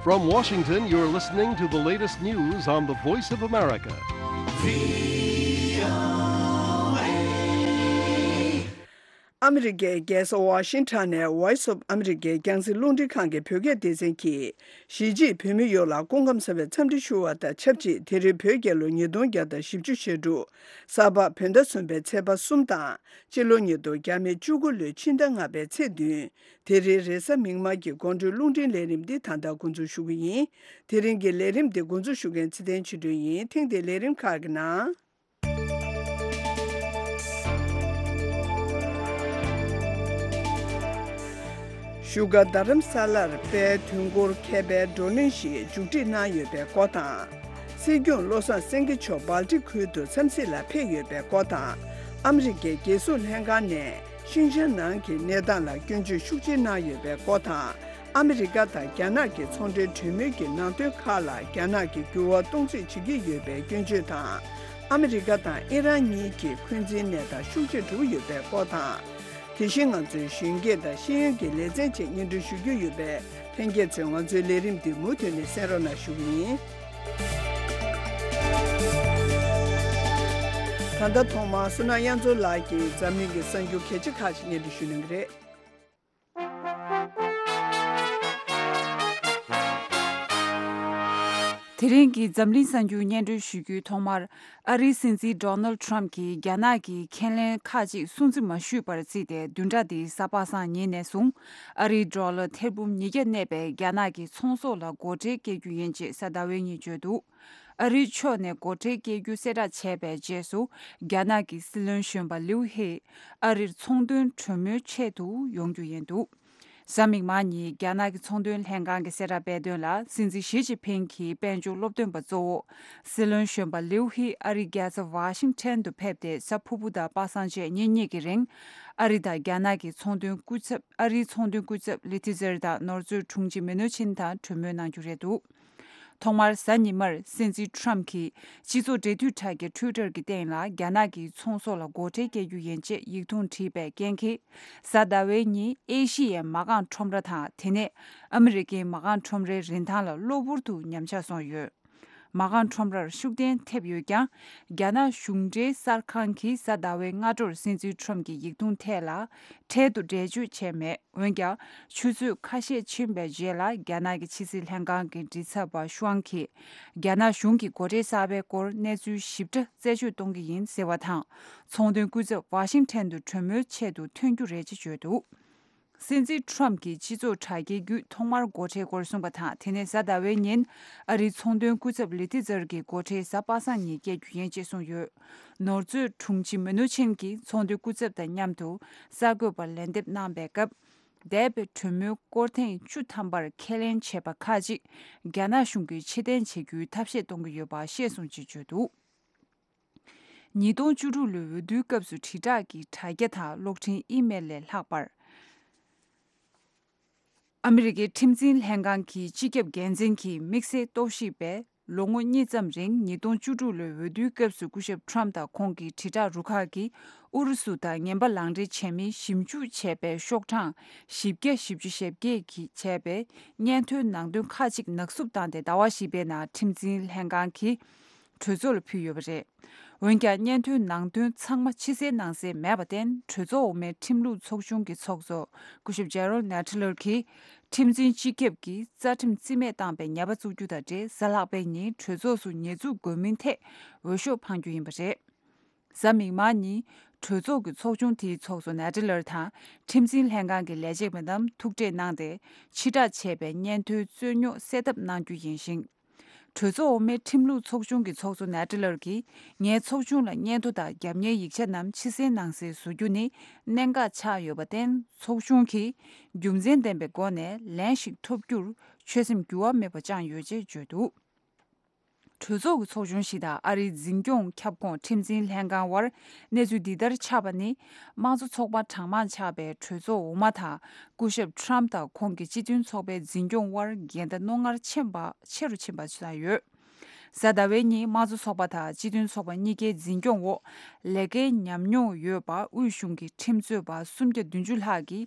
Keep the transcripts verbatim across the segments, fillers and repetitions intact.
From Washington, you're listening to the latest news on the Voice of America. ཨ་མི་རི་ཀའི་རྒྱལ་ས་ཝ་ཤིང་ཊོན་ནས་Voice of America་རྒྱང་སྲིང་རླུང་འཕྲིན་ཁང་གི་བོད་སྐད་སྡེ་ཚན་གྱིས། གཞིས་བྱེས་བོད་མི་ཡོངས་ལ་སྐུ་ཁམས་བཟང་བའི་འཚམས་འདྲི་ཞུ་བ་དང་ཆབས་ཅིག་དེ་རིང་བོད་རྒྱལ་ལོ་ཉིས་སྟོང་བརྒྱ་དང་བཞི་བཅུ་ཞེ་དྲུག་གཟའ་ཕུར་བུ་ཟླ་གསུམ་པའི་ཚེས་པ་གསུམ་དང་། སྤྱི་ལོ་ཉིས་སྟོང་བརྒྱ་མེད་བཅུ་དགུ་ལོའི་ཕྱི་ཟླ་ལྔ་པའི་ཚེས་བདུན། དེ་རིང་རེས་གཟའ་མིག་དམར་གྱི་དགོང་དྲོའི་རླུང་འཕྲིན་ལས་རིམ་འདི་ད་ལྟ་འགོ་འཛུགས་ཞུ་གི་ཡིན། དེ་རིང་གི་ལས་རིམ་འདི་འགོ་འཛུགས་ཞུ་མཁན་ཚེ་བརྟན་ཆོས་སྒྲོན་ཡིན། ཐེངས་འདིའི་ལས་རིམ་ཁག་གི་ནང་། བཞུགས་སྒར་རྡ་རམ་ས་ལར་དཔལ་དུས་འཁོར་མཁས་པའི་བགྲོ་གླེང་ཞིག་མཇུག་སྒྲིལ་གནང་ཡོད་པའི་སྐོར་དང་། སྲིད་སྐྱོང་བློ་བཟང་སེང་གེ་མཆོག་སྦལ་ཏིག་ཁུལ་དུ་འཚམས་གཟིགས་ལ་ཕེབས་ཡོད་པའི་སྐོར་དང་། ཨ་མི་རི་ཀའི་རྒྱལ་སྲུང་ལྷན་ཁང་ནས་ཤིན་ཅང་ནང་གི་གནས་སྟངས་ལ་སྐྱོན་བརྗོད་ཤུགས་ཆེ་གནང་ཡོད་པའི་སྐོར་དང་། ཨ་མི་རི་ཀ་དང་རྒྱ་ནག་གི་ཚོང་འབྲེལ་གྲོས་མོལ་གྱི་ནང་དོན་ཁག་ལ་རྒྱ་ནག་གིས་འགྱུར་བ་གཏོང་རྩིས་བྱེད་ཀྱི་ཡོད་པའི་སྐྱོན་བརྗོད་དང་། ཨ་མི་རི་ཀ་དང་ཨི་རན་གཉིས་ཀྱི་འཁོན་འཛིན་གནས་སྟངས་ཤུགས་ཆེ་འགྲོ་ཡོད་པའི་སྐོར་དང་། དེ་བཞིན་ང་ཚོའི་གཞོན་སྐྱེས་དང་ཤེས་ཡོན་གྱི་ལེ་ཚན་བཅས་སྙན་སྒྲོན་ཞུ་རྒྱུ་ཡོད་པས། ལྷན་རྒྱས་ཚོས་ང་ཚོའི་ལས་རིམ་འདི་མུ་མཐུད་ནས་གསན་རོགས་གནང་ཞུ་གི་ཡིན། ད་ལྟ་ཐོག་མར་བསོད་ནམས་དབྱངས་མཚོ་ལགས་ཀྱིས་འཛམ་གླིང་གི་གསར་འགྱུར་གལ་ཆེ་ཁག་ཅིག་སྙན་སྒྲོན་ཞུ་གནང་གི་རེད། དེ་རིང་གི་འཛམ་གླིང་གསར་འགྱུར་སྙན་སྒྲོན་ཞུ་རྒྱུའི་ཐོག་མར། ཨ་རིའི་སྲིད་འཛིན་ཌོ་ནལ་ཌི་ཊརམ་ཕི་གྱིས་རྒྱ་ནག་གིས་ཁས་ལེན་ཁག་ཅིག་སྲུང་བརྩི་མ་ཞུས་པར་བརྩིས་ཏེ། བདུན་ཕྲག་འདིའི་གཟའ་པ་སངས་ཉིན་ནས་བཟུང་། ཨ་རིའི་ཌོ་ལར་ཐེར་འབུམ་ཉིས་བརྒྱ་གནས་པའི་རྒྱ་ནག་གི་ཚོང་ཟོག་ལ་སྒོ་ཁྲལ་བཀལ་རྒྱུ་ཡིན་ཅེས་གཟའ་ཟླ་བའི་ཉིན་བརྗོད་འདུག་ཨ་རིའི་ཕྱོགས་ནས་སྒོ་ཁྲལ་བཀལ་རྒྱུ་གསལ་བསྒྲགས་བྱས་པའི་རྗེས་སུ། རྒྱ་ནག་གི་སྲིད་བློན་གཞོན་པ་ལིའུ་ཧེ་ཨ་རིར་ཚོང་དོན་གྲོས་མོལ་ཆེད་དུ་ཡོང་རྒྱུ་ཡིན་འདུག་གཟའ་མིག་དམར་ཉིན་རྒྱ་ནག་གི་ཚོང་དོན་ལྷན་ཁང་གི་གསལ་བསྒྲགས་སྤེལ་དོན་ལ། སྲིད་འཛིན་ཞི་ཅིན་ཕིང་གིས་དཔལ་འབྱོར་སློབ་སྟོན་པ་གཙོ་བོ་སྲིད་བློན་གཞོན་པ་ལིའུ་ཧི་ཨ་རིའི་རྒྱལ་ས་ཝ་ཤིང་ཊོན་དུ་ཕེབས་ཏེ། གཟའ་ཕུར་བུ་དང་པ་སངས་བཅས་ཉིན་གཉིས་ཀྱི་རིང་ཨ་རི་དང་རྒྱ་ནག་གི་ཚོང་དོན་སྐུ་ཚབ། ཨ་རིའི་ཚོང་དོན་སྐུ་ཚབ་ལི་ཐི་ཛེར་དང་ནོར་མཛོད་དྲུང་ཆེ་མི་ནུ་ཆིན་དང་གྲོས་མོལ་གནང་རྒྱུ་རེད་འདུག་ཐོག་མར་གཟའ་ཉི་མར་སྲིད་འཛིན་ཊརམ་ཕི་གིས་སྤྱི་ཚོགས་འབྲེལ་མཐུད་དྲ་རྒྱ་ཊུའི་ཊར་གྱི་སྟེང་ལ། རྒྱ་ནག་གིས་ཚོང་ཟོག་ལ་སྒོ་ཁྲལ་བཀལ་རྒྱུ་ཡིན་ཅེས་ཡིག་ཐུང་བྲིས་པའི་རྐྱེན་གྱིས། གཟའ་ཟླ་བའི་ཉིན་ཨེ་ཤི་ཡའི་མ་རྐང་ཁྲོམ་ར་དང་། དེ་ནས་ཨ་མི་རི་ཀའི་མ་རྐང་ཁྲོམ་རའི་རིན་ཐང་ལ་གློ་བུར་དུ་ཉམས་ཆག་སོང་ཡོད། མ་རྐང་ཁྲོམ་རར་ཤུགས་རྐྱེན་ཐེབས་ཡོད་ཀྱང་། རྒྱ་ནག་གཞུང་འབྲེལ་གསར་ཁང་གིས་གཟའ་ཟླ་བའི་སྔ་དྲོར་སྲིད་འཛིན་ཊརམ་ཕི་གྱི་ཡིག་ཐུང་ཐད་ལ། འཕྲལ་དུ་འགྲེལ་བརྗོད་བྱས་མེད། འོན་ཀྱང་། ཆུ་ཚོད་ཁ་ཤས་ཕྱིན་པའི་རྗེས་ལ། རྒྱ་ནག་གི་ཕྱི་སྲིད་ལྷན་ཁང་གི་མགྲིན་ཚབ་པ་ཤུའང་གིས། རྒྱ་ནག་གཞུང་གིས་སྒོ་ཁྲལ་གསར་པའི་སྐོར་གནས་ཚུལ་ཞིབ་ཕྲ་རྩད་གཅོད་གཏོང་གི་ཡིན་ཟེར་བ་དང་། ཚོང་དོན་སྐུ་ཚབ་ཝ་ཤིང་ཊོན་དུ་གྲོས་མོལ་ཆེད་དུ་ཐོན་རྒྱུ་རེད་ཅེས་བརྗོད་འདུག་སྲིད་འཛིན་ཊརམ་ཕི་གྱིས་སྤྱི་ཚོགས་དྲ་རྒྱའི་བརྒྱུད་ཐོག་མར་སྒོ་ཁྲལ་སྐོར་གསུངས་པ་དང་། དེ་ནས་གཟའ་ཟླ་བའི་ཉིན་ཨ་རིའི་ཚོང་དོན་སྐུ་ཚབ་ལི་ཐི་ཛར་གྱིས་སྒོ་ཁྲལ་གཟའ་པ་སངས་ཉིན་བཀལ་རྒྱུ་ཡིན་ཅེས་གསུངས་ཡོད། ནོར་མཛོད་དྲུང་ཆེ་མི་ནུ་ཆིན་གྱིས་ཚོང་དོན་སྐུ་ཚབ་དང་མཉམ་དུ་གསར་འགོད་པར་ལན་འདེབས་གནང་པའི་སྐབས། འདས་པའི་གྲོས་མོལ་སྐོར་ཐེངས་བཅུ་ཐམ་པར་ཁས་ལེན་བྱས་པ་ཁག་ཅིག་རྒྱ་ནག་གཞུང་གིས་ཕྱིར་འཐེན་བྱེད་རྒྱུའི་ཐབས་ཤེས་གཏོང་གི་ཡོད་པ་ཤེས་སོང་ཅེས་བརྗོད་འདུག་ཉིས་སྟོང་བཅུ་དྲུག་ལོའི་འོས་བསྡུའི་སྐབས་སུ་དྲིལ་བསྒྲགས་ཀྱི་དྲ་རྒྱ་དང་གློག་འཕྲིན་ཨི་མེལ་ལས་ལྷག་པར། ཨ་མི་རི་ཀའི་ཁྲིམས་འཛིན་ལྷན་ཁང་གི་སྤྱི་ཁྱབ་འགན་འཛིན་གྱིས་དམིགས་བསལ་རྟོག་ཞིབ་པས། ལོ་ངོ་གཉིས་ཙམ་རིང་། ཉིས་སྟོང་བཅུ་དྲུག་ལོའི་འོས་བསྡུའི་སྐབས་སུ་སྐུ་ཞབས་ཊརམ་ཕི་དང་ཁོང་གི་དྲིལ་བསྒྲགས་རུ་ཁག་གིས་ཨུ་རུ་སུ་དང་ངན་པ་ལག་འབྲེལ་བྱས་མིན་ཞིབ་འཇུག་བྱས་པའི་ཤོག་གྲངས་བཞི་བརྒྱ་བཞི་བཅུ་ཞེ་བརྒྱད་ཀྱིས་བྱས་པའི་སྙན་ཐོའི་ནང་དོན་ཁག་ཅིག་ནག་བསུབ་བཏང་སྟེ། ཟླ་བ་བཞི་པའི་ནང་ཁྲིམས་འཛིན་ལྷན་ཁང་གིས་གྲོས་ཚོགས་ལ་ཕུལ་ཡོད་པ་རེད། འོན་ཀྱང་། སྙན་ཐོའི་ནང་དོན་ཚང་མ་ཕྱི་གསལ་ནང་གསལ་མེད་པར་བརྟེན། གྲོས་ཚོགས་འོག་མའི་ཁྲིམས་ལུགས་ཚོགས་ཆུང་གི་ཚོགས་གཙོ་སྐུ་ཞབས་ཇེ་རོལ་ནེ་ཊི་ལར་གྱིས། ཁྲིམས་འཛིན་སྤྱི་ཁྱབ་ཀྱིས་རྩ་ཁྲིམས་རྩིས་མེད་བཏང་པའི་ཉེས་པ་བཙུགས་རྒྱུ་དང་འབྲེལ། གཟའ་ལྷག་པའི་ཉིན་གྲོས་ཚོགས་སུ་ཉེས་འཛུགས་དགོས་མིན་ཐད་འོས་ཤོག་འཕང་རྒྱུ་ཡིན་པ་རེད། གཟའ་མིག་དམར་ཉིན་གྲོས་ཚོགས་ཀྱི་ཚོགས་ཆུང་དེའི་ཚོགས་གཙོ་ནེ་ཊི་ལར་དང་། ཁྲིམས་འཛིན་ལྷན་ཁང་གི་ལས་བྱེད་པ་རྣམས་ཐུག་འཕྲད་གནང་སྟེ། ཕྱིར་བསྒྲགས་བྱས་པའི་སྙན་ཐོའི་རྩོད་རྙོག་སེལ་ཐབས་གནང་རྒྱུ་ཡིན་ཞིང་། གྲོས་ཚོགས་འོག་མའི་ཁྲིམས་ལུགས་ཚོགས་ཆུང་གི་ཚོགས་གཙོ་ནེ་ཊི་ལར་གྱིས། ངའི་ཚོགས་ཆུང་ལ་སྙན་ཐོ་དང་རྒྱབ་གཉེར་ཡིག་ཆ་རྣམས་ཕྱི་གསལ་ནང་གསལ་བཟོ་རྒྱུ་ནི་གནད་འགག་ཆགས་ཡོད་པར་བརྟེན། ཚོགས་ཆུང་གིས་རྒྱུ་མཚན་ལྡན་པའི་སྒོ་ནས་ལན་ཞིག་ཐོབ་རྒྱུར་ཆོད་སེམས་འགྱུར་བ་མེད་པ་བཅངས་ཡོད་ཅེས་བརྗོད་འདུག་གྲོས་ཚོགས་ཀྱི་ཚོགས་ཆུང་ཞིག་དང་ཨ་རིའི་འཛིན་སྐྱོང་ཁྱབ་ཁོངས་ཁྲིམས་འཛིན་ལྷན་ཁང་དབར་གནས་ཚུལ་འདི་ལྟར་ཆགས་པ་ནི། དམངས་གཙོ་ཚོགས་པ་གྲངས་མང་ཆགས་པའི་གྲོས་ཚོགས་འོག་མ་དང་། སྐུ་ཞབས་ཊརམ་ཕི་དང་ཁོང་གི་སྤྱི་མཐུན་ཚོགས་པའི་འཛིན་སྐྱོང་དབར་འགལ་ཟླ་རྣོ་ངར་ཆེན་པ་ཆེ་རུ་ཕྱིན་པ་བྱུང་ཡོད། གཟའ་ཟླ་བའི་ཉིན་དམངས་གཙོ་ཚོགས་པ་དང་སྤྱི་མཐུན་ཚོགས་པ་གཉིས་ཀའི་འཛིན་སྐྱོང་འོག་ལས་ཀའི་ཉམས་མྱོང་ཡོད་པ། དབུས་གཞུང་གི་ཁྲིམས་རྩོད་པ་སུམ་བརྒྱ་བདུན་ཅུ་ལྷག་གིས།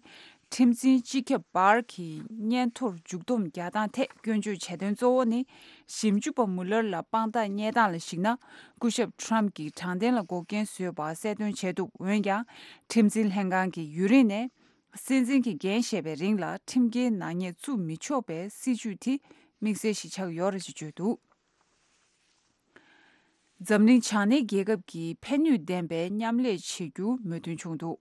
ཁྲིམས་འཛིན་སྤྱི་ཁྱབ་བྷར་གྱི་སྙན་ཐོར་མཇུག་བསྡོམས་རྒྱག་སྟངས་ཐད་སྐྱོན་བརྗོད་བྱས་དོན་གཙོ་བོ་ནི། ཞིབ་འཇུག་པ་མུ་ལར་ལ་དཔང་རྟགས་རྙེད་སྟངས་ལ་གཞིགས་ན། སྐུ་ཞབས་ཊམ་གྱིས་དྲང་བདེན་ལ་འགོག་རྐྱེན་བཟོས་པ་གསལ་སྟོན་བྱས་འདུག་འོན་ཀྱང་། ཁྲིམས་འཛིན་ལྷན་ཁང་གིས་ཡུན་རིང་ནས། སྲིད་འཛིན་གྱི་འགན་བཞེས་པའི་རིང་ལ་ཁྲིམས་འགལ་ནག་ཉེས་བཙུགས་མི་ཆོག་པའི་སྲིད་བྱུས་དེ་དམིགས་བསལ་ཞིག་ཆགས་ཡོད་རེད་ཅེས་བརྗོད་འདུག་འཛམ་གླིང་བྱང་སྣེའི་རྒྱལ་ཁབ་ཀྱིས་ཕན་ནུས་ལྡན་པའི་མཉམ་ལས་བྱེད་རྒྱུ་མོས་མཐུན་བྱུང་འདུག་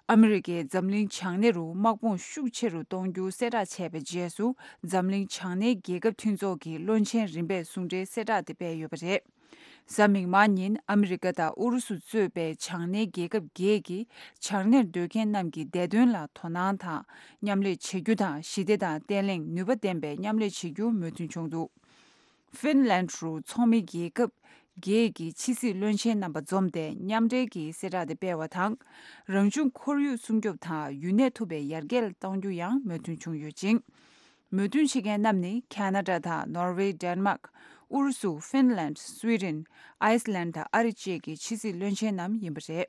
ཨ་མི་རི་ཀས་འཛམ་གླིང་བྱང་སྣེ་རུ་དམག་དཔུང་ཤུགས་ཆེ་རུ་གཏོང་རྒྱུ་གསལ་བསྒྲགས་བྱས་པའི་རྗེས་སུ། འཛམ་གླིང་བྱང་སྣེའི་རྒྱལ་ཁབ་མཐུན་ཚོགས་ཀྱིས་བློན་ཆེན་རིམ་པས་གསུང་གྲོས་གསལ་བསྒྲགས་དེ་སྤེལ་ཡོད་པ་རེད། གཟའ་མིག་དམར་ཉིན་ཨ་མི་རི་ཀ་དང་ཨུ་རུ་སུ་གཙོས་པའི་བྱང་སྣེའི་རྒྱལ་ཁབ་བརྒྱད་ཀྱིས་བྱང་སྣེར་སྡོད་མཁན་རྣམས་ཀྱི་བདེ་དོན་ལ་དོ་སྣང་དང་མཉམ་ལས་བྱེད་རྒྱུ་དང་། ཞི་བདེ་དང་བརྟན་ལྷིང་ནུས་པ་ལྡན་པའི་མཉམ་ལས་བྱེད་རྒྱུ་མོས་མཐུན་བྱུང་འདུག་ཧྥིན་ལན་རུ་ཚོགས་མི་རྒྱལ་ཁབ་བརྒྱད་ཀྱི་ཕྱི་སྲིད་བློན་ཆེན་རྣམ་པ་འཛོམས་ཏེ་མཉམ་འབྲེལ་གྱི་གསལ་བསྒྲགས་དེ་སྤེལ་བ་དང་། རང་བྱུང་ཁོར་ཡུག་སྲུང་སྐྱོབ་དང་ཡུན་གནས་ཐུབ་པའི་ཡར་རྒྱས་གཏོང་རྒྱུ་ཡང་མོས་མཐུན་བྱུང་ཡོད་ཅིང་། མོས་མཐུན་བྱེད་མཁན་རྣམས་ནི་ཁ་ན་ཌ་དང་ནོར་ཝེ། ཌེན་མཱག་ཨུ་རུ་སུ། ཧྥིན་ལན། སུའི་ཌེན། ཨའི་སི་ལན་དང་ཨ་རི་བཅས་ཀྱི་ཕྱི་སྲིད་བློན་ཆེན་རྣམས་ཡིན་པ་རེད།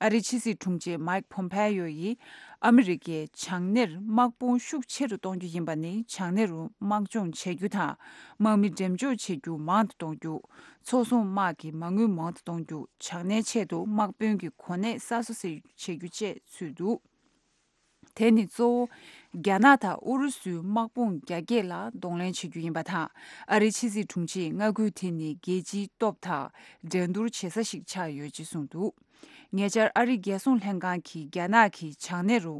ཨ་རིའི་ཕྱི་སྲིད་དྲུང་ཆེ་མཱིག་ཕོམ་ཕེ་ཡོ་ཡིས། ཨ་མི་རི་ཀས་བྱང་སྣེར་དམག་དཔུང་ཤུགས་ཆེ་རུ་གཏོང་རྒྱུ་ཡིན་པ་ནི། བྱང་སྣེ་རུ་དམག་སྦྱོང་བྱེད་རྒྱུ་དང་། དམག་མི་འགྲེམས་འཇོག་བྱེད་རྒྱུ་མང་དུ་གཏོང་རྒྱུ། མཚོ་སྲུང་དམག་གི་མ་དངུལ་མང་དུ་གཏོང་རྒྱུ། བྱང་སྣེའི་ཆེད་དུ་དམག་དཔོན་གྱི་གོ་གནས་གསར་བཟོ་བྱེད་རྒྱུ་བཅས་ཚུད་འདུག་དེ་ནི་གཙོ་བོ། རྒྱ་ནག་དང་ཨུ་རུ་སུའི་དམག་དཔུང་རྒྱ་སྐྱེད་ལ་གདོང་ལེན་བྱེད་རྒྱུ་ཡིན་པ་དང་། ཨ་རིའི་ཕྱི་སྲིད་དྲུང་ཆེས་མངའ་ཁུལ་དེ་ནི་རྒྱལ་སྤྱིའི་སྟོབས་དང་འགྲན་བསྡུར་བྱེད་ས་ཞིག་ཆགས་ཡོད་ཅེས་གསུངས་འདུག་ཉེ་ཆར་ཨ་རིའི་རྒྱལ་སྲུང་ལྷན་ཁང་གིས་རྒྱ་ནག་གིས་བྱང་སྣེ་རུ་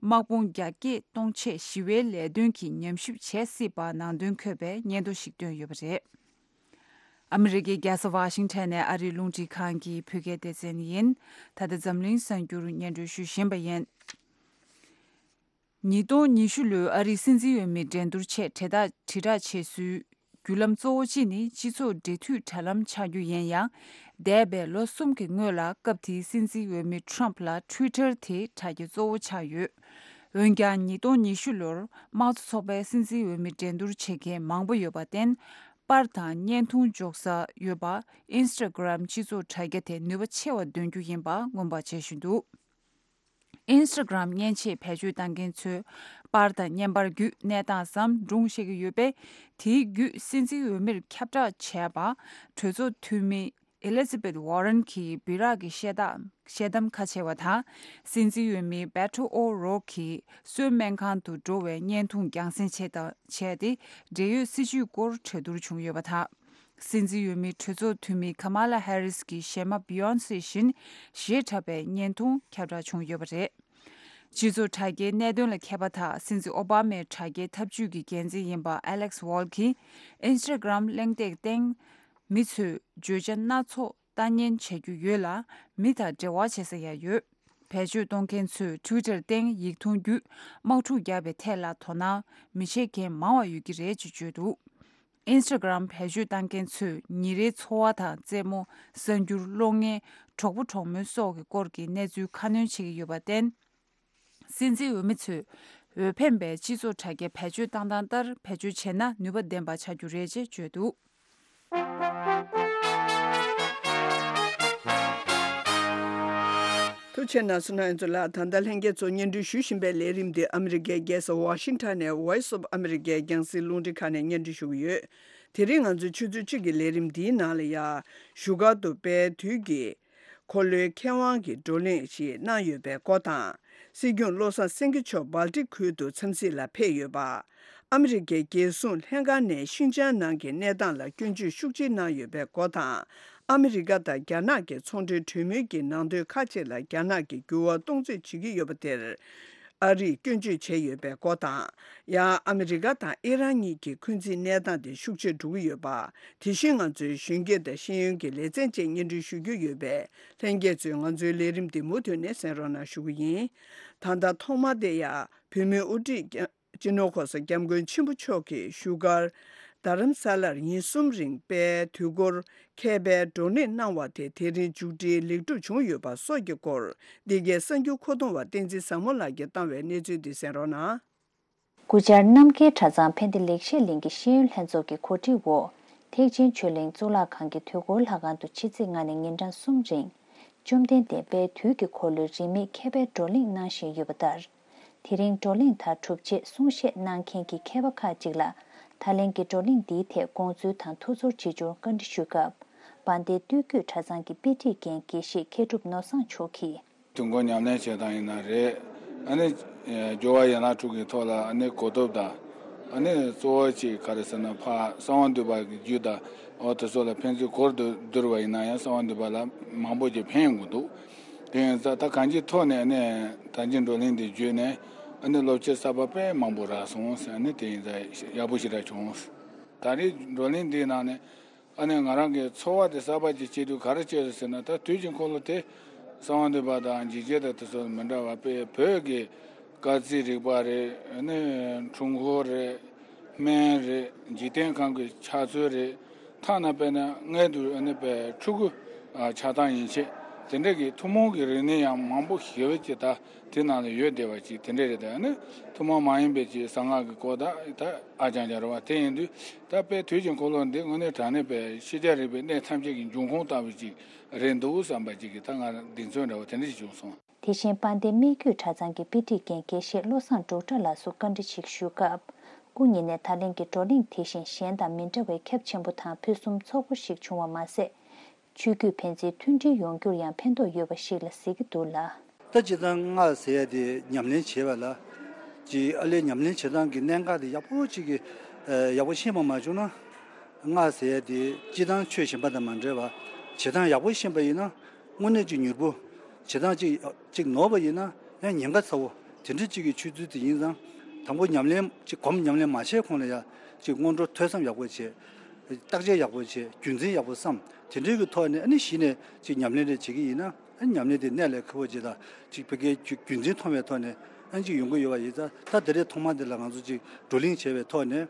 དམག་དཔུང་རྒྱ་སྐྱེད་གཏོང་ཆེད་ཞི་བའི་ལས་དོན་གྱི་ཉམས་ཞིབ་བྱེད་སྲིད་པ་ནང་དོན་འཁོད་པའི་སྙན་ཐོ་ཞིག་བཏོན་ཡོད་པ་རེད། ཨ་མི་རི་ཀའི་རྒྱལ་ས་ཝ་ཤིང་ཊོན་ནས་ཨ་རིའི་རླུང་འཕྲིན་ཁང་གི་བོད་སྐད་སྡེ་ཚན་ཡིན། ད་ལྟ་འཛམ་གླིང་གསར་འགྱུར་སྙན་སྒྲོན་ཞུ་བཞིན་པ་ཡིན། ཉིས་སྟོང་ཉི་ཤུ་ལོའི་ཨ་རིའི་སྲིད་འཛིན་འོས་མི་འགྲན་བསྡུར་ཆེད་དྲིལ་བསྒྲགས་དྲིལ་བསྒྲགས་བྱེད་སའི་བརྒྱུད་ལམ་གཙོ་བོ་གཅིག་ནི་སྤྱི་ཚོགས་འབྲེལ་མཐུད་དྲ་ལམ་ཆགས་རྒྱུ་ཡིན་ཡང་། འདས་པའི་ལོ་གསུམ་གྱི་སྔོན་ལ་སྐབས་དེའི་སྲིད་འཛིན་འོས་མི་ཊམ་ཕ་ལ་ཊུའི་ཊར་དེ་དྲ་རྒྱ་གཙོ་བོ་ཆགས་ཡོད། འོན་ཀྱང་། ཉིས་སྟོང་ཉི་ཤུ་ལོར་དམངས་གཙོ་ཚོགས་པའི་སྲིད་འཛིན་འོས་མི་འགྲན་བསྡུར་བྱེད་མཁན་མང་པོ་ཡོད་པར་བརྟེན། པར་དང་བརྙན་ཐུང་འཇོག་ས་ཡོད་པ་ཨིན་སི་ཊ་གྷི་རམ་སྤྱི་ཚོགས་དྲ་རྒྱ་དེ་ནུས་པ་ཆེ་བ་འདོན་རྒྱུ་ཡིན་པ་མངོན་པ་བྱེད་བཞིན་འདུག་ཨིན་སི་ཊ་གྷི་རམ་མཉེན་ཆས་བེད་སྤྱོད་བཏང་མཁན་ཚོས་པར་དང་བརྙན་པར་བརྒྱུད་གནས་སྟངས་སམ་སྒྲུང་བཤད་ཀྱི་ཡོད་པས། དེའི་བརྒྱུད་སྲིད་འཛིན་འོས་མིར་ཁྱབ་བསྒྲགས་བྱས་པ། གྲོས་ཚོགས་འཐུས་མི་ཨེ་ལི་ཛ་བེད་ཝོ་རན་གྱི་སྦི་རག་གི་བཤད་སྟངས་བཤད་གཏམ་ཁ་ཕྱེ་བ་དང་། སྲིད་འཛིན་འོས་མི་བེ་ཊོ་ཨོ་རོག་གིས་གསོལ་སྨན་ཁང་དུ་འགྲོ་བའི་བརྙན་ཐུང་རྒྱང་སྲིང་བྱས་དང་བྱས་ཏེ། འབྲེལ་ཡོད་སྲིད་བྱུས་སྐོར་གྲོས་བསྡུར་བྱུང་ཡོད་པ་དང་། སྲིད་འཛིན་འོས་མི་གྲོས་ཚོགས་འཐུས་མི་ཁ་མ་ལ་ཧེ་རིས་ཀྱི་གཞས་མ་བི་ཡོན་སེ་བཞིན་གཞས་འཁྲབ་པའི་བརྙན་ཐུང་ཁྱབ་བསྒྲགས་བྱུང་ཡོད་པ་རེད། སྤྱི་ཚོགས་དྲ་རྒྱའི་གནད་དོན་ལ་མཁས་པ་དང་སྲིད་འཛིན་ཨོ་བྷ་མའི་དྲ་རྒྱའི་ཐབས་ཇུས་ཀྱི་འགན་འཛིན་ཡིན་པ་ཨ་ལེག་སི་ཝོལ་གྱིས། ཨིན་སི་ཊ་གྷི་རམ་གླེང་སྟེགས་སྟེང་མི་ཚོས་བརྗོད་བྱ་སྣ་ཚོགས་ལྟ་ཉན་བྱེད་རྒྱུ་ཡོད་ལ། མི་དང་འབྲེལ་བ་བྱེད་ས་ཡང་ཡོད། བེད་སྤྱོད་གཏོང་མཁན་ཚོས་ཊུའི་ཊར་སྟེང་ཡིག་ཐུང་བརྒྱུད་དམག་འཁྲུག་རྒྱག་པའི་ཐད་ལ་དོ་སྣང་མི་བྱེད་མཁན་མང་བ་ཡོད་ཀྱི་རེད་ཅེས་བརྗོད་འདུག་ཨིན་སི་ཊ་གྷི་རམ་བེད་སྤྱོད་བཏང་མཁན་ཚོས་ཉིན་རེའི་འཚོ་བ་དང་རྩེད་མོ། གསར་འགྱུར། གློག་བརྙན། གྲོགས་པོ་གྲོགས་མོ་སོགས་ཀྱི་སྐོར་གྱི་གནས་ཚུལ་ཁ་སྣོན་བྱེད་ཀྱི་ཡོད་པར་བརྟེན། སྲིད་འཛིན་འོས་མི་ཚོས་འོས་འཕེན་པའི་སྤྱི་ཚོགས་དྲ་རྒྱ་བེད་སྤྱོད་བཏང་སྟངས་ལྟར་བེད་སྤྱོད་བྱས་ན་ནུས་པ་ལྡན་པ་ཆགས་རྒྱུ་རེད་ཅེས་བརྗོད་འདུག་ཐུགས་རྗེ་གནང་སོང་ན་ཨན་ཚོ་ལགས། ད་ལྟ་ལྷན་རྒྱས་ཚོ་སྙན་སྒྲོན་ཞུ་བཞིན་པའི་ལས་རིམ་འདི་ཨ་མི་རི་ཀའི་རྒྱལ་ས་ཝ་ཤིང་ཊོན་ནས་Voice of America རྒྱང་སྲིང་རླུང་འཕྲིན་ཁང་ནས་སྙན་སྒྲོན་ཞུ་གི་ཡོད། དེ་རིང་ང་ཚོའི་ཆུ་ཚོད་གཅིག་གི་ལས་རིམ་འདིའི་ནང་ལ་ཡ། བཞུགས་སྒར་དུ་དཔལ་དུས་ཀྱི་འཁོར་ལོའི་མཁས་དབང་གི་བགྲོ་གླེང་ཞིག་གནང་ཡོད་པའི་སྐོར་དང་། སྲིད་སྐྱོང་བློ་བཟང་སེང་གེ་མཆོག་སྦལ་ཏིག་ཁུལ་དུ་འཚམས་གཟིགས་ལ་ཕེབས་ཡོད་པ། ཨ་མི་རི་ཀའི་རྒྱལ་སྲུང་ལྷན་ཁང་ནས་ཤིན་ཅང་ནང་གི་གནས་སྟངས་ལ་སྐྱོན་བརྗོད་ཤུགས་ཆེ་གནང་ཡོད་པའི་སྐོར་དང་། ཨ་མི་རི་ཀ་དང་རྒྱ་ནག་གི་ཚོང་འབྲེལ་གྲོས་མོལ་གྱི་ནང་དོན་ཁག་ཅིག་ལ་རྒྱ་ནག་གིས་འགྱུར་བ་གཏོང་རྩིས་བྱེད་ཀྱི་ཡོད་པ་དེར། ཨ་རིས་སྐྱོན་བརྗོད་བྱས་ཡོད་པའི་སྐོར་དང་། ཡང་ཨ་མི་རི་ཀ་དང་ཨི་རན་གཉིས་ཀྱི་འཁོན་འཛིན་གནས་སྟངས་དེ་ཤུགས་ཆེར་འགྲོ་གི་ཡོད་པ། དེ་བཞིན་ང་ཚོའི་གཞོན་སྐྱེས་དང་ཤེས་ཡོན་གྱི་ལེ་ཚན་བཅས་སྙན་སྒྲོན་ཞུ་རྒྱུ་ཡོད་པས། ལྷན་རྒྱས་ཚོས་ང་ཚོའི་ལས་རིམ་འདི་མུ་མཐུད་ནས་གསན་རོགས་གནང་ཞུ་གི་ཡིན། ད་ལྟ་ཐོག་མ་དེ་ཡང་བོད་མིའི་དབུ་ཁྲིད་སྤྱི་ནོར་༸གོང་ས་༸སྐྱབས་མགོན་ཆེན་པོ་མཆོག་གིས་བཞུགས་སྒར་རྡ་རམ་ས་ལར་ཉིན་གསུམ་རིང་དཔལ་དུས་འཁོར་མཁས་པའི་བགྲོ་གླེང་གནང་བ་དེ་དེ་རིང་མཇུག་སྒྲིལ་ལེགས་གྲུབ་བྱུང་ཡོད་པ་སོགས་ཀྱི་སྐོར། འདི་གའི་གསར་འགྱུར་མཁོ་གཏོང་བ་བསྟན་འཛིན་བཟང་མོ་ལགས་ཀྱིས་བཏང་བའི་གནས་ཚུལ་འདི་གསན་རོགས་གནང་། སྐུ་བཅར་རྣམ་རྒྱལ་གྲྭ་ཚང་ཕན་བདེ་ལེགས་བཤད་གླིང་གི་ཤེས་ཡོན་ལྷན་ཚོགས་ཀྱི་གོ་སྒྲིག་འོག་ཐེག་ཆེན་ཆོས་གླིང་གཙུག་ལག་ཁང་གི་དུས་འཁོར་ལྷ་ཁང་དུ་ཕྱི་ཚེས་ལྔ་ནས་ཉིན་གྲངས་གསུམ་རིང་། བཅོམ་ལྡན་འདས་དཔལ་དུས་ཀྱི་འཁོར་ལོའི་རིས་མེད་མཁས་པའི་བགྲོ་གླེང་གནང་བཞིན་ཡོད་པ་ལྟར། དེ་རིང་བགྲོ་གླེང་དང་གྲུབ་རྗེས་གསུང་བཤད་གནང་མཁན་གྱི་མཁས་པ་ཁག་ཅིག་ལ་ད་ལན་གྱི་བགྲོ་གླེང་འདིའི་ཐད་དགོངས་ཚུལ་དང་ཐུགས་ཚོར་ཇི་བྱུང་བཀའ་འདྲི་ཞུས་སྐབས། དཔལ་ལྡན་སྟོད་བརྒྱུད་གྲྭ་ཚང་གི་དཔེ་ཁྲིད་མཁན་དགེ་བཤེས་མཁས་གྲུབ་ནོར་བཟང་མཆོག་གིས། དུས་འཁོར་ཉམས་ལེན་བྱེད་སྟངས་ཡིན་ན་རེད། ཨ་ནི་སྦྱོར་བ་ཡན་ལག་དྲུག་གི་ཐོག་ལ་ཨ་ནི་གོ་ཐོབ་དང་། ཨ་ནི་གཙོ་བོ་གཅིག་ག་རེ་ཟེར་ན་ཕར་གསང་བ་འདུས་པ་གི་རྒྱུད་དང་འོ་དེ་ཚོ་ལ་ཕན་ཚུན་གོ་བསྡུར་བ་ཡིན་ན་ཡང་གསང་བ་འདུས་པ་ལ་མང་པོ་ཅིག་ཕན་ཡོང་གི་འདུག་དེ་ཡིན་ཙང་ད་གང་ཅིའི་ཐོག་ནས་ཨ་ནི་ད་ཅི་བགྲོ་གླེང་འདི་བརྒྱུད་ནས་ཨ་ནི་སློབ་ཕྱིར་གསར་པ་དཔེ་མང་པོ་རག་སོང་ཟེར། ཨ་ནི་དེ་ཡིན་ཙང་ཡག་པོ་ཞེ་དྲག་བྱུང་། ད་རེས་བགྲོ་གླེང་འདིའི་ནང་ནས། ཨ་ནི་ང་རང་གི་ཚོར་བ་དེ་གསར་པ་ཅིག་སྐྱེས་དུས་ག་རེ་སྐྱེས་ཟེར་ན། ད་དུས་ཀྱི་འཁོར་ལོ་དེ་གསང་བ་འདུས་པ་དང་འཇིགས་བྱེད་དང་དེ་ཚོ་མི་འདྲ་བ་དཔེ་བོད་ཀྱི་སྐར་རྩིས་རིག་པ་རེད། ཨ་ནི་འཁྲུལ་འཁོར་རེད། སྨན་རེད། འཇིག་རྟེན་ཁམས་ཀྱི་ཆགས་ཚུལ་རེད། ཐ་ན་དཔེར་ན་སྔས་དུས་ཨ་ནི་དཔེ་ཕྲུ་གུ་ཆགས་སྟངས་ཡན་ཆད་དེ་འདྲ་གི་ཐུན་མོང་གི་རིག་གནས་ཡང་མང་པོ་ཞེ་པོ་ཅིག་ད། དེ་ནང་ལ་ཡོད་བསྡད་པ་ཅིག་དེ་འདྲ་རེད། དེ་ནི་ཐུན་མོང་མ་ཡིན་པའི་ཅིག་གསང་སྔགས་ཀྱི་སྐོར་དང་ད་ཨ་ཅང་ཅང་རེད་བ། དེ་ཡིན་དུས་ད་དཔེ་དུས་ཀྱི་འཁོར་ལོ་འདི་དངོས་གནས་དྲང་གནས་པའི་ཤེས་བྱ་རིག་པའི་གནས་ཐམས་ཅད་ཀྱི་འབྱུང་ཁུངས་ལྟ་བུ་ཅིག་རེད་འདུག་བསམ་པ་ཅིག་གིས་ད་ང་གདེང་ཚོད་འདྲ་བོ་དེ་འདྲ་ཞིག་བྱུང་སོང་། དེ་བཞིན་དཔལ་ལྡན་སྨད་རྒྱུད་གྲྭ་ཚང་གི་དཔེ་ཁྲིད་མཁན་དགེ་བཤེས་བློ་བཟང་འབྲུག་གྲགས་ལགས་སུ་བཀའ་འདྲི་ཞིག་ཞུས་སྐབས། སྐུ་ཉིད་ནས་ད་ལན་གྱི་བགྲོ་གླེང་དེ་བཞིན་གཞན་དང་མི་འདྲ་བའི་ཁྱབ་ཆེན་པོ་དང་ཕུན་སུམ་ཚོགས་པོ་ཞིག་བྱུང་བ་མ་ཟད། ཆོས་བརྒྱུད་ཕན་ཚུན་མཐུན་སྒྲིལ་ཡོང་རྒྱུར་ཡང་ཕན་ཐོགས་ཡོད་པ་ཞིག་ལ་གཟིགས་ཀྱི་འདུག་ལ། ད་སྤྱིར་བཏང་སྔགས་ཟེར་ཡ་དེ་ཉམས་ལེན་བྱེད་པ་ལ་ཅིག་ཨ་ལས་ཉམས་ལེན་བྱེད་སྟངས་ཀྱི་གནད་འགག་དེ་ཡག་པོ་ཅིག་གི་ཡག་པོ་ཤེས་པ་མ་བྱུང་ན། སྔགས་ཟེར་ཡ་དེ་སྤྱིར་བཏང་ཆོས་གཞན་པ་དང་མ་འདྲ་བ་བྱེད་སྟངས་ཡག་པོ་ཤེས་པ་ཡིན་ན་དངོས་གནས་ཅིག་མྱུར་པོ། བྱེད་སྟངས་ཅིག་ཅིག་ནོར་བ་ཡིན་ན་ཡང་ཉེན་ཁ་ཚ་བོ་དེ་འདྲ་ཅིག་གི་ཆོས་ཚུལ་དེ་ཡིན་ཙང་། དང་པོ་ཉམས་ལེན་ཅིག་གོམས་ཉམས་ལེན་མ་བྱས་གོང་ལ་ཡ་ཅིག་སྔོན་འགྲོ་ཐོས་བསམ་ཡག་པོ་བྱས། བརྟག་དཔྱད་ཡག་པོ་བྱས། རྒྱུ་མཚན་ཡག་པོ་བསམ། དེ་འདྲའི་གི་ཐོག་ནས་ཨ་ནི་གཞི་ནས་ཅིག་ཉམས་ལེན་རེ་བྱེད་ཀྱི་ཡིན་ན། ཨ་ནི་ཉམས་ལེན་དེ་གནད་ལ་འཁེལ་བོ་ཅིག་དང་ཅིག་ཕ་གིའི་རྒྱུ་རྒྱུ་མཚན་མཐོང་བའི་ཐོག་ནས་ཨ་ནི་ཅིག་ཡོང་གི་ཡོད་པ་ཡིན་ཙང་། ད་དེ་རེས་ཐོག་མ་འདི་ལ་ང་ཚོ་ཅིག་བགྲོ་གླེང་བྱས་པའི་ཐོག་ནས་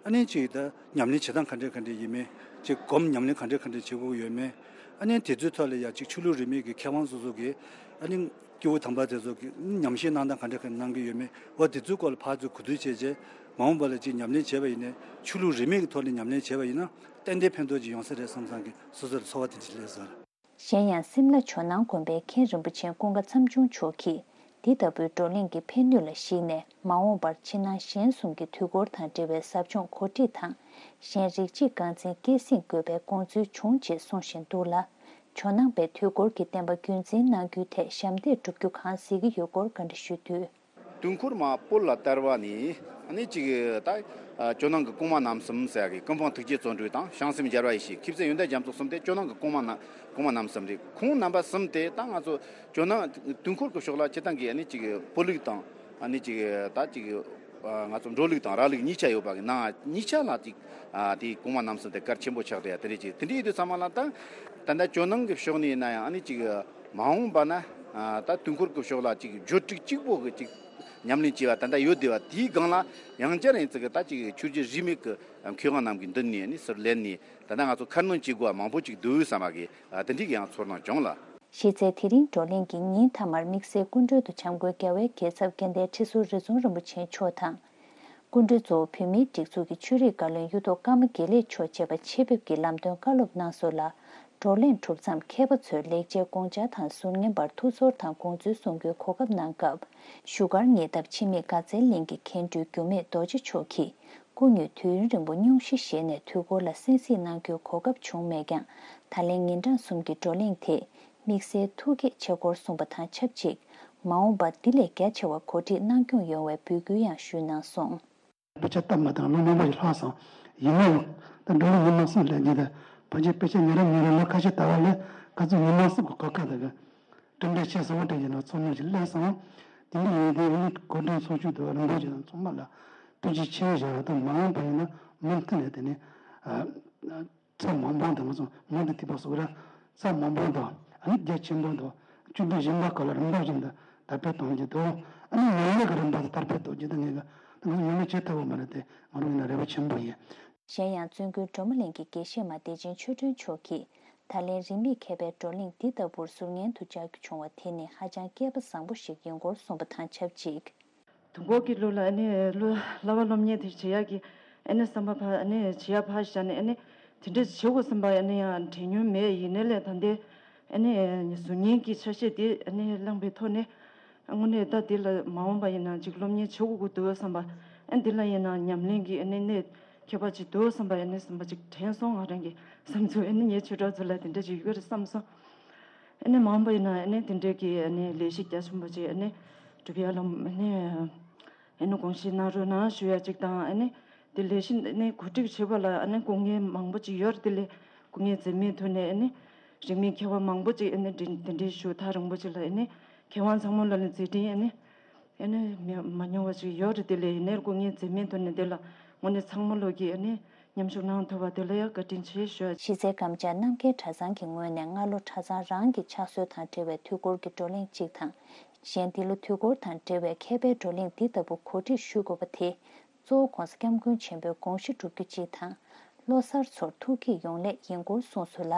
ཨ་ནི་ཅིག་ད་ཉམས་ལེན་བྱེད་སྟངས་ག་འདྲས་ག་འདྲས་ཡིན་མིན། ཅིག་སྒོམ་ཉམས་ལེན་ག་འདྲས་ག་འདྲས་བྱེད་དགོས་ཀྱི་ཡོད་མེད། ཨ་ནི་དེ་ཚོའི་ཐོག་ལ་ཡ་ཅིག་ཆོས་ལུགས་རིས་མེད་ཀྱི་མཁས་དབང་སོ་སོ་གིས་ཨ་ནི་སྐྱེས་བུ་དམ་པ་དེ་ཚོ་གིས་ཉམས་བཞེས་གནང་སྟངས་ག་འདྲས་ག་འདྲས་གནང་གི་ཡོད་མེད། འོ་དེ་ཚོའི་སྐོར་ལ་ཕར་ཚུར་གོ་བསྡུར་བྱས་རྗེས་མ་འོངས་པ་ལ་ཅིག་ཉམས་ལེན་བྱས་པ་ཡིན་ནའི་ཆོས་ལུགས་རིས་མེད་ཀྱི་ཐོག་ནས་ཉམས་ལེན་བྱས་པ་ཡིན་ན་ཏན་ཏན་ཕན་ཐོགས་ཅིག་ཡོང་ས་རེད་བསམ་བསམ་གི་སོ་སོར་ཚོར་བ་དེ་འདྲ་སླེབས་སོང་། གཞན་ཡང་སིམ་ལ་ཇོ་ནང་དགོན་པའི་མཁན་རིན་པོ་ཆེ་ཀུན་དགའ་མཚམས་ཆུང་མཆོག་གིས་འདི་ལྟ་བུའི་བགྲོ་གླེང་གི་ཕན་ནུས་ལ་གཞིགས་ནས་མ་འོངས་པར་ཕྱི་ནང་གཞན་གསུམ་གྱི་དུས་འཁོར་དང་འབྲེལ་བའི་ཟབ་སྦྱོང་གོ་སྒྲིག་དང་གཞན་རིགས་གཅིག་རྐང་འཛིན་སྐྱེད་སྲིང་དགོས་པའི་དགོངས་ཚུལ་བྱུང་ཅེས་གསུང་བཞིན་འདུག་ལ། ཇོ་ནང་པའི་དུས་འཁོར་གྱི་བསྟན་པ་རྒྱུན་འཛིན་གནང་རྒྱུའི་ཐད་ཞབས་འདེགས་སྒྲུབ་རྒྱུ་གང་གཟིགས་ཀྱི་ཡོད་སྐོར་བཀའ་འདྲི་ཞུས་དུས། དུས་འཁོར་མ་བོད་ལ་དར་བ་ནས་ཨ་ནི་ཅིག་ད་ཇོ་ནང་གི་གོང་མ་རྣམ་གསུམ་ཟེར་ཡ་གི་ཀུན་སྤངས་ཐུགས་རྗེ་བརྩོན་འགྲུས་དང་བྱང་སེམས་རྒྱལ་བ་ཡེ་ཤེས། མཁས་བཙུན་ཡོན་ཏན་རྒྱ་མཚོ་གསུམ་དེ་ཇོ་ནང་གི་གོང་མ་ན་གོང་མ་རྣམ་གསུམ་རེད། ཁོང་རྣམ་པ་གསུམ་དེ་ད་ང་ཚོ་ཇོ་ནང་དུས་འཁོར་གྱི་ཕྱོགས་ལ་སྤྱིར་བཏང་གི་ཨ་ནི་ཅིག་བོད་ལུགས་དང་ཨ་ནི་ཅིག་ད་ཅིག་ང་ཚོ་འགྲོ་ལུགས་དང་ར་ལུགས་གཉིས་ཆ་ཡོད་པ་གི་ནང་གཉིས་ཆ་ལ་ཅིག་དེ་གོང་མ་རྣམ་གསུམ་དེ་གལ་ཆེན་པོ་ཆགས་བསྡད་ཡ་དེ་རེད། ཅིག་དེ་འདྲ་ཡིན་དུས་ཚང་མ་ལ་ད་ད་ལྟ་ཇོ་ནང་གི་ཕྱོགས་ནས་ཡིན་ན་ཡང་ཨ་ནི་ཅིག་མ་འོངས་པ་ན་ད་དུས་འཁོར་གྱི་ཕྱོགས་ལ་ཅིག་བརྗོད་ཁྲིགས་གཅིག་པོ་གི་ཅིག་ཉམས་ལེན་བྱས་པ་ད་ལྟ་ཡོད་བསྡད་པ་དེའི་སྒང་ལ་ཡང་བསྐྱར་ཡིན་ཙི་གི་ད་ཅིག་ཆོས་བརྒྱུད་རིས་མེད་ཀྱི་མཁས་དབང་རྣམས་ཀྱི་མདུན་ནས་ནི་ཟུར་ལེན་ནས་ད་ལྟ་ང་ཚོ་ཁ་སྣོན་བྱེད་དགོས་པ་མང་པོ་ཅིག་འདུག་བསམ་པ་གི་དེ་འདྲའི་གི་ཡང་ཚོར་སྣང་བྱུང་ལ། གཞི་རྩའི་དེ་རིང་བགྲོ་གླེང་གི་ཉིན་མཐའ་མར་དམིགས་བསལ་སྐུ་མགྲོན་དུ་འཆམ་མགོན་རྒྱལ་བའི་རྒྱལ་ཚབ་དགེ་ལྡན་ཁྲི་ཟུར་རི་ཛོང་རིན་པོ་ཆེ་མཆོག་དང་། སྐུ་མགྲོན་གཙོ་བོ་བོད་མིའི་སྒྲིག་འཛུགས་ཀྱི་ཆོས་རིག་བཀའ་བློན་གཡུ་ཐོག་ཀརྨ་དགེ་ལེགས་མཆོག་བཅས་པ་ཆེད་ཕེབས་ཀྱིས་ལམ་སྟོན་བཀའ་སློབ་གནང་སོང་ལ། བགྲོ་གླེང་གྲུབ་མཚམས་མཁས་པ་ཚོས་ལེགས་སྤྱད་དགོངས་འཆར་དང་ཟུར་ཉན་པར་ཐུགས་ཚོར་དང་དགོངས་ཚུལ་གསུང་རྒྱུའི་གོ་སྐབས་གནང་སྐབས། བཞུགས་སྒར་ཉེ་འདབས་འཆི་མེད་དགའ་ཚལ་གླིང་གི་མཁན་སྤྲུལ་འགྱུར་མེད་རྡོ་རྗེ་མཆོག་གིས་སྐུ་ཉིད་དུས་ཡུན་རིང་པོ་སྙུང་གཞི་བཞེས་ནས་དུས་འཁོར་ལ་གསན་གཟིགས་གནང་རྒྱུའི་གོ་སྐབས་བྱུང་མེད་ཀྱང་། ད་ལན་ཉིན་གྲངས་གསུམ་གྱི་བགྲོ་གླེང་དེ། དམིགས་བསལ་ཐུགས་དགྱེས་ཆེ་སྐོར་གསུངས་པ་དང་ཆབས་ཅིག་མ་འོངས་པར་འདི་ལས་རྒྱ་ཆེ་བ་གོ་སྒྲིག་གནང་སྐྱོང་ཡོང་བའི་འབོད་སྐུལ་ཡང་ཞུས་གནང་སོང་། དཔེ་ཆ་སྟབས་མ་བདེ་ལོ་མང་པོ་ཞིག་ལྷག་སོང་། ཡིན་ན་ཡང་ད་འགྲོ་ལུགས་ཉི་མ་གསུམ་ལས་འདི་ད་ཕལ་ཆེར་དཔེ་ཆ་ཉོ་ར་ཉོ་ར་ལོ་ཁ་ཤས་དར་བ་ལས་ཁ་ཚུར་ཉི་མ་གསུམ་གྱི་གོ་སྐབས་དེ་གི་གྲུབ་འབྲས་ཆེ་ས་བོ་དྲན་གྱི་ན་ཚོར་སྣང་ཞིག་སླེབས་སོང་། དེ་འདྲ་ཡིན་དུས་ཨ་ནི་གོ་སྒྲིག་ཚོགས་ཆུང་དུ་རིན་པོ་ཆེ་དང་ཚང་མ་ལ་ཐུགས་རྗེ་ཆེ་ཞུ་བ་དང་། མ་འོངས་པ་ཡིན་ན་མུ་མཐུད་ནས་དེ་ནི་ཚད་མང་པོ་དང་ང་ཚོ་མུ་མཐུད་ཐིགས་པ་གསུམ་ར་ཚད་མང་པོ་དང་ཨ་ནི་རྒྱ་ཆེན་པོ་དང་བཅུ་དྲུག་གཞན་པ་ག་ལ་རིམ་པ་བཞིན་དུ་དར་སྤེལ་གཏོང་རྒྱུ་དང་། ཨ་ནི་ཡང་ལས་ཀྱི་རིམ་པ་དུ་དར་སྤེལ་གཏོང་རྒྱུ་དང་ངེས་ཀྱི་ད་ང་ཚོ་ཡོང་ལས་བྱེད་ཐུབ་པ་མ་རེད་དེ་ང་རང་ཡིན་ན་རེ་བ་ཆེན་པོ་ཡིན། གཞན་ཡང་བཙུན་དགོན་སྒྲོལ་མ་གླིང་གི་དགེ་བཤེས་མ་བདེ་ཆེན་ཆོས་སྒྲོན་མཆོག་གིས་ད་ལན་རིས་མེད་མཁས་པའི་བགྲོ་གླེང་འདི་ལྟ་བུར་ཟུར་ཉན་དུ་བཅར་རྒྱུ་བྱུང་བ་དེ་ནི་ཧ་ཅང་སྐལ་པ་བཟང་པོ་ཞིག་ཡིན་སྐོར་གསུངས་པ་དང་ཆབས་ཅིག་དུས་འཁོར་གྱི་ལུགས་ལ་ཨ་ནི་བསླབ་པ་སློབ་གཉེར་དེ་བྱེད་ཡག་གི་ཨ་ནི་བསམ་པ་ཕར་ཨ་ནི་བྱེད་ཡག་ཕར་བཞག་ནས་ཨ་ནི་དེ་འདྲ་བྱེད་དགོས་བསམ་པ་ཨ་ནི་ཡང་དྲན་མྱོང་མེད། ཡིན་ནའི་ལས་ད་ལྟའི་ཨ་ནི་གཟུགས་བརྙན་གྱི་ཆ་ཤས་དེ་ཨ་ནི་བླངས་པའི་ཐོག་ནས་ དངོས་གནས་ད་འདི་ལ་མ་འོངས་པ་ཡིན་ན་ཅིག་སློབ་གཉེར་བྱེད་དགོས་ཀྱི་འདུག་བསམ་པ། ཨ་འདི་ལ་ཡིན་ན་ཉམས་ལེན་གྱི་ཨ་ནི་གནད་ཁྱད་པར་ཅིག་འདུག་བསམ་པ་ཨ་ནི་བསམ་པ་ཅིག་དྲན་སོང་། ང་རང་གི་བསམ་ཚུལ་ཨ་ནི་ངའི་ཆོས་གྲོགས་ཚོ་ལ་དེ་འདྲ་ཅིག་ཡོད་རེད་བསམ་སོང་། ཨ་ནི་མ་འོངས་པ་ཡིན་ན་ཨ་ནི་དེ་འདྲའི་གི་ཨ་ནི་ལས་གཞི་རྒྱ་ཆེན་པོ་ཅིག་ཨ་ནི་སྒྲུབ་ཡ་ལ་ཨ་ནི་ཨ་ནི་དགོངས་བཞེས་གནང་རོགས་གནང་ཞུ་ཡ་ཅིག་དང་། ཨ་ནི་དེ་ལས་གཞི་ཨ་ནི་གོ་སྒྲིག་བྱེད་པ་ལ་ཨ་ནི་སྐུ་ངལ་མང་པོ་ཅིག་ཡོད་རེད། དེ་ལས་སྐུ་ངལ་འཛེམས་མེད་ཐོག་ནས་ཨ་ནི་རིང་མིན་མཁས་པ་མང་པོ་ཅིག་ཨ་ནི་དེ་དེ་འདྲའི་ཞུ་ཐག་རིང་པོ་ཅིག་ལ་ཨ་ནི་མཁས་དབང་ཚང་མ་ལ་ནི་མཛད་འཕྲིན་ཨ་ནི་ཨ་ནི་མི་མ་མྱོང་བ་ཅིག་ཡོད་རེད། དེ་ལས་ཡིན་ནའི་སྐུ་ངལ་འཛེམས་མེད་ཐོག་ནས་དེ་ལ་དངོས་གནས་ཚང་མ་ལོག་གིས་ཨ་ནི་མཉམ་ཞུགས་གནང་ཐུབ་པ་དེ་ལ་ཡང་བཀའ་དྲིན་ཆེ་ཞུ། གཞིས་རྩེ་གམ་བཅའ་རྣམ་རྒྱལ་གྲྭ་ཚང་གི་ངོས་ནས་སྔ་ལོ་གྲྭ་ཚང་རང་གི་ཕྱག་སྲོལ་དང་འབྲེལ་བའི་དུས་འཁོར་གྱི་བགྲོ་གླེང་གཅིག་དང་། གཞན་འདི་ལོ་དུས་འཁོར་དང་འབྲེལ་བའི་མཁས་པའི་བགྲོ་གླེང་འདི་ལྟ་བུ་གོ་སྒྲིག་ཞུ་དགོས་པ་དེ། གཙོ་བོ་༸གོང་ས་༸སྐྱབས་མགོན་ཆེན་པོའི་དགོངས་གཞི་སྒྲུབ་རྒྱུ་གཅིག་དང་། ལོ་གསར་ཚོར་ཐུགས་བསྐྱེད་ཡོང་སླད་ཡིན་སྐོར་གསུངས་སོང་ལ།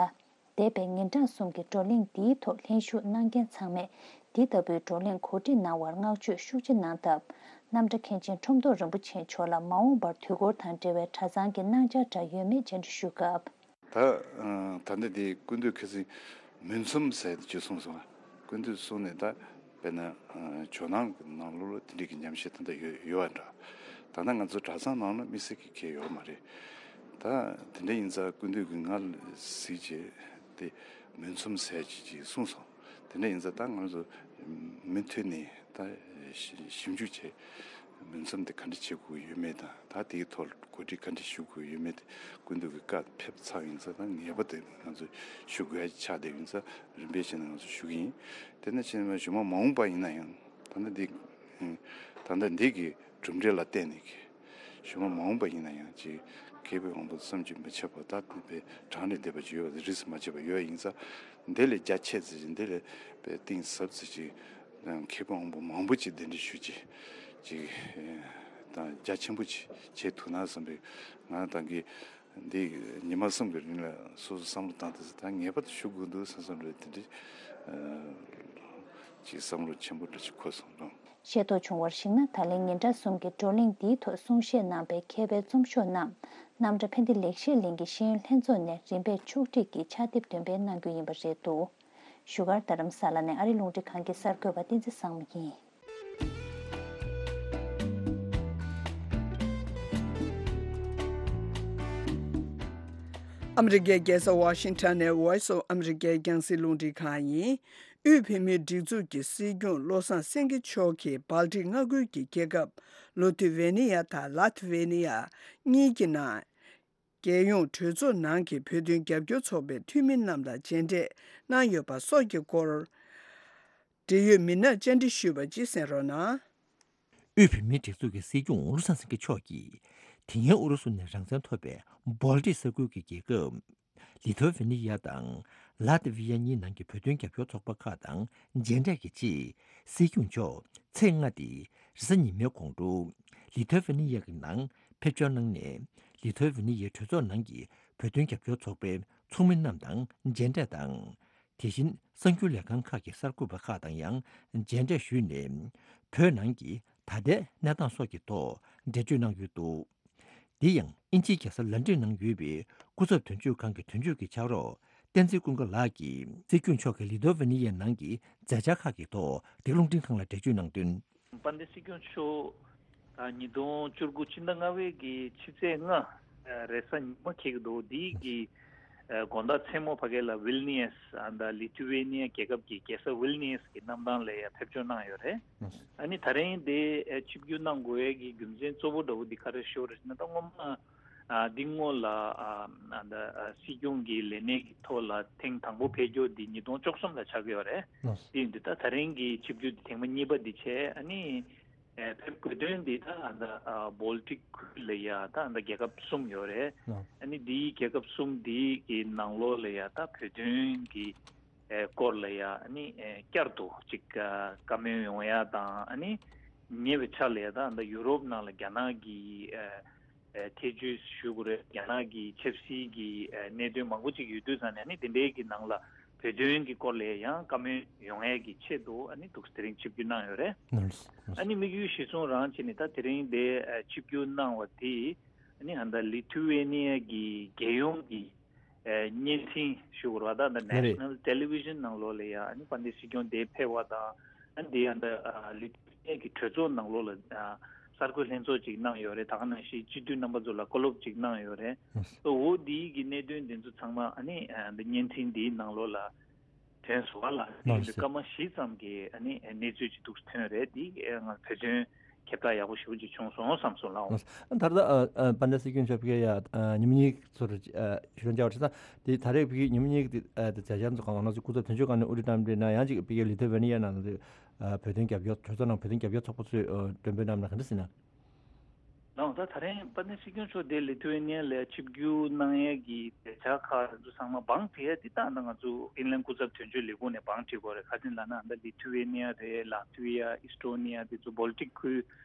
འདས་པའི་ཉིན་གྲངས་གསུམ་གྱི་བགྲོ་གླེང་འདིའི་ཐོག་ལྷན་ཞུགས་གནང་མཁན་ཚང་མས་འདི་ལྟ་བུའི་བགྲོ་གླེང་གོ་སྒྲིག་གནང་བར་བསྔགས་བརྗོད་ཤུགས་ཆེ་གནང་སྟབས། རྣམ་གྲྭ་མཁན་ཆེན་ཁྲོམ་ཐོག་རིན་པོ་ཆེ་མཆོག་ལ་མ་འོངས་པར་དུས་འཁོར་དང་འབྲེལ་བའི་གྲྭ་ཚང་གི་གནང་འཆར་འདྲ་ཡོད་མེད་བཅར་འདྲི་ཞུ་སྐབས། ད་ཨ་ད་ལྟ་དེ་སྐུ་མདུན་ཁ་སང་མུན་ཚོམས་ཟེར་ཅིག་གསུངས་སོང་། སྐུ་མདུན་གསུངས་ནས་ད་དཔེར་ན་ཨ་ཇོ་ནང་གི་ནང་ལོགས་ལ་དེ་འདྲའི་གི་ཉམས་ཞིབ་ད་ལྟ་ཡོད་ཡོད་པ་འདྲ། ད་ལྟ་ང་ཚོ་གྲྭ་ཚང་ནང་ལ་དམིགས་བསལ་གྱི་གལ་ཡོད་མ་རེད། ད་དེ་འདྲ་ཡིན་ཙང་སྐུ་མདུན་གྱིས་ང་ལ་གཟིགས་བྱས་དེ་མུན་ཚོམས་ཟེར་ཅིག་ཅིག་གསུངས་སོང་། དེ་འདྲ་ཡིན་ཙང་ད་ང་ཚོ་མུ་མཐུད་ནས་ད་ཞིབ་འཇུག་བྱས། མུན་ཚོམས་དེ་ག་འདྲ་བྱེད་དགོས་ཡོད་མེད་དང་། ད་དེའི་ཐོག་གོ་སྒྲིག་ག་འདྲ་ཞུ་དགོས་ཡོད་མེད་དེ་སྐུ་མདུན་གྱི་བཀའ་ཕེབས་ཚར་ཡིན་ཙང་། ད་ངེས་པར་དུ་ང་ཚོ་ཞུ་དགོས་ཡ་ཆགས་བསྡད་ཡིན་ཙང་། རིམ་པས་བྱས་ནས་ང་ཚོ་ཞུ་གི་ཡིན། དེ་ནས་བྱས་ནས་གཞུག་མ་མ་འོངས་པ་ཡིན་ན་ཡང་། ད་ལྟ་འདི་ད་ལྟ་འདི་གི་གྲུབ་འབྲས་ལ་བརྟེན་ནས་གི་གཞུག་མ་མ་འོངས་པ་ཡིན་ན་ཡང་ཅིག་མཁས་པའི་དབང་པོ་བསམ་གྱིས་མི་ཁྱབ་པ། ད་དེ་བས་གྲངས་ལས་འདས་པ་ཅིག་ཡོད་པ་རིས་སུ་མ་ཆད་པ་ཡོད་ཡིན་ཙང་། འདི་ལས་རྒྱ་ཆེ་ཙམ་ཅིག་འདི་ལས་དཔེ་གཏིང་ཟབ་ཙམ་ཅིག་མཁས་པའི་དབང་པོ་མང་པོ་ཅིག་གདན་འདྲེན་ཞུ་ཅིག་ཅིག་དང་རྒྱ་ཆེན་པོ་ཅིག་བྱེད་ཐུབ་ན་བསམ་པའི་ང་རང་ད་གིན་འདི་ཉི་མ་གསུམ་གྱི་རིང་ལ་སོ་སོ་བསམ་བློ་བཏང་སྟེ། ད་ངེས་པར་དུ་ཞུ་དགོས་འདུག་བསམ་བསམ་རེད། དེ་འདྲ་ཅིག་བསམ་བློ་ཆེན་པོ་འདྲ་ཅིག་འཁོར་སོང་། ཤེས་རྟོགས་བྱུང་བར་གཞིགས་ན། ད་ལན་ཉིན་གྲངས་གསུམ་གྱི་བགྲོ་གླེང་འདིའི་ཐོག་གསུང་བཤད་གནང་པའི་མཁས་པའི་རྩོམ་ཤོག་རྣམས་རྣམ་གྲྭ་ཕན་བདེ་ལེགས་བཤད་གླིང་གི་ཤེས་ཡོན་ལྷན་ཚོགས་ནས་རིམ་པས་ཕྱོགས་སྒྲིག་གིས་ཕྱག་དེབ་འདོན་སྤེལ་གནང་རྒྱུ་ཡིན་པ་རེད་འདུག་བཞུགས་སྒར་རྡ་རམ་ས་ལ་ནས་ཨ་རིའི་རླུང་འཕྲིན་ཁང་གི་གསར་འགོད་པ་བསྟན་འཛིན་བཟང་མོ་ཡིན། ཨ་མི་རི་ཀའི་རྒྱལ་ས་ཝ་ཤིང་ཊོན་ནས་Voice of America རྒྱང་སྲིང་རླུང་འཕྲིན་ཁང་ཡིན། དབུས་བོད་མིའི་སྒྲིག་འཛུགས་ཀྱི་སྲིད་སྐྱོང་བློ་བཟང་སེང་གེ་མཆོག་གིས་སྦལ་ཏིག་མངའ་ཁུལ་གྱི་རྒྱལ་ཁབ་ལུ་ཐི་ཝེ་ནི་ཡ་དང་ལཱ་ཐི་ཝེ་ནི་ཡ་གཉིས་ཀྱི་ནང་རྒྱལ་ཡོངས་གྲོས་ཚོགས་ནང་གི་བོད་དོན་རྒྱབ་སྐྱོར་ཚོགས་པའི་འཐུས་མི་རྣམས་དང་མཇལ་འཕྲད་གནང་ཡོད་པ་སོགས་ཀྱི་སྐོར། འབྲེལ་ཡོད་མི་སྣར་བཅར་འདྲི་ཞུས་པ་ཅིག་གསན་རོགས་གནང་། དབུས་བོད་མིའི་སྒྲིག་འཛུགས་ཀྱི་སྲིད་སྐྱོང་བློ་བཟང་སེང་གེ་མཆོག་གིས། དེ་སྔའི་ཨུ་རུ་སུ་ནས་རང་བཙན་ཐོབ་པའི་སྦལ་ཏིག་ས་ཁུལ་གྱི་རྒྱལ་ཁབ་ལི་ཐོ་ཝེ་ནི་ཡ་དང་ལ་ཏི་ཝི་ཡ་གཉིས་ནང་གི་བོད་དོན་རྒྱབ་སྐྱོར་ཚོགས་པ་ཁག་དང་མཇལ་འཕྲད་ཀྱི་ཆེད། སྲིད་སྐྱོང་མཆོག་ཚེས་ལྔ་སྟེ་རེས་གཟའ་ཉི་མའི་དགོང་དྲོ་ལི་ཐོ་ཝེ་ནི་ཡ་གི་ནང་ཕེབས་འབྱོར་གནང་ནས། ལི་ཐོ་ཝེ་ནི་ཡའི་གྲོས་ཚོགས་ནང་གི་བོད་དོན་རྒྱབ་སྐྱོར་ཚོགས་པའི་ཚོགས་མི་རྣམས་དང་མཇལ་འཕྲད་དང་། དེ་བཞིན་གསར་འགྱུར་ལས་ཁང་ཁག་གི་གསར་འགོད་པ་ཁག་དང་ཡང་མཇལ་འཕྲད་ཞུས་ནས། བོད་ནང་གི་ད་ལྟའི་གནས་སྟངས་སོགས་ཀྱི་ཐོག་འགྲེལ་བརྗོད་གནང་ཡོད་འདུག་འདི་ཡང་དབྱིན་ཇིའི་རྒྱལ་ས་ལན་ཀྲན་ནང་ཡོད་པའི་སྐུ་ཚབ་དོན་གཅོད་ཁང་གི་དོན་གཅོད་ཀྱི་ཕྱག་རོགས་བསྟན་འཛིན་ཀུན་དགའ་ལགས་ཀྱིས་སྲིད་སྐྱོང་མཆོག་གིས་ལི་ཐོ་ཝེ་ནི་ཡའི་ནང་གི་མཛད་འཆར་ཁག་གི་ཐོག་འདི་རླུང་འཕྲིན་ཁང་ལ་འགྲེལ་བརྗོད་གནང་དོན། དཔལ་ལྡན་སྲིད་སྐྱོང་མཆོག་ད་ཉིས་སྟོང་བཅུ་དགུ་ཕྱི་ཟླ་ལྔ་པའི་གི་ཕྱི་ཚེས་ལྔ་རེས་གཟའ་ཉི་མ་འཁེལ་གྱི་འདུག་འདིའི་གི་དགོང་དག་མཚན་མོ་ཕ་གི་ལ་ཝིལ་ནི་ཡས་ཨ་ད་ལི་ཐུ་ཝེ་ནི་ཡ་རྒྱལ་ཁབ་ཀྱི་རྒྱལ་ས་ཝིལ་ནི་ཡས་ཀྱི་གནམ་ཐང་ལ་ཡ་ཕེབས་འབྱོར་གནང་ཡོད་རེད། ཨ་ནི་ད་རིང་དེ་ཆིབས་བསྒྱུར་གནང་དགོས་ཡས་ཀྱི་རྒྱུ་མཚན་གཙོ་བོ་འདྲ་བོ་འདི་ག་རེ་ཞུ་རེད་ཟེར་ན། ད་སྔོན་མ་ཨ་འདི་སྔོན་ལ་ཨ་ཨ་ད་ཨ་སྲིད་སྐྱོང་གི་ལས་གནས་ཀྱི་ཐོག་ལ་ཐེངས་དང་པོ་ཕེབས་རྒྱུ་འདི་ཉིས་སྟོང་བཅུ་གསུམ་ལ་ཆགས་ཀྱི་ཡོད་རེད། དེ་ཡིན་དུས་ད་ད་རིང་གི་ཆིབས་བསྒྱུར་འདི་ཐེངས་མ་གཉིས་པ་འདི་བྱས། ཨ་ནི་ཨ་ཕེབས་དགོས་དོན་འདི་ད་ཨ་ད་ཨ་བོལ་ཊིག་ཁུལ་ལ་ཡ་ད་ཨ་ད་རྒྱལ་ཁབ་གསུམ་ཡོད་རེད། ཨ་ནི་འདིའི་རྒྱལ་ཁབ་གསུམ་འདི་གི་ནང་ལོགས་ལ་ཡ་ད་བོད་དོན་གྱི་ཨེ་སྐོར་ལ་ཡ་ཨ་ནི་ཨེ་བསྐྱར་དུ་ཅིག་ཨ་བཀའ་མོལ་ཡོང་ཡ་དང་། ཨ་ནི་ཉེ་བའི་ཆར་ལ་ཡ་ད་ཨ་ད་ཡུ་རོབ་ནང་ལ་རྒྱ་ནག་གི་ཨེ་ཨེ་ཐེ་ཇུས་ཞུ་དགོས་རེད། རྒྱ་ནག་གི་ཆབ་སྲིད་ཀྱི་ཨེ་གནད་དོན་མང་པོ་ཅིག་ཡོད་དུས་ཙང་ནས། ཨ་ནི་དེ་འདྲའི་གི་ནང་ལ་བོད་དོན་གྱི་སྐོར་ལ་ཡང་བཀའ་མོལ་ཡོང་ཡས་ཀྱི་ཆེད་དུ་ཨ་ནི་འདུག་དེ་རིང་ཆིབས་བསྒྱུར་གནང་ཡོད་རེད། ཨ་ནི་དམིགས་ཡུལ་གཞིར་བཟུང་རང་བྱས་ནས་ད་དེ་རིང་དེ་ཨེ་ཆིབས་བསྒྱུར་གནང་བ་དེ་ཨ་ནི་ཨ་ད་ལི་ཐུ་ཝེ་ནི་ཡ་གི་རྒྱལ་ཡོངས་ཀྱི་ཨེ་བརྙན་འཕྲིན་ཞུ་དགོས་རེད་པ། ད་ཨ་ད་ནེ་ཤ་ནལ་ཊེ་ལི་ཝི་ཤན་ནང་ལོགས་ལ་ཡ་ཨ་ནི་དཔལ་ལྡན་སྲིད་སྐྱོང་དེ་ཕེབས་པ་དང་ ཨ་འདི་ཡང་ད་ལི་ཐུ་ཝེ་ནི་ཡ་གི་གྲོས་ཚོགས་ནང་ལོགས་ལ་གསར་འགོད་ལྷན་ཚོགས་ཅིག་གནང་ཡོད་རེད། ད་ག་ནང་བཞིན་སྤྱི་འཐུས་རྣམ་པ་ཚོ་ལ་བཀའ་སློབ་ཅིག་གནང་ཡོད་རེད། འོ་འདིའི་གི་གནད་དོན་འདི་ཚོ་ཚང་མ་ཨ་ནི་འདི་བརྙན་འཕྲིན་འདིའི་ནང་ལོགས་ལ་ཐོན་སོང་བ་ལ། ཨ་ནི་སྐར་མ་བཞི་ཙམ་གྱི་ཨ་ནི་གནས་ཚུལ་ཅིག་འདུག་ཐོན་རེད། འདི་ང་བོད་དོན་ཁྱབ་བསྒྲགས་ཡག་པོ་ཞེ་པོ་ཅིག་བྱུང་སོང་བསམ་སོང་ལགས། ད་ལྟ་ཨ་ཨ་དཔལ་ལྡན་སྲིད་སྐྱོང་མཆོག་ཕ་གིར་ཡ་ཨ་ཉིན་མོ་གཉིས་ཚོར་ཨ་ཞུ་རན་བྱ་བ་བྱས་ཙང་དེ་ད་རེས་ཕ་གིའི་ཉིན་མོ་གཉིས་ཀྱི་ཨ་དེ་མཛད་འཆར་ཚོ་གང་ག་ནང་ཚོ་སྐུ་ཚབ་དོན་གཅོད་ཁང་ནས་ཨུ་ཀྲི་གནམ་གྲུའི་ནང་ཡང་ཅིག་ཕ་གིའི་ལི་ཐུ་ཝེ་ནི་ཡ་ནང་དུ་ཨ་བོད་དོན་རྒྱབ་སྐྱོར་གྲོས་ཚོགས་ནང་བོད་དོན་རྒྱབ་སྐྱོར་ཚོགས་པ་ཚོས་ཨ་མགྲོན་འབོད་གནང་ན་ག་འདྲ་ཟེར་ན། ལགས་ད་ད་རེས་དཔལ་ལྡན་སྲིད་སྐྱོང་མཆོག་དེ་ལི་ཐུ་ཝེ་ནི་ཡ་ལ་ཆིབས་བསྒྱུར་གནང་ཡས་ཀྱི་མཛད་འཆར་ཁག་དེ་ཚོ་ཚང་མ་བང་བསྒྲིགས་ཡས་དེ་ད་ལྟ་ང་ཚོ་ཧྥིན་ལན་སྐུ་ཚབ་དོན་གཅོད་ལས་ཁུངས་ནས་བང་བསྒྲིགས་ཡོད་རེད། ག་རེ་ཟེར་ན་ད་ལི་ཐུ་ཝེ་ནི་ཡ་རེད། ལ་ཐི་ཝི་ཡ། ཨི་སི་ཊོ་ནི་ཡ། དེ་ཚོ་བོལ་ཊིག་ཁུལ་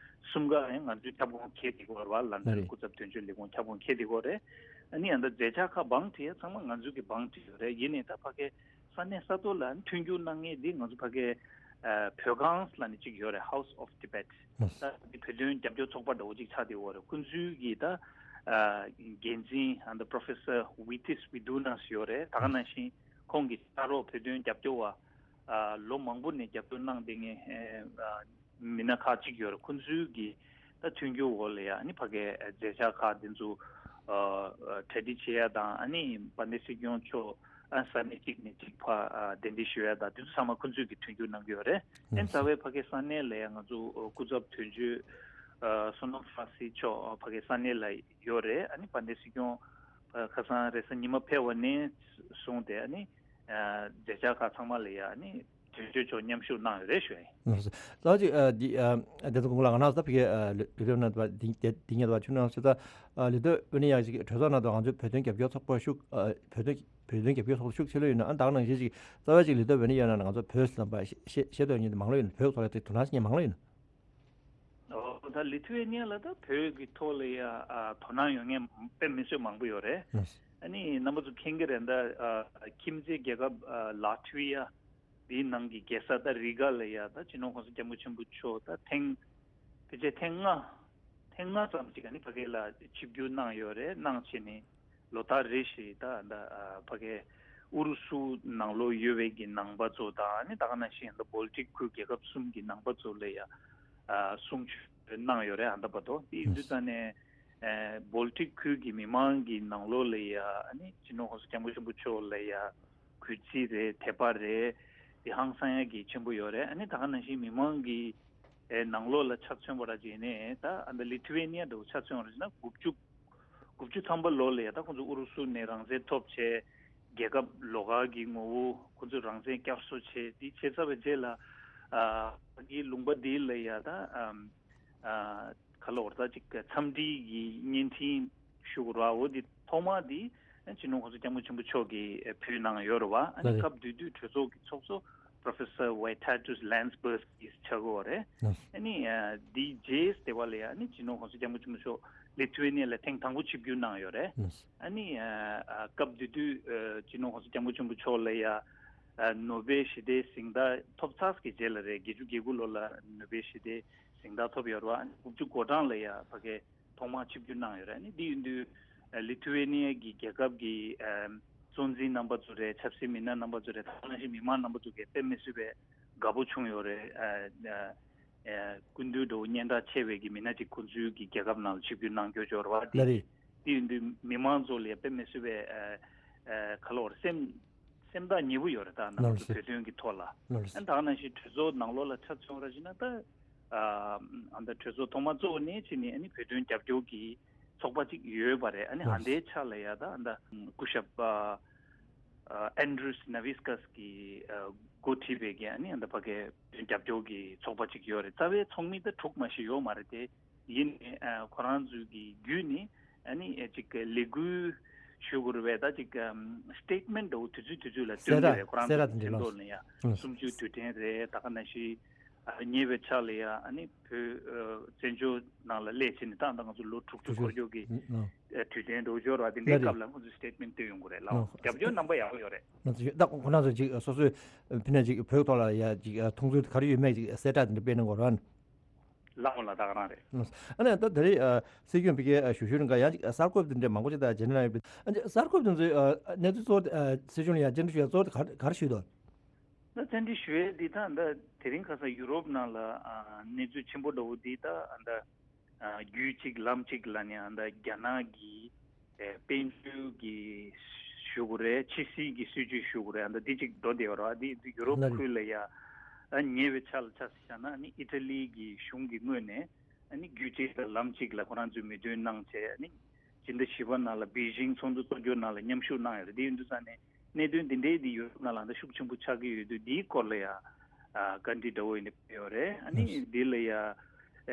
གསུམ་ཀ་ཡང་ང་ཚོའི་ཁྱབ་ཁོངས་འཁེལ་བསྡད་ཡོད་རེད་བ། ལན་ཌན་རེད། སྐུ་ཚབ་དོན་གཅོད་ལས་ཁུངས་ཁྱབ་ཁོངས་འཁེལ་བསྡད་ཡོད་རེད། ཨ་ནི་ཡང་ད་མཛད་འཆར་ཁག་བང་བསྒྲིགས་ཡས་ཚང་མ་ང་ཚོ་གིས་བང་བསྒྲིགས་ཡོད་རེད། ཡིན་ནའི་ད་ཕ་གི་ས་གནས་ས་ཐོག་ལ་མཐུན་འགྱུར་གནང་མཁན་འདི་ང་ཚོ་ཕ་གི་ཨ་བོད་ཁང་ལབ་ནས་གཅིག་ཡོད་རེད། House of Tibet། ད་འདི་བོད་དོན་རྒྱབ་སྐྱོར་ཚོགས་པ་འདྲ་བོ་གཅིག་ཆགས་བསྡད་ཡོད་རེད། ཁོང་ཚོའི་གི་ད་ཨ་འགན་འཛིན་ཨ་ད་Professor Vytis Vidhunas་ཡོད་རེད། ད་ག་ནང་བཞིན་ཁོང་གི་ཕྱག་རོགས་བོད་དོན་རྒྱབ་སྐྱོར་བ་ཨ་ལོ་མང་པོ་ནས་རྒྱབ་སྐྱོར་གནང་བསྡད་མཁན་ཨ་མི་སྣ་ཁག་ཅིག་ཡོད་རེད། ཁོང་ཚོའི་གི་ད་མཐུན་འགྱུར་འོག་ལ་ཡ་ཨ་ནི་ཕ་གའི་མཛད་འཆར་ཁག་འདི་ཚོ་ཨ་ཨ་གྲ་སྒྲིག་བྱེད་ཡ་དང་། ཨ་ནི་དཔལ་ལྡན་སྲིད་སྐྱོང་མཆོག་ཨ་ས་གནས་གཅིག་ནས་གཅིག་ཕར་ཨ་གདན་འདྲེན་ཞུ་ཡ་དང་། འདི་ཚོ་ཚང་མ་ཁོང་ཚོས་ཀྱི་མཐུན་འགྱུར་གནང་གི་ཡོད་རེད། ཨ་ནི་རྩ་བའི་ཕ་གའི་ས་གནས་ལ་ཡ་ང་ཚོ་ཨ་སྐུ་ཚབ་དོན་གཅོད་ཨ་བསོད་ནམས་བཀྲ་ཤིས་མཆོག་ཨ་ཕ་གའི་ས་གནས་ལ་ཡོད་རེད། ཨ་ནི་དཔལ་ལྡན་སྲིད་སྐྱོང་ཨ་ཁ་སང་རེས་གཟའ་ཉི་མ་ཕེབས་པ་ནས་བཟུང་སྟེ་ཨ་ནི་ཨ་མཛད་འཆར་ཁག་ཚང་མ་ལ་ཡ་ཨ་ནི་དོན་གཅོད་མཆོག་མཉམ་ཞུགས་གནང་ཡོད་རེད་ཞུ་ཡ་ཡིན། ལགས་སོ། ད་ཅིག་ཨ་འདི་ཨ་བདེ་ཚོགས་སྐུ་ངོ་ལགས། ང་རང་ཚོ་ད་ཕ་གིའི་ཨ་ལི་ལི་ཐུ་ཝེ་ནི་ཡ་དུ་བ་འདི་འདི་འདི་ཉིད་དུ་བ་ཆུ་ནང་ཚོ་ད་ཨ་ལི་ཐུ་ཝེ་ནི་ཡ་ཅིག་གྲོས་ཚོགས་ནང་དུ་ང་ཚོའི་བོད་དོན་རྒྱབ་སྐྱོར་ཚོགས་པ་ཤུགས་ཨ་བོད་དོན་བོད་དོན་རྒྱབ་སྐྱོར་ཚོགས་པ་ཤུགས་ཆེ་ལོས་ཡོད་ན། ཨ་ད་ག་ནང་བཞིན་ཅིག་རྩ་བ་ཅིག་ལི་ཐུ་ཝེ་ནི་ཡ་ནང་ང་ཚོ་བོད་ཟེར་ལབ་པ་ཤེས་ཤེས་ཤེས་འདོད་མཁན་དེ་མང་ལོས་ཡོད་ན། བོད་ཐོག་ལ་དེ་དོ་སྣང་བྱེད་མཁན་མང་ལོས་ཡོད་ན། ཨོ་ད་ལི་ཐུ་ཝེ་ནི་ཡ་ལ་ད་བོད་ཀྱི་ཐོག་ལ་ཡ་ཨ་དོ་སྣང་ཡོད་མཁན་དཔེ་མི་སྲིད་མང་པོ་ཡོད་རེད། ལགས་སོ། ཨ་ནི་རྣམ་པ་ཚོ་མཁྱེན་གྱི་རེད། ད་ཨ་ཁྱིམ་མཚེས་རྒྱལ་ཁབ་ཨ་ལ་ཐི་ཝི་ཡ་འདིའི་ནང་གི་རྒྱལ་ས་ད་རི་ག་ལ་ཡ་ད་སྤྱི་ནོར་༸གོང་ས་༸སྐྱབས་མགོན་ཆེན་པོ་མཆོག་ད་ཐེངས་ཕལ་ཆེར་ཐེངས་ལྔ་ཐེངས་ལྔ་ཙམ་ཅིག་ཨ་ནི་ཕ་གི་ལ་ཆིབས་བསྒྱུར་གནང་ཡོད་རེད། གནང་བྱས་ནས་ལོ་ལྟར་རེ་བཞིན་ད་ད་ཨ་ཕ་གི་ཨུ་རུ་སུ་ནང་ལོགས་ཡོད་པའི་གི་ནང་པ་ཚོ་དང་། ཨ་ནི་ད་ག་ནང་བཞིན་ད་བོལ་ཊིག་ཁུལ་རྒྱལ་ཁབ་གསུམ་གྱི་ནང་པ་ཚོ་ལ་ཡ་ཨ་གསུང་ཆོས་གནང་ཡོད་རེད། ཨ་ད་བར་དུ་དེ་ཡིན་དུས་ཙང་ནས་ཨ་བོལ་ཊིག་ཁུལ་གྱི་མི་མང་གི་ནང་ལོགས་ལ་ཡ་ཨ་ནི་སྤྱི་ནོར་༸གོང་ས་༸སྐྱབས་མགོན་ཆེན་པོ་མཆོག་ལ་ཡ་གུས་བརྩི་རེད། དད་པ་རེད། དེ་ཧང་སང་ཡ་གི་ཆེན་པོ་ཡོད་རེད། ཨ་ནི་ད་ག་ནང་བཞིན་མི་མང་གི་ཨེ་ནང་ལོགས་ལ་ཆ་མཚོན་པ་ར་བྱས་ནས་ད་ཨ་ད་ལི་ཐུ་ཝེ་ནི་ཡ་འདྲ་བོ་ཆ་མཚོན་པ་ར་བྱས་ན་དགུ་བཅུ་དགུ་བཅུ་ཐམ་པ་ལོ་ལ་ཡ་ད་ཁོང་ཚོ་ཨུ་རུ་སུ་ནས་རང་བཙན་ཐོབ་བྱས། རྒྱལ་ཁབ་ལོགས་ཀ་གི་ངོ་བོ་ཁོང་ཚོས་རང་བཙན་བསྐྱར་གསོ་བྱས། དེ་བྱས་ཚར་བའི་རྗེས་ལ་ཨ་ཕ་གིའི་ལུང་པ་འདི་ལ་ཡ་ད་ཨམ་ཨ་ག་ལ་འོར་ད་ཅིག་འཚམས་འདྲི་གི་བརྙན་འཕྲིན་ཞུ་དགོས་ར། འོ་འདི་ཐོག་མ་འདི་སྤྱི་ནོར་༸གོང་ས་༸སྐྱབས་མགོན་ཆེན་པོ་མཆོག་གིས་ཕུལ་གནང་ཡོད་རེད་བ། ཨ་ནི་ལགས་རེད། སྐབས་དེ་དུས་གྲོས་ཚོགས་ཀྱི་ཚོགས་གཙོ་Professor Vitalijs Lansbursgis་ཆགས་ཀྱི་ཡོད་རེད། ལགས། ཨ་ནི་ཨ་འདིའི་རྗེས་དེ་བ་ལ་ཡ་ཨ་ནི་སྤྱི་ནོར་༸གོང་ས་༸སྐྱབས་མགོན་ཆེན་པོ་མཆོག་ལི་ཐུ་ཝེ་ནི་ཡ་ལ་ཐེངས་དང་པོ་ཆིབས་བསྒྱུར་གནང་ཡོད་རེད། ལགས། ཨ་ནི་ཨ་ཨ་སྐབས་དེ་དུས་ཨ་སྤྱི་ནོར་༸གོང་ས་༸སྐྱབས་མགོན་ཆེན་པོ་མཆོག་ལ་ཡ་ཨ་ནོ་བེལ་ཞི་བདེའི་གཟེངས་རྟགས་ཐོབ་ཚར་གྱི་རྗེས་ལ་རེད། བརྒྱད་ཅུ་གྱ་དགུ་ལོ་ལ་ནོ་བེལ་ཞི་བདེའི་གཟེངས་རྟགས་ཐོབ་ཡོད་རེད་བ། ཨ་ནི་དགུ་བཅུ་གོ་གྲངས་ལ་ཡ་ཕ་གི་ཐོག་མར་ཆིབས་བསྒྱུར་གནང་ཡོད་རེད། ཨ་ནི་འདི་ཡིན་དུས་ཨ་ལི་ཐུ་ཝེ་ནི་ཡ་གི་རྒྱལ་ཁབ་ཀྱི་ཨ་གཙོ་འཛིན་རྣམ་པ་ཚོ་རེད། ཆབ་སྲིད་མི་སྣ་རྣམ་པ་ཚོ་རེད། ད་ག་ནང་བཞིན་མི་མང་རྣམ་པ་ཚོ་གིས་དཔེ་མི་སྲིད་པའི་དགའ་པོ་བྱུང་ཡོད་རེད། ཨ་ཨ་ཨ་སྐུ་མདུན་འདྲ་བོ་སྙན་གྲགས་ཆེ་བའི་གི་མི་སྣ་ཅིག་ཁོང་ཚོའི་གི་རྒྱལ་ཁབ་ནང་ལ་ཆིབས་བསྒྱུར་གནང་རྒྱུ་ཡོད་རེད་བ། ལགས་རེད། དེ་ཡིན་དུས་མི་མང་ཚོ་ལ་དཔེ་མི་སྲིད་པའི་ཨ་ཨ་ག་ལ་བར་སེམས་སེམས་ཐག་ཉེ་པོ་ཡོད་རེད། ད་ནང་ལགས་སོ། བོད་དོན་གྱི་ཐོག་ལ། ལགས་སོ། ཨ་ད་ག་ནང་བཞིན་གྲོས་ཚོགས་ནང་ལོགས་ལ་ཆ་མཚོན་ར་བྱས་ན་ད་ཨ་ཨ་ད་གྲོས་ཚོགས་ཐོག་མ་གཙོ་བོ་ནས་བྱས་ནས་ཨ་ནི་བོད་དོན་རྒྱབ་སྐྱོར་གྱི་ཚོགས་པ་ཅིག་ཡོད་པ་རེད། ཨ་ནི་ལགས་ཨ་སོ། འདའི་ཆ་ལ་ཡ་ད་ཨ་ད་སྐུ་ཞབས་ཨ་ཨ་Andris Navickas་གིས་ཨ་འགོ་ཁྲིད་པའི་གི་ཨ་ནི་ཨ་ད་ཕ་གའི་བོད་དོན་རྒྱབ་སྐྱོར་གྱི་ཚོགས་པ་ཅིག་ཡོད་རེད། རྩ་བའི་ཚོགས་མི་ད་དྲུག་མ་ཞིག་ཡོད་མ་རེད་དེ། ཡིན་ནའི་ཨ་ཁོ་རང་ཚོའི་གི་བརྒྱུད་ནས་ཨ་ནི་ཨ་ཅིག་ལས་འགུལ་ཞུ་དགོས་རེད་པས། ད་ཅིག་ཨམ་statement་འདྲ་བོ་དུས་ཚོད་དུས་ཚོད་ལ་སྟོན་གྱི་རེད། ཁོ་རང་ཚོའི་མཚན་ཐོག་ནས་ཡ་ཨང་། སུམ་ཅུ་དུས་དྲན་རེད། ད་ག་ནང་བཞིན་ཨ་ཉེ་བའི་ཆར་ལ་ཡ་ཨ་ནི་བོད་ཨ་བཙན་བྱོལ་ནང་ལ་སླེབས་བྱས་ནས་ད་ལྟ་ང་ཚོ་ལོ་དྲུག་ཅུ་འཁོར་རྒྱུ་གི་ཨ་དུས་དྲན་འདྲ་བོ་འབྱོར་བ་དེ་འདྲའི་སྐབས་ལ་ཁོ་ཚོས་statement་སྟོན་ཡོང་གི་རེད་ལགས། རྒྱབ་སྐྱོར་རྣམ་པ་ཡག་པོ་ཡོད་རེད། ང་ཚོ་ད་ཁོ་རང་ཚོ་ཅིག་སོ་སོའི་ཕི་ནས་ཅིག་བོད་ཐོག་ལ་ཡ་ཅིག་མཐོང་ཚུལ་ག་རེ་ཡོད་མེད་ཅིག་གསལ་བསྒྲགས་དེ་འདྲ་སྤེལ་གནང་དགོས་རེད། ལགས་འོང་ལགས། ད་ག་རང་རེད། ཨ་ནི་ད་ད་རེས་ཨ་སྲིད་སྐྱོང་ཕ་གིའི་ཨ་ཞུ་ཞུ་རིང་ག་ཡང་ཅིག་གསར་འགོད་དེ་འདྲ་མང་པོ་ཅིག་ད་རྗེས་ནས་ཡོད་པས། ཨ་ནི་གསར་འགོད་དེ་ཚོའི་ཨ་གནས་ཚུལ་གཙོ་བོ་ཨ་སྲིད་སྐྱོང་ལ་ཡང་བཅར་འདྲི་ཞུ་ཡ་གཙོ་བོ་དེ་ག་ག་རེ་ཞུས་འདུག་ད་བཅར་འདྲི་ཞུ་ཡས་འདི་ད་ད་དེ་རིང་ཁ་སང་ཡུ་རོབ་ནང་ལ་ཨ་གནས་ཚུལ་ཆེན་པོ་འདྲ་བོ་འདི་ད་ད་ཨ་རྒྱུད་གཅིག་ལམ་གཅིག་ལ་ནི་ཨ་ད་རྒྱ་ནག་གི་ཨེ་དཔལ་འབྱོར་གྱི་ཞུ་དགོས་རེད། ཕྱི་སྲིད་ཀྱི་སྲིད་ཇུས་ཞུ་དགོས་རེད། ཨ་ད་འདི་གཅིག་འགྲོ་བསྡད་ཡོད་རེད། ཨ་འདི་ཡུ་རོབ་ལ་ཁུལ་ལ་ཡ་ཨ་ཉེ་བའི་ཆར་ལ་ཆ་བཞག་ན་ཨ་ནི་ཨི་ཊ་ལི་གི་གཞུང་གི་ངོས་ནས་ཨ་ནི་རྒྱུད་གཅིག་དང་ལམ་གཅིག་ལ་ཁོ་རང་ཚོས་མོས་མཐུན་གནང་བྱས། ཨ་ནི་སྤྱི་ཟླ་བཞི་པ་ནང་ལ་པེ་ཅིང་ཚོགས་འདུ་གཙོ་སྐྱོང་ནང་ལ་མཉམ་ཞུགས་གནང་ཡོད་རེད། དེ་ཡིན་དུས་ཙང་ནས་གནད་དོན་འདི་འདྲའི་འདི་ཡུ་རོབ་ནང་ལ་ད་ཤུགས་ཆེན་པོ་ཆགས་ཀྱི་ཡོད་དུས་འདིའི་སྐོར་ལ་ཡ་ཨ་བཀའ་འདྲི་འདྲ་བོ་ཡིན་ནི་ཕེབས་ཡོད་རེད། ཨ་ནི་ལགས། འདི་ལ་ཡ་ཨ་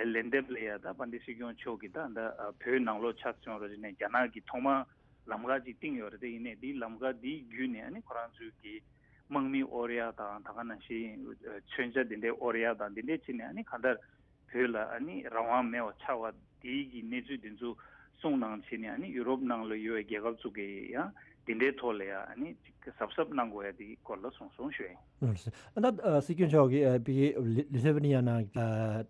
ལན་འདེབས་ལ་ཡ་ད་དཔལ་ལྡན་སྲིད་སྐྱོང་མཆོག་གིས་ད་ད་ཨ་བོད་ནང་ལོགས་ཆ་མཚོན་རོགས་བྱས་ནས་རྒྱ་ནག་གིས་ཐོག་མར་ལམ་ཁ་ཅིག་བཏིང་ཡོད་རེད། དེ་ཡིན་ནའི་འདིའི་ལམ་ཁ་འདི་བརྒྱུད་ནས་ཨ་ནི་ཁོ་རང་ཚོའི་གི་དམག་མི་དབོར་ཡ་དང་ད་ག་ནང་བཞིན་ཨ་མཚོན་ཆ་འདི་འདྲའི་དབོར་ཡ་དང་འདི་འདྲའི་བྱས་ནས་ཨ་ནི་གང་ལྟར་བོད་ལ་ཨ་ནི་རང་དབང་མེད་པ་ཆགས་པ་དེའི་གི་གནས་ཚུལ་དེ་ཚོ་གསུངས་གནང་བྱས་ནས་ཨ་ནི་ཡུ་རོབ་ནང་ལ་ཡོད་པའི་རྒྱལ་ཁབ་ཚོ་གིས་ཡང་དེ་འདྲའི་ཐོག་ལ་ཡང་ཨ་ནི་ཅིག་གཟབ་གཟབ་གནང་དགོས་ཡ་དེའི་སྐོར་ལ་གསུངས་སོང་ཞུ་ཡ་ཡིན། ཨ་ད་ཨ་སྲིད་སྐྱོང་མཆོག་གིས་ཨ་ཕ་གི་ལི་ལི་ཐི་ཝེ་ནི་ཡ་ནང་ཨ་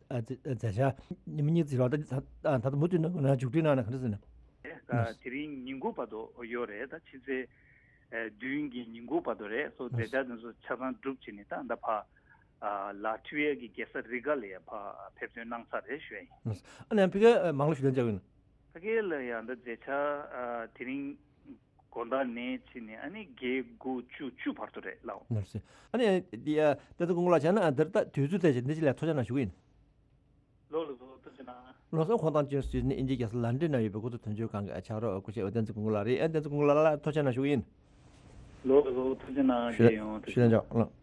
ཨ་མཛད་བཞག་ཉི་མ་གཉིས་ཙམ་རེད་པ། ད་ད་ད་ལྟ་མུ་མཐུད་ནས་མཇུག་སྒྲིལ་གནང་ན་ག་འདྲ་ཟེར་ན། ཨ་དེ་རིང་ཉིན་གུང་བར་དུ་ཡོད་རེད། ད་ཕྱི་ཚེས་ཨ་བདུན་གྱི་ཉིན་གུང་བར་དུ་རེད། སོ་མཛད་འཆར་དེ་ཚོ་ཆ་ཚང་གྲུབ་བྱས་ནས་ད་ད་ཕ་ཨ་ལ་ཐི་ཝེ་གི་རྒྱལ་ས་རི་ག་ལ་ཡ་ཕ་ཕེབས་ཐོན་གནང་ཚར་རེད་ཞུ་ཡ་ཡིན། ཨ་ནི་ཕ་གིར་མང་ལོ་ཞུ་དན་བཅར་ཡིན། ཕ་གི་ལ་ཡ་ད་མཛད་འཆར་ཨ་དེ་རིང་དགོང་དག་ནས་བྱས་ནས་ཨ་ནི་བརྒྱད་དགུ་བཅུ་བཅུ་བར་དུ་རེད་ལགས། ལགས་སོ། ཨ་ནི་འདི་ཡ་ད་ལྟ་དགོང་ལ་བྱས་ན་ཨ་འདིར་ད་དུས་ཚོད་དེ་བཞིན་འདི་ཅི་ལ་ཐུགས་རྗེ་གནང་ཞུ་གི་ཡིན། ལགས་སོ་ལགས་སོ་ཐུགས་རྗེ་གནང་། ལགས་སོ། ཁོང་དང་བཅས་སུ་ནི་དབྱིན་ཇིའི་རྒྱལ་ས་ལན་ཀྲན་ན་ཡོད་པའི་གོ་ཐོས་དོན་གཅོད་ཁང་གི་ཨ་ཕྱག་རོགས་སྐུ་ཞབས་བསྟན་འཛིན་ཀུན་ལགས་རེད། ཨ་བསྟན་འཛིན་ཀུན་ལགས་ལ་ཐུགས་རྗེ་གནང་ཞུ་གི་ཡིན། ལགས་སོ་ཐུགས་རྗེ་གནང་། ཞུ་རྒྱལ་ཡོང་། ཞུ་རྒྱལ་ལགས།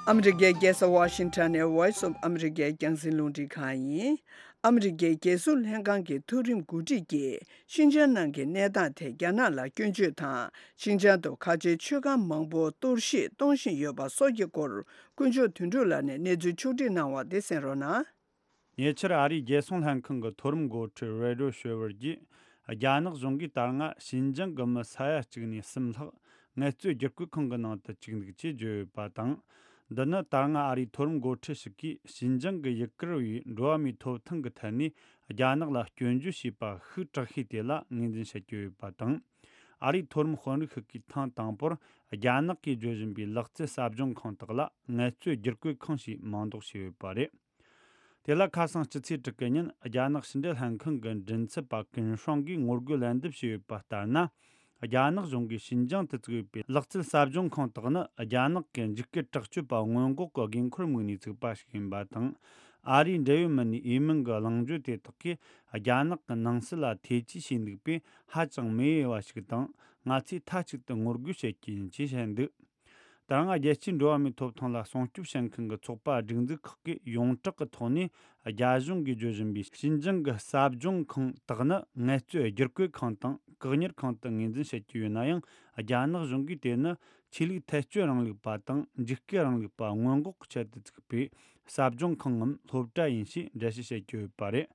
ཨ་མི་རི་ཀའི་རྒྱལ་ས་ཝ་ཤིང་ཊོན་ནས་Voice of America རྒྱང་སྲིང་རླུང་འཕྲིན་ཁང་ཡིན། ཨ་མི་རི་ཀའི་རྒྱལ་སྲུང་ལྷན་ཁང་གི་མཐོ་རིམ་འགོ་ཁྲིད་ཀྱིས་ཤིན་ཅང་ནང་གི་གནས་སྟངས་ཐད་རྒྱ་ནག་ལ་སྐྱོན་བརྗོད་དང་། ཤིན་ཅང་དུ་ཁ་ཆེའི་ཆོས་ཁང་མང་པོ་གཏོར་བཤིག་གཏོང་བཞིན་ཡོད་པ་སོགས་ཀྱི་སྐོར། དཀོན་མཆོག་དོན་གྲུབ་ལགས་ནས་གནས་ཚུལ་ཕྱོགས་བསྒྲིགས་གནང་བ་དེ་གསན་རོགས་གནང་། ཉེ་ཆར་ཨ་རིའི་རྒྱལ་སྲུང་ལྷན་ཁང་གི་མཐོ་རིམ་འགོ་ཁྲིད་རེ་ཌོ་ཤོ་ཝར་གྱིས། རྒྱ་ནག་གཞུང་གིས་ད་སྔ་ཤིན་ཅང་གི་མི་ས་ཡ་གཅིག་ནས་གསུམ་ལྷག་ངལ་རྩོལ་བསྒྱུར་བཀོད་ཁང་གི་ནང་དུ་བཅུག་འདུག་ཅེས་བརྗོད་ཡོད་པ་དང་། འདི་ནི་ད་སྔ་ཨ་རིའི་མཐོ་རིམ་འགོ་ཁྲིད་ཞིག་གིས་ཤིན་ཅང་གི་ཡུ་གུར་བའི་འགྲོ་བ་མིའི་ཐོབ་ཐང་གི་ཐད་ནས་རྒྱ་ནག་ལ་སྐྱོན་བརྗོད་བྱས་པ་ཤུགས་དྲག་ཤོས་དེ་ལ་ངོས་འཛིན་བྱེད་ཀྱི་ཡོད་པ་དང་། ཨ་རིའི་མཐོ་རིམ་དཔོན་རིགས་ཤིག་གིས་ཐེངས་དང་པོར་རྒྱ་ནག་གིས་བརྗོད་བཞིན་པའི་ལག་རྩལ་ཟབ་སྦྱོང་ཁང་དག་ལ་ངལ་རྩོལ་བསྒྱུར་བཀོད་ཁང་ཞེས་མིང་འདོགས་བྱས་ཡོད་པ་རེད། དེ་ལ་ཁ་སང་སྤྱི་ཚེས་དྲུག་གི་ཉིན་རྒྱ་ནག་ཕྱི་འབྲེལ་ལྷན་ཁང་གི་མགྲིན་ཚབ་པ་ཀུན་ཧྲང་གིས་ངོ་རྒོལ་ལན་འདེབས་བྱས་ཡོད་པ་ལྟར་ན། རྒྱ་ནག་གཞུང་གིས་ཤིན་ཅང་དུ་བཙུགས་ཡོད་པའི་ལག་རྩལ་ཟབ་སྦྱོང་ཁང་དག་ནི་རྒྱ་ནག་གི་འཇིགས་སྐུལ་དྲག་སྤྱོད་པ་སྔོན་འགོག་གི་འགན་འཁུར་དམིགས་ནས་བཙུགས་པ་ཞིག་ཡིན་པ་དང་། ཨ་རིའི་འབྲེལ་ཡོད་མི་སྣའི་འོས་མིན་གྱི་གླེང་བརྗོད་དེ་དག་གིས་རྒྱ་ནག་གི་ནང་སྲིད་ལ་ཐེ་ཇུས་བྱས་འདུག་པས་ཧ་ཅང་མི་འོས་པ་ཞིག་དང་། ང་ཚོས་མཐའ་གཅིག་ཏུ་ངོ་རྒོལ་བྱེད་ཀྱི་ཡིན་ཅེས་བཤད་འདུག་ད་སྔ་རྒྱལ་སྤྱིའི་འགྲོ་བ་མིའི་ཐོབ་ཐང་ལ་སྲུང་སྐྱོབ་བྱེད་མཁན་གྱི་ཚོགས་པ་སྒྲིག་འཛུགས་ཁག་གིས་ཡོངས་གྲགས་ཀྱི་ཐོག་ནས་རྒྱ་གཞུང་གིས་བརྗོད་བཞིན་པའི་ཤིན་ཅང་གི་ཟབ་སྦྱོང་ཁང་དག་ནི་ངལ་རྩོལ་བསྒྱུར་བཀོད་ཁང་དང་བཀག་ཉར་ཁང་དུ་ངོས་འཛིན་བྱེད་ཀྱི་ཡོད་ན་ཡང་། རྒྱ་ནག་གཞུང་གིས་དེ་ནི་ཆོས་ལུགས་ཐལ་སྤྱོད་རིང་ལུགས་པ་དང་འཇིགས་སྐུལ་རིང་ལུགས་པ་སྔོན་འགོག་གི་ཆེད་དུ་བཙུགས་པའི་ཟབ་སྦྱོང་ཁང་ངམ་སློབ་གྲྭ་ཡིན་ཞེས་འགྲེལ་བཤད་བྱེད་ཀྱི་ཡོད་པ་རེད།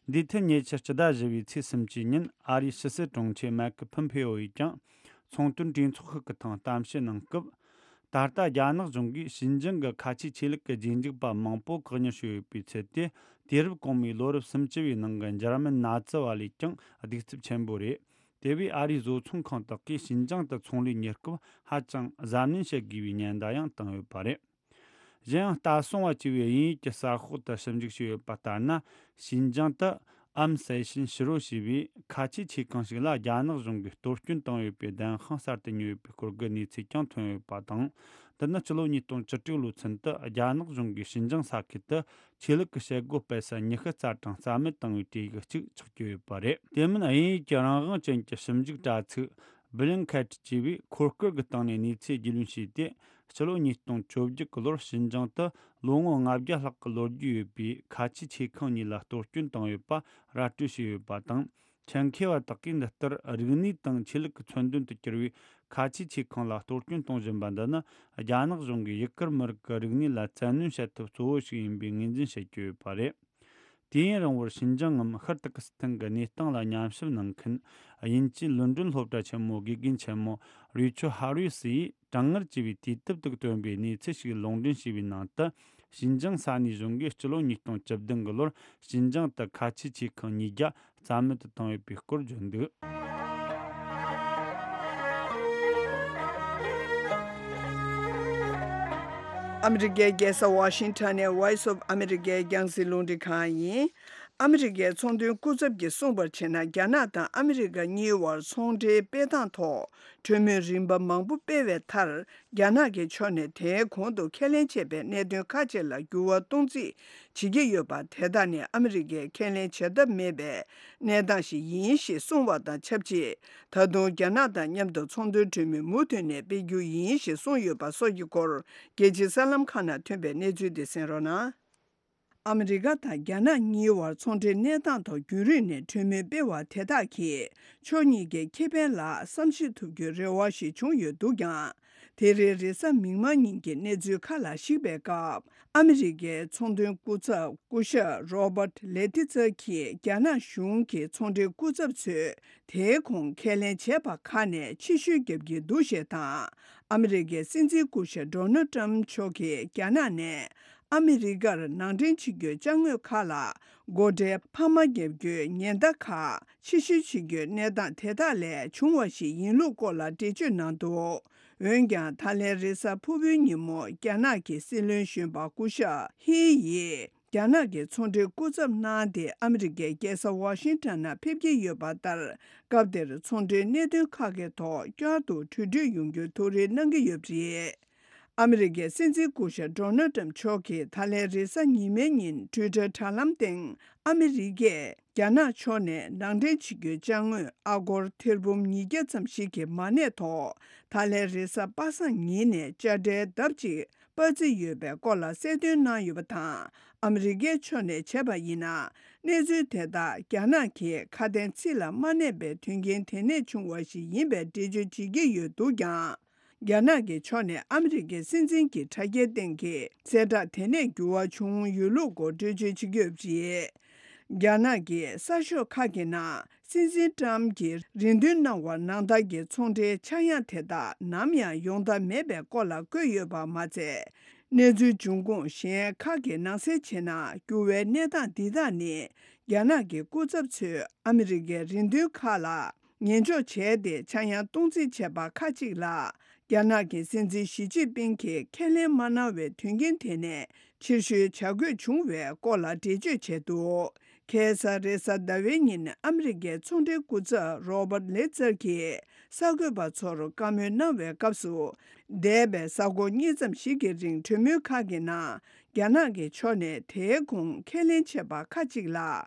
འདིའི་ཐད་ཉེ་ཆར་སྤྱི་ཟླ་བཞི་པའི་ཚེས་སུམ་ཅུ་ཉིན་ཨ་རིའི་ཕྱི་སྲིད་དྲུང་ཆེ་མའེ་ཁི་ཕུམ་ཕེ་ཨོ་ཡིས་ཀྱང་། ཚོང་དོན་གྲོས་ཚོགས་ཤིག་གི་ཐེངས་གཏམ་བཤད་གནང་སྐབས། ད་ལྟ་རྒྱ་ནག་གཞུང་གིས་ཤིན་ཅང་གི་ཁ་ཆེའི་ཆོས་ལུགས་ཀྱི་རྗེས་འཇུག་པ་མང་པོ་བཀག་ཉར་བྱས་ཡོད་པའི་ཚུལ་དེ། དུས་རབས་གོང་མའི་ལོ་རབས་སུམ་ཅུ་བའི་ནང་གི་འཇར་མན་ནཱ་ཛི་བ་ལས་ཀྱང་གདུག་རྩུབ་ཆེན་པོ་རེད། དེ་བས་ཨ་རིའི་བཟོ་ཚོང་ཁང་དག་གིས་ཤིན་ཅང་དུ་ཚོང་ལས་གཉེར་སྐབས་ཧ་ཅང་གཟབ་ནན་བྱེད་དགོས་པའི་ཉེན་བརྡ་ཡང་བཏང་ཡོད་པ་རེད། གཞན་ཡང་ལྟ་སྲུང་བ་ཅེས་པའི་དབྱིན་ཡིག་གི་གསར་ཤོག་ཏུ་ཞིབ་འཇུག་བྱས་ཡོད་པ་ལྟར་ན། ཤིན་ཅང་དུ་ཨམ་སེ་ཤིན་ཕྱི་རོལ་ཞེས་པའི་ཁ་ཆེའི་ཆེ་ཁང་ཞིག་ལ་རྒྱ་ནག་གཞུང་གིས་གཏོར་སྐྱོན་བཏང་ཡོད་པའི་བདེན་དཔང་གསར་དུ་ཉོས་ཡོད་པའི་སྐོར་གྱི་གནས་ཚུལ་ཀྱང་ཐོན་ཡོད་པ་དང་། འདི་ནི་ཕྱི་ལོ་ཉིས་སྟོང་བཅུ་དྲུག་ལོའི་ཚུན་དུ་རྒྱ་ནག་གཞུང་གིས་ཤིན་ཅང་ས་ཁུལ་དུ་ཆོས་ལུགས་ཀྱི་བྱེད་སྒོ་སྤེལ་ས་ཉི་ཤུ་རྩ་གྲངས་རྩ་མེད་བཏང་བའི་གྲས་ཀྱི་གཅིག་ཆགས་ཀྱི་ཡོད་པ་རེད། དེ་མིན་དབྱིན་ཡིག་གི་རང་དབང་ཅན་གྱི་ཞིབ་འཇུག་དྲ་ཚིགས་Bellingcat ཅེས་པས་འཁོར་སྐར་གྱི་སྟེང་ནས་གནས་ཚུལ་རྒྱུས་ལོན་བྱས་ཏེ། ཕྱི་ལོ་ཉིས་སྟོང་བཅོ་བརྒྱད་ཀྱི་ལོར་ཤིན་ཅང་དུ་ལོ་ངོ་ལྔ་བརྒྱ་ལྷག་གི་ལོ་རྒྱུས་ཡོད་པའི་ཁ་ཆེའི་ཆེ་ཁང་གཉིས་ལ་གཏོར་སྐྱོན་བཏང་ཡོད་པ་ར་སྤྲོད་བྱས་ཡོད་པ་དང་། ཆེད་མཁས་པ་དག་གིས་འདི་ལྟར་རིག་གནས་དང་ཆོས་ལུགས་ཀྱི་མཚོན་དོན་དུ་གྱུར་བའི་ཁ་ཆེའི་ཆེ་ཁང་ལ་གཏོར་སྐྱོན་གཏོང་བཞིན་པ་འདི་ནི། རྒྱ་ནག་གཞུང་གིས་ཡུ་གུར་མི་རིགས་ཀྱི་རིག་གནས་ལ་བཙན་གནོན་བྱེད་ཐབས་གཙོ་བོ་ཞིག་ཡིན་པའི་ངོས་འཛིན་བྱེད་ཀྱི་ཡོད་པ་རེད། དུས་ཡུན་རིང་བོར་ཤིན་ཅང་ངམ་ཤར་ཏུར་ཀི་སི་ཐན་གྱི་གནས་སྟངས་ལ་ཉམས་ཞིབ་གནང་མཁན་དབྱིན་ཇིའི་ལོན་ཌོན་སློབ་གྲྭ་ཆེན་མོའི་དགེ་རྒན་ཆེན་མོ་རི་ཆོ་ཧ་རུས་ཡིས་གྲང་ངར་ཆེ་བའི་དུས་དེབ་དུ་བཏོན་པའི་གནས་ཚུལ་ཞིག་ལུང་འདྲེན་བྱས་པའི་ནང་དུ། ཤིན་ཅང་ས་གནས་གཞུང་གིས་སྤྱི་ལོ་ཉིས་སྟོང་བཅུ་བདུན་གྱི་ལོར་ཤིན་ཅང་དུ་ཁ་ཆེའི་ཆེ་ཁང་ཉིས་བརྒྱ་རྩ་མེད་དུ་བཏང་ཡོད་པའི་སྐོར་བརྗོད་འདུག་ཨ་མི་རི་ཀའི་རྒྱལ་ས་ཝ་ཤིང་ཊོན་ནས་Voice of America་རྒྱང་སྲིང་རླུང་འཕྲིན་ཁང་ཡིན། ཨ་མི་རི་ཀའི་ཚོང་དོན་སྐུ་ཚབ་ཀྱིས་གསུངས་པར་བྱས་ན། རྒྱ་ནག་དང་ཨ་མི་རི་ཀ་གཉིས་བར་ཚོང་འབྲེལ་སྤེལ་སྟངས་ཐོག་གྲོས་མོལ་རིམ་པ་མང་པོ་སྤེལ་བའི་མཐར། རྒྱ་ནག་གི་ཕྱོགས་ནས་དེའི་གོང་དུ་ཁས་ལེན་བྱས་པའི་གནད་དོན་ཁག་ཅིག་ལ་འགྱུར་བ་གཏོང་རྩིས་བྱེད་ཀྱི་ཡོད་པ། དེ་དག་ནི་ཨ་མི་རི་ཀས་ཁས་ལེན་བྱ་ཐབས་མེད་པའི་གནས་སྟངས་ཤིག་ཡིན་ཞེས་གསུངས་པ་དང་ཆབས་ཅིག་ད་དུང་རྒྱ་ནག་དང་མཉམ་དུ་ཚོང་དོན་གྲོས་མོལ་མུ་མཐུད་ནས་སྤེལ་རྒྱུ་ཡིན་ཞེས་གསུངས་ཡོད་པ་སོགས་ཀྱི་སྐོར། རྒྱལ་སྤྱིའི་གསར་ལམ་ཁག་ནང་ཐོན་པའི་གནས་ཚུལ་དེ་གསན་རོགས་གནང་། ཨ་མི་རི་ཀ་དང་རྒྱ་ནག་གཉིས་བར་ཚོང་འབྲེལ་གནས་སྟངས་ཐོག་རྒྱུན་རིང་ནས་གྲོས་མོལ་སྤེལ་བ་དེ་དག་གིས་ཕྱོགས་གཉིས་ཀའི་ཁེ་ཕན་ལ་བསམ་ཤེས་ཐུབ་རྒྱུའི་རེ་བ་ཞིག་བྱུང་ཡོད་འདུག་ཀྱང་། དེ་རིང་རེས་གཟའ་མིག་དམར་ཉིན་གྱི་གནས་ཚུལ་ཁག་ལ་གཞིགས་པའི་སྐབས། ཨ་མི་རི་ཀའི་ཚོང་དོན་སྐུ་ཚབ་སྐུ་ཞབས་Robert Lighthizer་གྱིས་རྒྱ་ནག་གཞུང་གི་ཚོང་འབྲེལ་སྐུ་ཚབ་ཚོས་དེའི་གོང་ཁས་ལེན་བྱས་པ་ཁག་ནས་ཕྱིར་བཤོལ་བརྒྱབ་ཀྱི་འདུག་ཞེས་དང་། ཨ་མི་རི་ཀའི་སྲིད་འཛིན་སྐུ་ཞབས་Donald Trump་མཆོག་གིས་རྒྱ་ནག་ནས་ཨ་མི་རི་ཀར་ནང་འདྲེན་བྱེད་རྒྱུའི་ཅ་དངོས་ཁག་ལ་སྒོ་ཁྲལ་འཕར་མ་བརྒྱབ་རྒྱུའི་ཉེན་བརྡ་ཁག་ཕྱིར་བཤོལ་བྱེད་རྒྱུའི་གནས་སྟངས་དེ་དག་ལས་བྱུང་བ་ཞིག་ཡིན་ལུགས་སྐོར་ལ་འགྲེལ་བརྗོད་གནང་འདུག་འོན་ཀྱང་། ད་ལན་རེས་གཟའ་ཕུར་བུའི་ཉིན་མོ་རྒྱ་ནག་གི་སྲིད་བློན་གཞོན་པ་སྐུ་ཞབས་ཧི་ཡིས་རྒྱ་ནག་གི་ཚོང་འབྲེལ་སྐུ་ཚབ་གནང་སྟེ་ཨ་མི་རི་ཀའི་རྒྱལ་ས་ཝ་ཤིང་ཊོན་ནང་ཕེབས་ཀྱི་ཡོད་པ་ལྟར། སྐབས་དེར་ཚོང་འབྲེལ་གནད་དོན་ཁག་གི་ཐོག་བསྐྱར་དུ་གྲོས་མཐུན་ཡོང་རྒྱུའི་ཐུགས་རེ་གནང་གི་ཡོད་པ་རེད། ཨ་མི་རི་ཀའི་སྲིད་འཛིན་སྐུ་ཞབས་Donald Trump་མཆོག་གིས་ད་ལན་རེས་གཟའ་ཉི་མའི་ཉིན་Twitter་དྲ་ལམ་སྟེང་ཨ་མི་རི་ཀས་རྒྱ་ནག་ཕྱོགས་ནས་ནང་འདྲེན་བྱེད་རྒྱུའི་ཅ་དངོས་ཨ་སྒོར་ཐེར་འབུམ་ཉིས་བརྒྱ་ཙམ་ཞིག་གི་མ་གནས་ཐོག་ད་ལན་རེས་གཟའ་པ་སངས་ཉིན་ནས་དཔྱ་ཁྲལ་ལྡབ་གཅིག་སྤར་རྩིས་ཡོད་པའི་སྐོར་ལ་གསལ་སྟོན་གནང་ཡོད་པ་དང་། ཨ་མི་རི་ཀའི་ཕྱོགས་ནས་བྱས་པ་ཡིན་ན། གནས་ཚུལ་དེ་དག་རྒྱ་ནག་གིས་ཁ་དན་ཚིག་ལ་མ་གནས་པའི་དོན་རྐྱེན་དེ་ནས་བྱུང་བ་ཞིག་ཡིན་པའི་འགྲེལ་བརྗོད་བྱེད་ཀྱི་ཡོད་འདུག་ཀྱང་། རྒྱ་ནག་གི་ཕྱོགས་ནས་ཨ་མི་རི་ཀའི་སྲིད་འཛིན་གྱི་དྲ་རྒྱའི་སྟེང་གི་གསལ་བསྒྲགས་དེ་ནས་འགྱུར་བ་བྱུང་ཡོད་ལུགས་སྐོར་འགྲེལ་བརྗོད་བྱེད་ཀྱི་ཡོད་པ་རེད། རྒྱ་ནག་གི་གསར་ཤོག་ཁག་གི་ནང་སྲིད་འཛིན་ཀྲམ་གྱིས་རེ་འདུན་གནང་བ་ནང་ལྟར་གྱི་ཚོང་འབྲེལ་ཆག་ཡང་དེ་དག་ནམ་ཡང་ཡོང་ཐབས་མེད་པའི་སྐོར་ལ་བཀོད་ཡོད་པ་མ་ཚད། གནས་ཚུལ་འབྱུང་ཁུངས་གཞན་ཁག་གི་ནང་གསལ་བྱས་ན། འགྱུར་བའི་གནས་སྟངས་འདི་དག་ནི་རྒྱ་ནག་གི་སྐུ་ཚབ་ཚོས་ཨ་མི་རི་ཀའི་རེ་འདུན་ཁག་ལ་ཉན་འཇོག་བྱས་ཏེ་ཆག་ཡང་གཏོང་རྩིས་བྱས་པ་ཁག་ཅིག་ལ། རྒྱ་ནག་གི་སྲིད་འཛིན་ཞི་ཅིན་ཕིང་གིས་ཁས་ལེན་མ་གནང་བའི་དོན་རྐྱེན་དེ་ནས་ཕྱིར་བཤོལ་བྱ་དགོས་བྱུང་བའི་སྐོར་ལ་འགྲེལ་བརྗོད་བྱས་འདུག་ཁ་སང་རེས་གཟའ་ཟླ་བའི་ཉིན་ཨ་མི་རི་ཀའི་ཚོང་འབྲེལ་སྐུ་ཚབ་Robert Lighthizer་གྱིས་གསར་འགོད་པ་ཚོར་བཀའ་མོལ་གནང་བའི་སྐབས་སུ། འདས་པའི་གཟའ་འཁོར་གཉིས་ཙམ་ཞིག་གི་རིང་གྲོས་མོལ་ཁག་གི་ནང་། རྒྱ་ནག་གི་ཕྱོགས་ནས་དེའི་གོང་ཁས་ལེན་བྱས་པ་ཁག་ཅིག་ལ་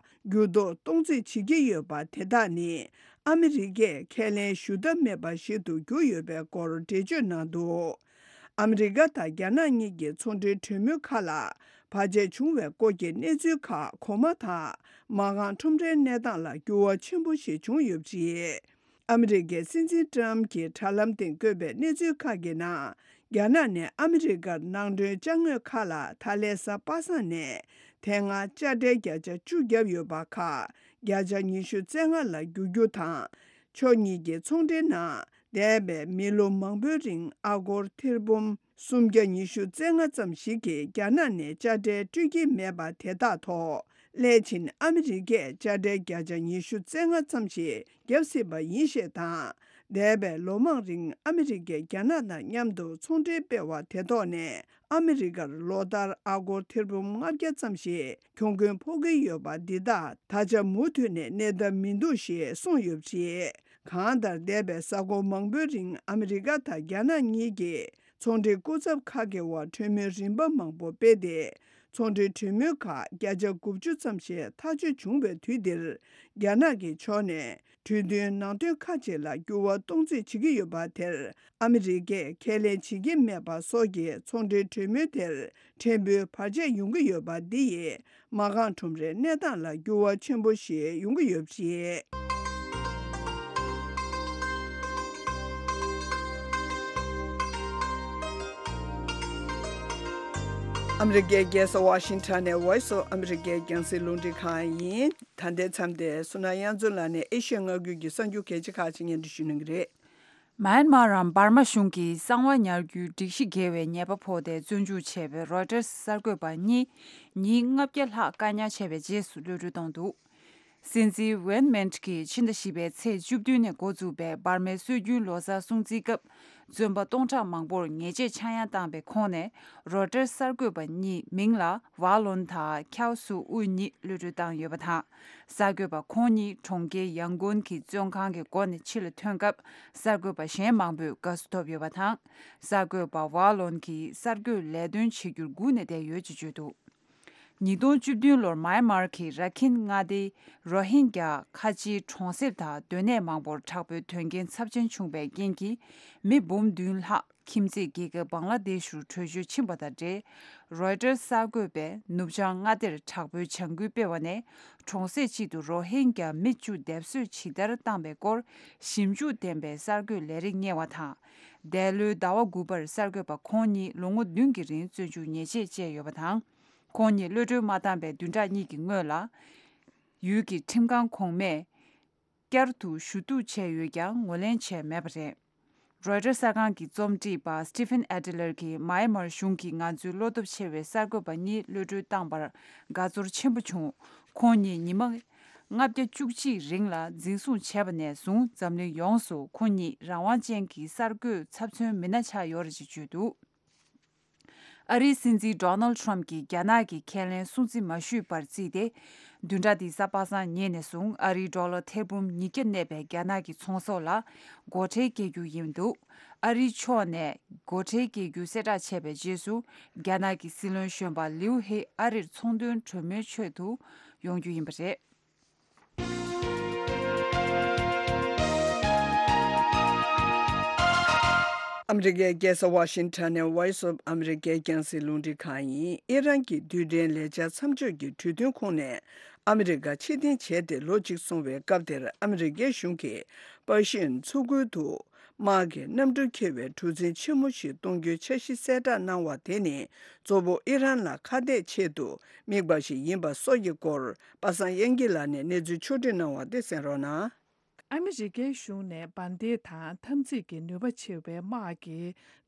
འགྱུར་ལྡོག་གཏོང་རྩིས་བྱེད་ཀྱི་ཡོད་པ་དེ་དག་ནི། ཨ་མི་རི་ཀས་ཁས་ལེན་ཞུ་ཐབས་མེད་པ་ཞིག་ཏུ་གྱུར་ཡོད་པའི་སྐོར་འགྲེལ་བརྗོད་གནང་འདུག་ཨ་མི་རི་ཀ་དང་རྒྱ་ནག་གཉིས་ཀྱི་ཚོང་འབྲེལ་གྲོས་མོལ་ཁག་ལ་བར་ཆད་བྱུང་བའི་སྐོར་གྱི་གནས་ཚུལ་ཁག་གོང་མ་དང་། མ་རྐང་ཁྲོམ་རའི་གནས་སྟངས་ལ་འགྱུར་བ་ཆེན་པོ་ཞིག་བྱུང་ཡོད་པ་རེད། ཨ་མི་རི་ཀའི་སྲིད་འཛིན་ཀྲམ་གྱིས་དྲ་ལམ་སྟེང་བཀོད་པའི་གནས་ཚུལ་ཁག་གི་ནང་། རྒྱ་ནག་ནས་ཨ་མི་རི་ཀར་ནང་འདྲེན་ཅ་དངོས་ཁག་ལ་ད་ལན་གཟའ་པ་སངས་ནས་དེ་སྔ་དཔྱ་ཁྲལ་བརྒྱ་ཆ་བཅུ་བརྒྱབ་ཡོད་པ་ཁག་བརྒྱ་ཆ་ཉི་ཤུ་རྩ་ལྔ་ལ་བསྒྱུར་རྒྱུ་དང་། ཕྱོགས་གཉིས་ཀྱི་ཚོང་འབྲེལ་ནང་། འདས་པའི་མི་ལོ་མང་པོའི་རིང་ཨ་སྒོར་ཐེར་འབུམ་སུམ་བརྒྱ་ཉི་ཤུ་རྩ་ལྔ་ཙམ་ཞིག་གིས་རྒྱ་ནག་ནས་དཔྱ་ཁྲལ་སྤྲོད་ཀྱི་མེད་པ་དེ་དག་ཐོག་སླད་ཕྱིན་ཨ་མི་རི་ཀས་དཔྱ་ཁྲལ་བརྒྱ་ཆ་ཉི་ཤུ་རྩ་ལྔ་ཙམ་ཞིག་བརྒྱབ་སྲིད་པ་ཡིན་ཞེས་དང་། འདས་པའི་ལོ་མང་རིང་ཨ་མི་རི་ཀས་རྒྱ་ནག་དང་མཉམ་དུ་ཚོང་འབྲེལ་སྤེལ་བ་དེ་ཐོག་ནས་ཨ་མི་རི་ཀར་ལོ་ལྟར་ཨ་སྒོར་ཐེར་འབུམ་ལྔ་བརྒྱ་ཙམ་ཞིག་གྱོང་གུན་ཕོག་གི་ཡོད་པ་འདི་དག་ད་ཆ་མུ་མཐུད་ནས་གནས་ཐབས་མི་འདུག་ཞེས་གསུངས་ཡོད་པ་རེད། གང་ལྟར་འདས་པའི་གཟའ་འཁོར་མང་པོའི་རིང་ཨ་མི་རི་ཀ་དང་རྒྱ་ནག་གཉིས་ཀྱི་ཚོང་འབྲེལ་སྐུ་ཚབ་ཁག་གི་དབར་གྲོས་མོལ་རིམ་པ་མང་པོ་སྤེལ་ཏེ། ཚོང་འབྲེལ་གྲོས་མོལ་ཁག་བརྒྱ་ཆ་དགུ་བཅུ་ཙམ་ཞིག་ཐག་གཅོད་བྱུང་བའི་དུས་འདིར། རྒྱ་ནག་གི་ཕྱོགས་ནས་གྲོས་མཐུན་ནང་དོན་ཁག་ཅིག་ལ་འགྱུར་བ་གཏོང་རྩིས་བྱེད་ཀྱི་ཡོད་པ་དེར། ཨ་མི་རི་ཀས་ཁས་ལེན་བྱེད་ཀྱི་མེད་པ་སོགས་ཀྱིས་ཚོང་འབྲེལ་གྲོས་མོལ་དེར་ཕྲན་བུ་བར་ཆད་ཡོང་གི་ཡོད་པ་འདི་ཡིས། མ་རྐང་ཁྲོམ་རའི་གནས་སྟངས་ལ་འགྱུར་བ་ཆེན་པོ་ཞིག་ཡོང་གི་ཡོད་པ་རེད། ཨ་མི་རི་ཀའི་རྒྱལ་ས་ཝ་ཤིང་ཊོན་ནས་Voice of America་རྒྱང་སྲིང་རླུང་འཕྲིན་ཁང་ཡིན། ད་ལྟའི་མཚམས་དེར་བསོད་ནམས་དབྱངས་མཚོ་ལགས་ནས་ཨེ་ཤི་ཡ་མངའ་ཁུལ་གྱི་གསར་འགྱུར་གལ་ཆེ་ཁག་ཅིག་སྙན་སྒྲོན་ཞུ་གནང་གི་རེད། མཱན་མཱ་རམ་འབར་མ་གཞུང་གིས་གསང་བ་ཉར་རྒྱུའི་སྒྲིག་གཞི་འགལ་བའི་ཉེས་པ་ཕོག་སྟེ་བཙོན་འཇུག་བྱས་པའི་རོའི་ཊར་གསར་འགོད་པ་གཉིས་ཉིན་ལྔ་བརྒྱ་ལྷག་བཀག་ཉར་བྱས་པའི་རྗེས་སུ་གློད་གྲོལ་བཏང་འདུག་སྲིད་འཛིན་ཝེན་མིན་གྱིས་ཕྱི་ཟླ་བཞི་པའི་ཚེས་བཅུ་བདུན་ནས་འགོ་བཙུགས་པའི་འབར་མའི་སྲོལ་རྒྱུན་ལོ་གསར་སྲུང་བརྩིའི་སྐབས། བཙོན་པ་སྟོང་ཕྲག་མང་པོར་ཉེས་ཆད་ཆག་ཡང་བཏང་པའི་ཁོངས་ནས། རོའི་ཊར་གསར་འགོད་པ་གཉིས་མིང་ལ་ཝཱ་ལོན་དང་ཁྱའོ་སུ་ཨུ་གཉིས་གློད་གྲོལ་བཏང་ཡོད་པ་དང་། གསར་འགོད་པ་ཁོང་གཉིས་གྲོང་ཁྱེར་ཡང་གོན་གྱི་བཙོན་ཁང་གི་སྒོ་ནས་ཕྱི་ལ་ཐོན་སྐབས། གསར་འགོད་པ་གཞན་མང་པོས་དགའ་བསུ་ཐོབ་ཡོད་པ་དང་། གསར་འགོད་པ་ཝཱ་ལོན་གྱིས་གསར་འགོད་ལས་དོན་བྱེད་རྒྱུར་སྒུག་ནས་བསྡད་ཡོད་ཅེས་བརྗོད་འདུག། ཉིས་སྟོང་བཅུ་བདུན་ལོར་མཱ་ཡན་མར་གྱི་ར་ཁིན་མངའ་སྡེའི་རོ་ཧིན་གྱ་ཁ་ཆེའི་གྲོང་གསེབ་དང་སྡོད་གནས་མང་པོར་དྲག་པོའི་དོན་རྐྱེན་ཚབས་ཆེན་བྱུང་བའི་རྐྱེན་གྱིས། མི་འབུམ་བདུན་ལྷག་ཁྱིམ་མཚེས་རྒྱལ་ཁབ་བང་ལ་དེཤ་རུ་བྲོས་བྱོལ་ཕྱིན་པ་དང་འབྲེལ། རོའི་ཊར་གསར་འགོད་པས་ནུབ་བྱང་མངའ་སྡེར་དྲག་པོའི་བྱ་འགུལ་སྤེལ་བ་ནས། གྲོང་གསེབ་གཅིག་ཏུ་རོ་ཧིན་གྱ་མི་བཅུ་སྡེབ་གསོད་ཇི་ལྟར་བཏང་པའི་སྐོར། ཞིབ་འཇུག་ལྡན་པའི་གསར་འགོད་ལས་རིགས་གཉེར་བ་དང་། འདས་ལོའི་ཟླ་བ་དགུ་པར་གསར་འགོད་པ་ཁོང་གཉིས་ལོ་ངོ་བདུན་གྱི་རིང་བཙོན་འཇུག་ཉེས་ཆད་བཅད་ཡོད་པ་དང་། ཁོང་གཉིས་གློད་གྲོལ་མ་བཏང་པའི་བདུན་ཕྲག་གཉིས་ཀྱི་སྔོན་ལ། ཡུལ་གྱི་ཁྲིམས་ཁང་གོང་མས་བསྐྱར་དུ་ཞུ་གཏུག་བྱས་ཡོད་ཀྱང་ངོས་ལེན་བྱས་མེད་པ་རེད། རོའི་ཊར་གསར་ཁང་གི་རྩོམ་སྒྲིག་པ་སི་ཊི་ཕན་ཨེ་ཏི་ལར་གྱིས་མཱ་ཡན་མར་གཞུང་གིས་ང་ཚོའི་བློ་སྟོབས་ཆེ་བའི་གསར་འགོད་པ་གཉིས་གློད་གྲོལ་བཏང་པར་དགའ་ཚོར་ཆེན་པོ་བྱུང་། ཁོང་གཉིས་ཉི་མ་ལྔ་བརྒྱ་བཅུ་གཅིག་རིང་ལ་འཛིན་བཟུང་བྱས་པ་ནས་བཟུང་འཛམ་གླིང་ཡོངས་སུ་ཁོང་གཉིས་རང་དབང་ཅན་གྱི་གསར་འགོད་ཚབ་མཚོན་མི་སྣ་ཆགས་ཡོད་རེད་ཅེས་བརྗོད་འདུག། ཨ་རིའི་སྲིད་འཛིན་ཌོ་ནལ་ཌི་ཊརམ་ཕི་གྱིས་རྒྱ་ནག་གི་ཁས་ལེན་སྲུང་བརྩི་མ་ཞུས་པར་བརྩིས་ཏེ། བདུན་ཕྲག་འདིའི་གཟའ་པ་སངས་ཉིན་ནས་བཟུང་ཨ་རིའི་ཌོ་ལར་ཐེར་འབུམ་ཉིས་བརྒྱ་གནས་པའི་རྒྱ་ནག་གི་ཚོང་ཟོག་ལ་སྒོ་ཁྲལ་བཀལ་རྒྱུ་ཡིན་འདུག། ཨ་རིའི་ཕྱོགས་ནས་སྒོ་ཁྲལ་བཀལ་རྒྱུ་གསལ་བསྒྲགས་བྱས་པའི་རྗེས་སུ། རྒྱ་ནག་གི་སྲིད་བློན་གཞོན་པ་ལིའུ་ཧེ་ཨ་རིར་ཚོང་དོན་གྲོས་མོལ་ཆེད་དུ་ཡོང་རྒྱུ་ཡིན་པ་རེད། ཨ་མི་རི་ཀའི་རྒྱལ་ས་ཝ་ཤིང་ཊོན་ནས་Voice of America་རྒྱང་སྲིང་རླུང་འཕྲིན་ཁང་ཡིན། ཨི་རན་གྱི་རྡུལ་ཕྲན་ལས་འཆར་མཚམས་འཇོག་གི་གྲོས་མཐུན་ཁོངས་ནས་ཨ་མི་རི་ཀ་ཕྱིར་འཐེན་བྱས་ཏེ་ལོ་གཅིག་སོང་བའི་སྐབས་དེར། ཨ་མི་རི་ཀའི་གཞུང་གིས་པར་ཤིན་མཚོ་ཁུལ་དུ་དམག་གི་གནམ་གྲུ་འཁྱེར་བའི་གྲུ་གཟིངས་ཆེན་མོ་ཞིག་གཏོང་རྒྱུའི་འཆར་གཞི་གསལ་བསྒྲགས་གནང་བ་དེ་ནི། གཙོ་བོ་ཨི་རན་ལ་ཁ་གཏད་ཆེད་དུ་དམིགས་པ་ཞིག་ཡིན་པ་སོགས་ཀྱི་སྐོར། པ་སངས་དབྱངས་སྐྱིད་ལགས་ནས་གནས་ཚུལ་ཕྱོགས་བསྒྲིགས་གནང་བ་དེ་གསན་རོགས་གནང་། ཨ་མི་རི་ཀའི་གཞུང་ནས་འབར་མདེལ་དང་འཐབ་འཛིང་གི་ནུས་པ་ཆེ་བའི་དམག་གི་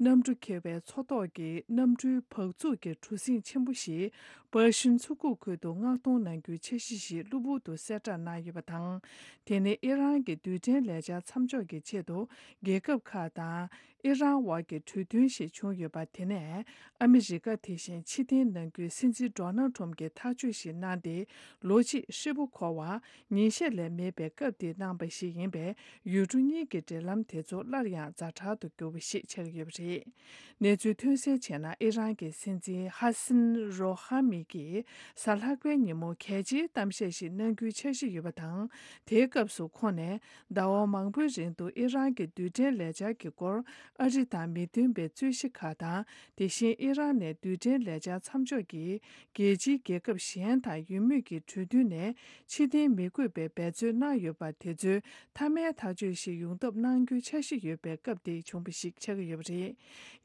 གནམ་གྲུ་འཁྱེར་བའི་མཚོ་ཐོག་གི་གནམ་གྲུའི་བག་ཚུགས་ཀྱི་གྲུ་གཟིངས་ཆེན་པོ་ཞིག་པར་ཤིན་མཚོ་ཁུག་ཁུལ་དུ་མངགས་གཏོང་གནང་རྒྱུའི་འཆར་གཞི་ཞིག་གློ་བུར་དུ་གསལ་བསྒྲགས་གནང་ཡོད་པ་དང་། དེ་ནི་ཨི་རན་གྱི་རྡུལ་ཕྲན་ལས་འཆར་མཚམས་འཇོག་གི་ཆེད་དུ་རྒྱལ་ཁབ་ཁག་དང་། ཨི་རན་དབར་གྱི་གྲོས་མཐུན་ཞིག་བྱུང་ཡོད་པ་དེ་ནས། ཨ་མི་རི་ཀ་དེ་བཞིན་ཕྱིར་འཐེན་གནང་རྒྱུའི་སྲིད་འཛིན་ཌོ་ནལ་ཌི་ཊརམ་ཕིའི་ཐག་གཅོད་ཞིག་གནང་སྟེ། ལོ་གཅིག་ཧྲིལ་པོ་འཁོར་བར་ཉིན་ཤས་ལས་མེད་པའི་སྐབས་དེར་གནང་བ་ཞིག་ཡིན་པས། ཡུལ་གྲུ་གཉིས་ཀྱི་འབྲེལ་ལམ་དེ་ཚོ་སླར་ཡང་ཛ་དྲག་ཏུ་གྱུར་པ་ཞིག་ཆགས་ཀྱི་ཡོད་པ་རེད། གནས་ཚུལ་ཐོན་གསལ་བྱས་ན། ཨི་རན་གྱི་སྲིད་འཛིན་ཧ་སིན་རོ་ཧ་མི་གིས་གཟའ་ལྷག་པའི་ཉིན་མོ་གལ་ཆེའི་གཏམ་བཤད་ཞིག་གནང་རྒྱུའི་འཆར་གཞི་ཡོད་པ་དང་། དེའི་སྐབས་སུ་ཁོང་ནས། ཟླ་བ་མང་པོའི་རིང་དུ་ཨི་རན་གྱི་རྡུལ་ཕྲན་ལས་འཆར་གྱི་སྐོར་ཨ་རི་དང་མི་མཐུན་པའི་རྩོད་གཞི་ཁག་དང་། དེ་བཞིན་ཨི་རན་ནས་རྡུལ་ཕྲན་ལས་འཆར་མཚམས་འཇོག་གི་རྒྱལ་སྤྱིའི་རྒྱལ་ཁབ་གཞན་དང་ཡུལ་མི་གི་གྲོས་མཐུན་ནས་ཕྱིར་འཐེན་མི་དགོས་པའི་འབད་རྩོལ་གནང་ཡོད་པ་དེ་ཚོའི་མཐའ་མའི་ཐག་གཅོད་ཞིག་ཡོང་ཐབས་གནང་རྒྱུའི་འཆར་གཞི་ཡོད་པའི་སྐབས་དེ་བྱུང་བ་ཞིག་ཆགས་ཀྱི་ཡོད་པ་རེད།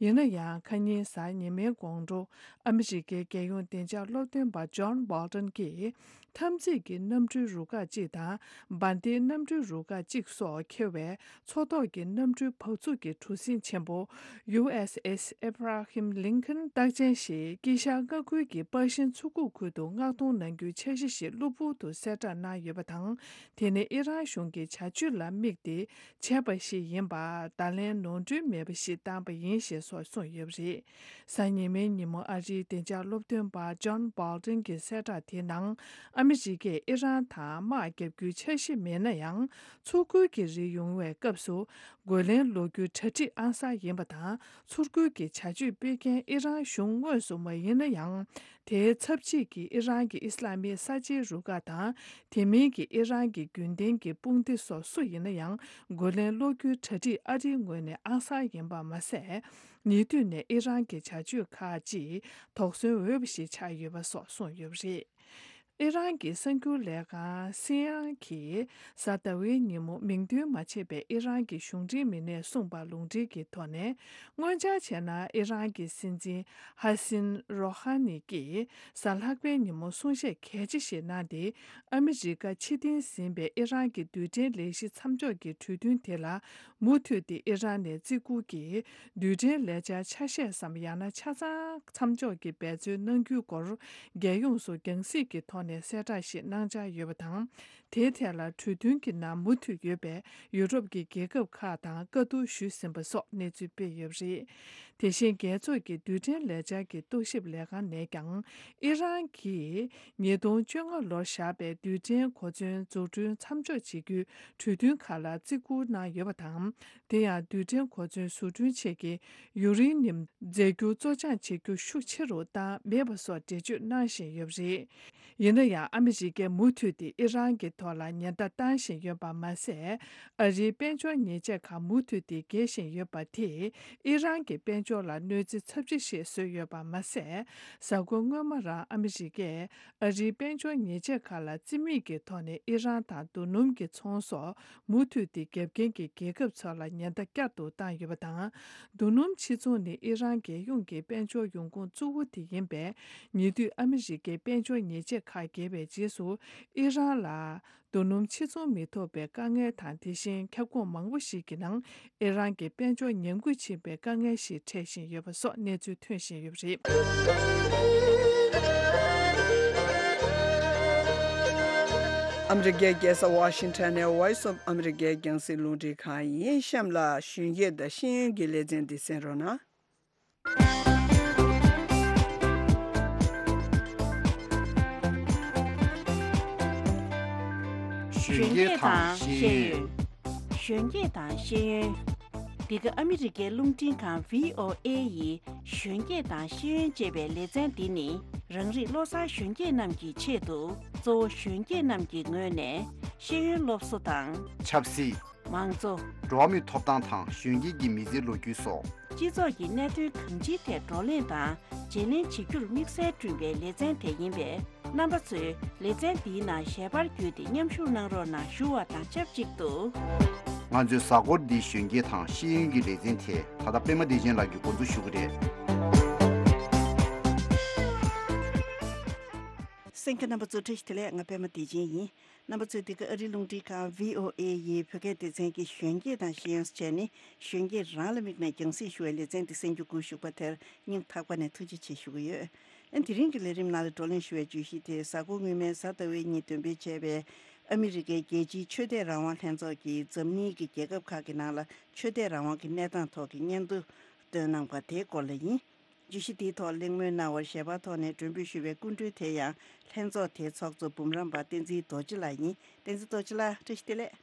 ཡིན་ན་ཡང་། ཁ་ཉིན་གཟའ་ཉི་མའི་དགོང་དྲོ། ཨ་མི་རི་ཀའི་རྒྱལ་ཡོངས་བདེ་འཇགས་སློབ་སྟོན་པ་ཇོན་བྷོལ་ཊོན་གྱིས། འཐབ་འཛིང་གི་གནམ་གྲུའི་རུ་ཁག་ཅིག་དང་། འབར་མདེལ་གནམ་གྲུའི་རུ་ཁག་ཅིག་སོགས་འཁྱེར་བའི་མཚོ་ཐོག་གི་གནམ་གྲུའི་བག་ཚུགས་ཀྱི་གྲུ་གཟིངས་ཆེན་པོ། ཡུ་ཨེས་ཨེས་ཨེབ་ར་ཧིམ་ལིན་ཁན་རྟགས་ཅན་ཞིག་དཀྱིལ་ཤར་མངའ་ཁུལ་གྱི་པར་ཤིན་མཚོ་ཁུག་ཁུལ་དུ་མངགས་གཏོང་གནང་རྒྱུའི་འཆར་གཞི་ཞིག་གློ་བུར་དུ་གསལ་བསྒྲགས་གནང་ཡོད་པ་དང་། དེ་ནི་ཨི་རན་གཞུང་གི་བྱ་སྤྱོད་ལ་དམིགས་ཏེ། བྱས་པ་ཞིག་ཡིན་པ། བརྡ་ལན་ནོར་འཁྲུལ་མེད་པ་ཞིག་བཏང་པ་ཡིན་ཞེས་སོགས་གསུངས་ཡོད་པ་རེད། གཟའ་ཉི་མའི་ཉིན་མོ་ཨ་རིའི་བདེ་འཇགས་སློབ་སྟོན་པ་ཇོན་བྷོལ་ཊོན་གྱི་གསལ་བསྒྲགས་དེའི་ནང་། ཨ་མི་རི་ཀས་ཨི་རན་དང་དམག་བརྒྱབ་རྒྱུའི་འཆར་གཞི་མེད་ན་ཡང་། མཚོ་ཁུལ་གྱི་རིགས་ཡོང་བའི་སྐབས་སུ་རྒོལ་ལན་སློག་རྒྱུའི་གྲ་སྒྲིག་ཨང་གསར་ཡིན་པ་དང་། མཚོ་ཁུལ་གྱི་བྱ་སྤྱོད་སྤེལ་མཁན་ཨི་རན་གཞུང་དངོས་སུ་མ་ཡིན་ན་ཡང་། དེའི་ཚབ་བྱེད་ཀྱི་ཨི་རན་གྱི་ཨི་སི་ལ་མིའི་གསར་བརྗེའི་རུ་ཁག་དང་། དེ་མིན་གྱི་ཨི་རན་གྱི་རྒྱུན་ལྡན་གྱི་དཔུང་སྡེ་སོགས་སུ་ཡིན་ན་ཡང་། རྒོལ་ལན་སློག་རྒྱུའི་གྲ་སྒྲིག་ཨ་རིའི་ངོས་ནས་ཨང་གསར་ཡིན་པ་མ་ཟད། ཉེ་དུས་ནས་ཨི་རན་གྱི་བྱ་སྤྱོད་ཁག་ཅིག་དོགས་ཟོན་འོས་པ་ཞིག་ཆགས་ཡོད་པ་སོགས་གསུངས་ཡོད་པ་རེད། ཨི་རན་གྱི་གསར་འགྱུར་ལས་ཁང་སི་ཨེན་ཨེན་གྱིས་གཟའ་ཟླ་བའི་ཉིན་མོ་མིང་འདོན་མ་བྱས་པའི་ཨི་རན་གྱི་གཞུང་འབྲེལ་མི་སྣས་གསུངས་པ་ལུང་འདྲེན་གྱི་ཐོག་ནས། སྔོན་ཆར་བྱས་ན་ཨི་རན་གྱི་སྲིད་འཛིན་ཧ་སིན་རོ་ཧ་ནི་ཀྱིས་གཟའ་ལྷག་པའི་ཉིན་མོ་གསུང་བཤད་གལ་ཆེ་ཞིག་གནང་སྟེ། ཨ་མི་རི་ཀ་ཕྱིར་འཐེན་ཟིན་པའི་ཨི་རན་གྱི་རྡུལ་ཕྲན་ལས་གཞི་མཚམས་འཇོག་གི་གྲོས་མཐུན་དེ་ལ་མུ་མཐུད་དེ་ཨི་རན་ནས་བརྩི་བཀུར་གྱིས་རྡུལ་ཕྲན་ལས་འཆར་ཆ་ཤས་སམ། ཡང་ན་ཆ་ཚང་མཚམས་འཇོག་གི་འབད་རྩོལ་གནང་རྒྱུའི་སྐོར། རྒྱལ་ཡོངས་སུ་རྒྱང་སྲིང་གི་ཐོག་ནས་གསལ་བསྒྲགས་ཤིག་གནང་འཆར་ཡོད་པ་དང་། དེའི་ཐད་ལ་གྲོས་མཐུན་གྱི་ནང་མུ་མཐུད་ཡོད་པའི་ཡུ་རོབ་ཀྱི་རྒྱལ་ཁབ་ཁག་དང་བཀའ་བསྡུར་ཞུས་ཟིན་པ་སོགས་གནས་ཚུལ་སྤེལ་ཡོད་པ་རེད། དེ་བཞིན་རྒྱལ་ཚོགས་ཀྱི་རྡུལ་ཕྲན་ལས་འཆར་གྱི་རྟོག་ཞིབ་ལས་ཁང་ནས་ཀྱང་ཨི་རན་གྱིས་ཉིས་སྟོང་བཅོ་ལྔ་ལོར་བཞག་པའི་རྡུལ་ཕྲན་གོ་མཚོན་འཛུགས་སྐྲུན་མཚམས་འཇོག་བྱེད་རྒྱུའི་གྲོས་མཐུན་ཁག་ལ་བརྩི་བཀུར་གནང་ཡོད་པ་དང་། དེ་ཡང་རྡུལ་ཕྲན་གོ་མཚོན་བཟོ་སྐྲུན་ཆེད་ཀྱི་ཡུ་རེ་ནི་ཡམ་རྫས་འགྱུར་བཙོ་སྦྱང་བྱེད་རྒྱུ་ཤུགས་ཆེ་རུ་བཏང་མེད་པ་སོགས་འགྲེལ་བརྗོད་གནང་བཞིན་ཡོད་པ་རེད། ཡིན་ན་ཡང་ཨ་མི་རི་ཀས་མུ་མཐུད་དེ་ཨི་རན་གྱི་ཐོག་ལ་ཉེན་བརྡ་བཏང་བཞིན་ཡོད་པ་མ་ཟད། ཨ་རིའི་དཔལ་འབྱོར་ཉེས་ཆད་ཁག་མུ་མཐུད་དེ་འགེལ་བཞིན་ཡོད་པ་དེས་ཨི་རན་གྱི་དཔལ་འབྱོར་ལ་གནོད་འཚེ་ཚབས་ཆེ་ཞིག་བཟོས་ཡོད་པ་མ་ཟད། གཟའ་འཁོར་སྔོན་མ་རང་ཨ་མི་རི་ཀས་ཨ་རིའི་དཔལ་འབྱོར་ཉེས་ཆད་ཁག་ལ་རྩིས་མེད་ཀྱི་ཐོག་ནས་ཨི་རན་དང་རྡོ་སྣུམ་གྱི་ཚོང་སོགས་མུ་མཐུད་དེ་རྒྱབ་འགལ་གྱི་རྒྱལ་ཁབ་ཚོ་ལ་ཉེན་བརྡ་བསྐྱར་དུ་བཏང་ཡོད་པ་དང་། རྡོ་སྣུམ་ཕྱིར་ཚོང་ནི་ཨི་རན་རྒྱལ་ཡོངས་ཀྱི་དཔལ་འབྱོར་ཡོང་ཁུངས་གཙོ་བོ་དེ་ཡིན་པས། ཉེ་དུས་ཨ་མི་རི་ཀའི་དཔལ་འབྱོར་ཉེས་ཆད་ཁག་འགེལ་བའི་རྗེས་སུ་ཨི་རན་ལ་རྡོ་སྣུམ་ཕྱིར་ཚོང་མི་ཐུབ་པའི་དཀའ་ངལ་དང་། དེ་བཞིན་ཁྱབ་ཁོངས་མང་པོ་ཞིག་གི་ནང་ཨི་རན་གྱི་དཔལ་འབྱོར་ཉམས་རྒུད་ཕྱིན་པའི་དཀའ་ངལ་ཞིག་འཕྲད་བཞིན་ཡོད་པ་སོགས་གནས་ཚུལ་ཐོན་བཞིན་ཡོད་པ་རེད། ཨ་མི་རི་ཀའི་རྒྱལ་ས་ཝ་ཤིང་ཊོན་ནས་Voice of America རྒྱང་སྲིང་རླུང་འཕྲིན་ཁང་ཡིན། གཤམ་ལ་གཞོན་སྐྱེས་དང་ཤེས་ཡོན་གྱི་ལེ་ཚན་འདི་གསན་རོགས་གནང་། གཞོན་སྐྱེས་དང་ཤེས་ཡོན། གཞོན་སྐྱེས་དང་ཤེས་ཡོན། འདི་ག་ཨ་མི་རི་ཀའི་རླུང་འཕྲིན་ཁང་བྷི་ཨོ་ཨེ་ཡི་གཞོན་སྐྱེས་དང་ཤེས་ཡོན་ཅེས་པའི་ལེ་ཚན་འདི་ནི། རང་རིགས་བློ་བཟང་གཞོན་སྐྱེས་རྣམས་ཀྱི་ཆེད་དུ། གཙོ་བོ་གཞོན་སྐྱེས་རྣམས་ཀྱི་ངོས་ནས་ཤེས་ཡོན་སློབ་གསོ་དང་། ཆབ་སྲིད། མང་གཙོ། འགྲོ་བ་མིའི་ཐོབ་ཐང་དང་གཞོན་སྐྱེས་ཀྱི་མི་ཚེའི་ལོ་རྒྱུས་སོགས། སྤྱི་ཚོགས་ཀྱི་གནད་དོན་གང་ཅིའི་ཐད་བགྲོ་གླེང་དང་བརྗེ་ལེན་བྱེད་རྒྱུར་དམིགས་བསལ་བསྐྲུན་པའི་ལེ་ཚན་དེ་ཡིན་པས། རྣམ་པ་ཚོས་ལེ་ཚན་འདིའི་ནང་ཞལ་པར་བརྒྱུད་དེ་མཉམ་ཞུགས་གནང་རོགས་གནང་ཞུ་བ་དང་ཆབས་ཅིག་ཏུ། ང་ཚོས་གཟའ་འཁོར་འདིའི་གཞོན་སྐྱེས་དང་ཤེས་ཡོན་གྱི་ལེ་ཚན་དེ་ད་ལྟ་པད་མ་བདེ་ཆེན་ལགས་ཀྱིས་འགོ་འཛུགས་ཞུ་གི་རེད། གསན་མཁན་རྣམ་པ་ཚོ་བཀྲ་ཤིས་བདེ་ལེགས། ང་པད་མ་བདེ་ཆེན་ཡིན། རྣམ་པ་ཚོས་འདི་ག་ཨ་རིའི་རླུང་འཕྲིན་ཁང་བྷི་ཨོ་ཨེ་ཡི་བོད་སྐད་སྡེ་ཚན་གྱི་གཞོན་སྐྱེས་དང་ཤེས་ཡོན་ཟེར་བྱས་ནས་གཞོན་སྐྱེས་རང་ལ་དམིགས་ནས་རྒྱང་སྲིང་ཞུ་བའི་ལེ་ཚན་འདི་གསན་རྒྱུ་སྒུག་བཞུགས་པ་དེར་སྙིང་ཐག་པ་ནས་ཐུགས་རྗེ་ཆེ་ཞུ་གི་ཡོད། ཨ་དེ་རིང་གི་ལས་རིམ་ནང་ལ་བགྲོ་གླེང་ཞུ་བའི་བརྗོད་གཞི་དེ་གཟའ་འཁོར་སྔོན་མའི་གཟའ་ཟླ་བའི་ཉིན་འདོན་སྤེལ་བྱས་པའི་ཨ་མི་རི་ཀའི་རྒྱལ་སྤྱིའི་ཆོས་དད་རང་དབང་ལྷན་ཚོགས་ཀྱིས་འཛམ་གླིང་གི་རྒྱལ་ཁབ་ཁག་གི་ནང་ལ་ཆོས་དད་རང་དབང་གི་གནས་སྟངས་ཐོག་གི་སྙན་ཐོ་བཏོན་གནང་པ་དེའི་སྐོར་ལ་ཡིན། བརྗོད་གཞི་དེའི་ཐོག་གླེང་མོལ་གནང་བར་ཞལ་པར་ཐོག་ནས་མགྲོན་འབོད་ཞུས་པའི་སྐུ་མགྲོན་དེ་ཡང་ལྷན་ཚོགས་དེའི་ཚོགས་གཙོ་འབུམ་རམས་པ་བསྟན་འཛིན་རྡོ་རྗེ་ལགས་ཡིན། བསྟན་འཛིན་རྡོ་རྗེ་ལགས་བཀྲ་ཤིས་བདེ་ལེགས།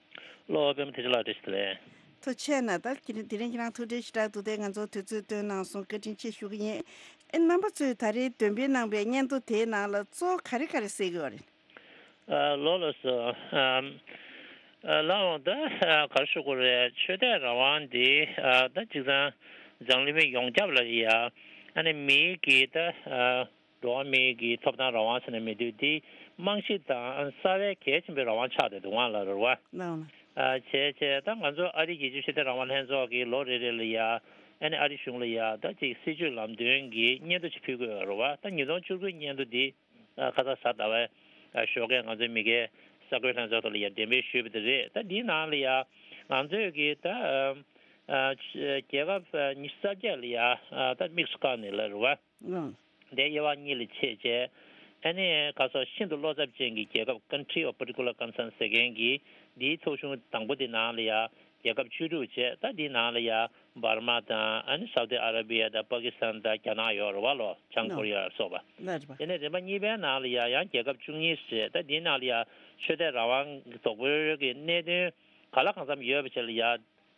ལོ་པད་མ་བདེ་ཆེན་ལགས་བཀྲ་ཤིས་བདེ་ལེགས། ཐུགས་རྗེ་གནང་། ད་དེ་རིང་དེ་རིང་ཁྱེད་རང་ཐུགས་འཕྲད་ཞེ་དྲག་འདུག་སྟེ་ང་ཚོར་དུས་ཚོད་བཏོན་གནང་སོང་། བཀའ་དྲིན་ཆེ་ཞུ་གི་ཡིན། ཨེ་རྣམ་པ་ཚོས་ད་རེས་འདོན་སྤེལ་གནང་པའི་སྙན་ཐོ་དེའི་ནང་ལ་གཙོ་བོ་ག་རེ་ག་རེ་གསལ་གི་ཡོད་རེད། ཨ་ལགས་ལགས་སོ། ཨམ། ཨ་ལགས་འོང་ད་ཨ་ག་རེ་ཞུ་དགོས་རེད། ཆོས་དད་རང་དབང་འདི་ཨ་ད་གཅིག་ཚང་འཛམ་གླིང་མི་ཡོངས་ཁྱབ་ལ་ཡ་ཨ་ནི་མིའི་གི་ད་ཨ་འགྲོ་བ་མིའི་གི་ཐོབ་ཐང་རང་དབང་ཟེར་ནས་མི་འདུག་འདི་རྨང་གཞི་དང་ཨ་རྩ་བའི་གལ་ཆེན་པོའི་རང་དབང་ཆགས་བསྡད་འདུག་ང་ལ་རེད་བ། ལགས་འོང་། ཨ་བྱས་བྱས་ད་ང་ཚོ་ཨ་རིའི་རྒྱལ་སྤྱིའི་ཆོས་དད་རང་དབང་ལྷན་ཚོགས་ཀྱིས་ལོ་རེ་རེ་ལ་ཡ་ཨ་ནི་ཨ་རི་གཞུང་ལ་ཡ་ད་ཅིག་སྲིད་བྱུས་ལམ་སྟོན་གྱི་སྙན་ཐོ་ཅིག་ཕུལ་གི་ཡོད་རེད་བ། ད་ཉིས་སྟོང་བཅུ་དགུའི་སྙན་ཐོ་འདི། ཨ་ཁ་སང་གཟའ་ཟླ་བའི་ཨ་ཞོགས་ཀས་ང་ཚོའི་མི་སྒེར་གསར་འགོད་ལྷན་ཚོགས་ཐོག་ལ་ཡ་འགྲེམས་སྤེལ་ཞུས་པ་དེ་རེད། ད་འདིའི་ནང་ལ་ཡ་ང་ཚོས་ཀྱི་ད་ཨ་ཨ་རྒྱལ་ཁབ་ཨ་ཉི་ཤུ་རྩ་བརྒྱད་ལ་ཡ་ཨ་ད་དམིགས་སུ་བཀར་ནས་ལ་རེད་བ། ཨང་། དེ་དབྱེ་བ་གཉིས་ལ་ཕྱེ་བྱས། ཨ་ནི་ཁ་སང་ཤིན་ཏུ་བློ་འཚབ་ཅན་གྱི་རྒྱལ་ཁབ་Country of Particular Concern ཟེར་མཁན་གྱི་འདིའི་ཐོ་གཞུང་དང་པོ་དེ་ནང་ལ་ཡ། རྒྱལ་ཁབ་བཅུ་དྲུག་བྱས། ད་འདིའི་ནང་ལ་ཡ་འབར་མ་དང་ཨ་ནི་སའུ་ཏི་ཨ་ར་བི་ཡ་དང་པ་ཀི་སི་ཐན་དང་རྒྱ་ནག་ཡོད་རེད་བ་ལོ། བྱང་ཀོ་རི་ཡ་ལ་སོགས་པ། ལགས་རེད་པ། དེ་ནས་རིམ་པ་གཉིས་པའི་ནང་ལ་ཡ་ཡང་རྒྱལ་ཁབ་བཅུ་གཉིས་བྱས། ད་འདིའི་ནང་ལ་ཡ་ཆོས་དད་རང་དབང་གི་དོགས་པའི་གི་གནད་དོན་ག་ལ་གང་འཚམ་ཡོད་པ་བྱས་ལ་ཡ།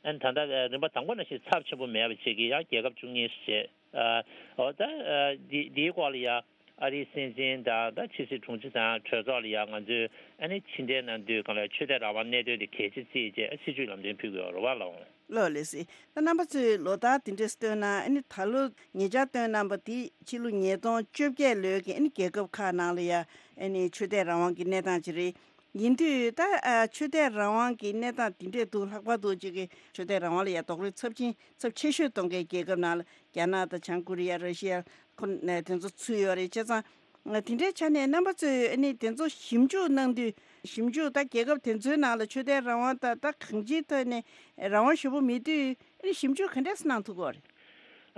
ཨ་ནི་ད་ལྟ་རིམ་པ་དང་པོ་ནང་བཞིན་ཚབས་ཆེན་པོ་མེད་པ་བྱས་ཀྱི་ཡང་རྒྱལ་ཁབ་བཅུ་གཉིས་བྱས། ཨ་འོ་ད་ཨ་འདི་འདིའི་སྐོར་ལ་ཡ། ཨ་རིའི་སྲིད་འཛིན་དང་ད་ཕྱི་སྲིད་དྲུང་ཆེ་དང་གྲོས་ཚོགས་ལ་ཡང་ང་ཚོས་ཨ་ནི་ཕྱི་འབྲེལ་གནང་དུས་གང་ལ་ཆོས་དད་རང་དབང་གནད་དོན་དེ་གལ་ཆེ་བརྩིས་བྱས་སྲིད་བྱུས་ལམ་སྟོན་ཕུལ་དགོས་རེད་བ་ལགས་འོང་། ལགས་ལགས་སེ། ད་རྣམ་པ་ཚོས་ལོ་ལྟར་དེ་འདྲས་བཏོན་ན་ཨ་ནི་ད་ལོ་ཉེ་ཆར་བཏོན་གནང་པ་དེ་ཕྱི་ལོ་ཉིས་སྟོང་བཅོ་བརྒྱད་ལོའི་གི་ཨ་ནི་རྒྱལ་ཁབ་ཁག་ནང་ལ་ཡ་ཨ་ནི་ཆོས་དད་རང་དབང་གི་གནས་སྟངས་ཅིག་རེད། ཡིན་དུས་ད་ཨ་ཆོས་དད་རང་དབང་གི་གནས་སྟངས་དེ་འདྲས་འདུག་ལྷག་པར་དུ་ཅིག་གི་ཆོས་དད་རང་དབང་ལ་ཡ་རྡོག་རོལ་ཚབས་ཆེན་ཚབས་ཆེ་ཤོས་གཏོང་མཁན་རྒྱལ་ཁབ་ནང་ལ་རྒྱ་ནག་དང་བྱང་ཀོ་རི་ཡ་ར་ཤི་ཡ་ཁོ་ནས་དེ་ཚོ་ཚུད་ཡོད་རེད། བྱས་ཙང་དེ་འདྲའི་ཆ་ནས་རྣམ་པ་ཚོས་ཨ་ནི་དེ་ཚོ་ཞིབ་འཇུག་གནང་དུས་ཞིབ་འཇུག་ད་རྒྱལ་ཁབ་དེ་ཚོའི་ནང་ལ་ཆོས་དད་རང་དབང་ད་ད་གང་ཅིའི་ཐོག་ནས་རང་དབང་ཞེ་པོ་མེད་དུས་ཨ་ནི་ཞིབ་འཇུག་ག་འདྲས་གནང་ཐུབ་ཀྱི་ཡོད་རེད།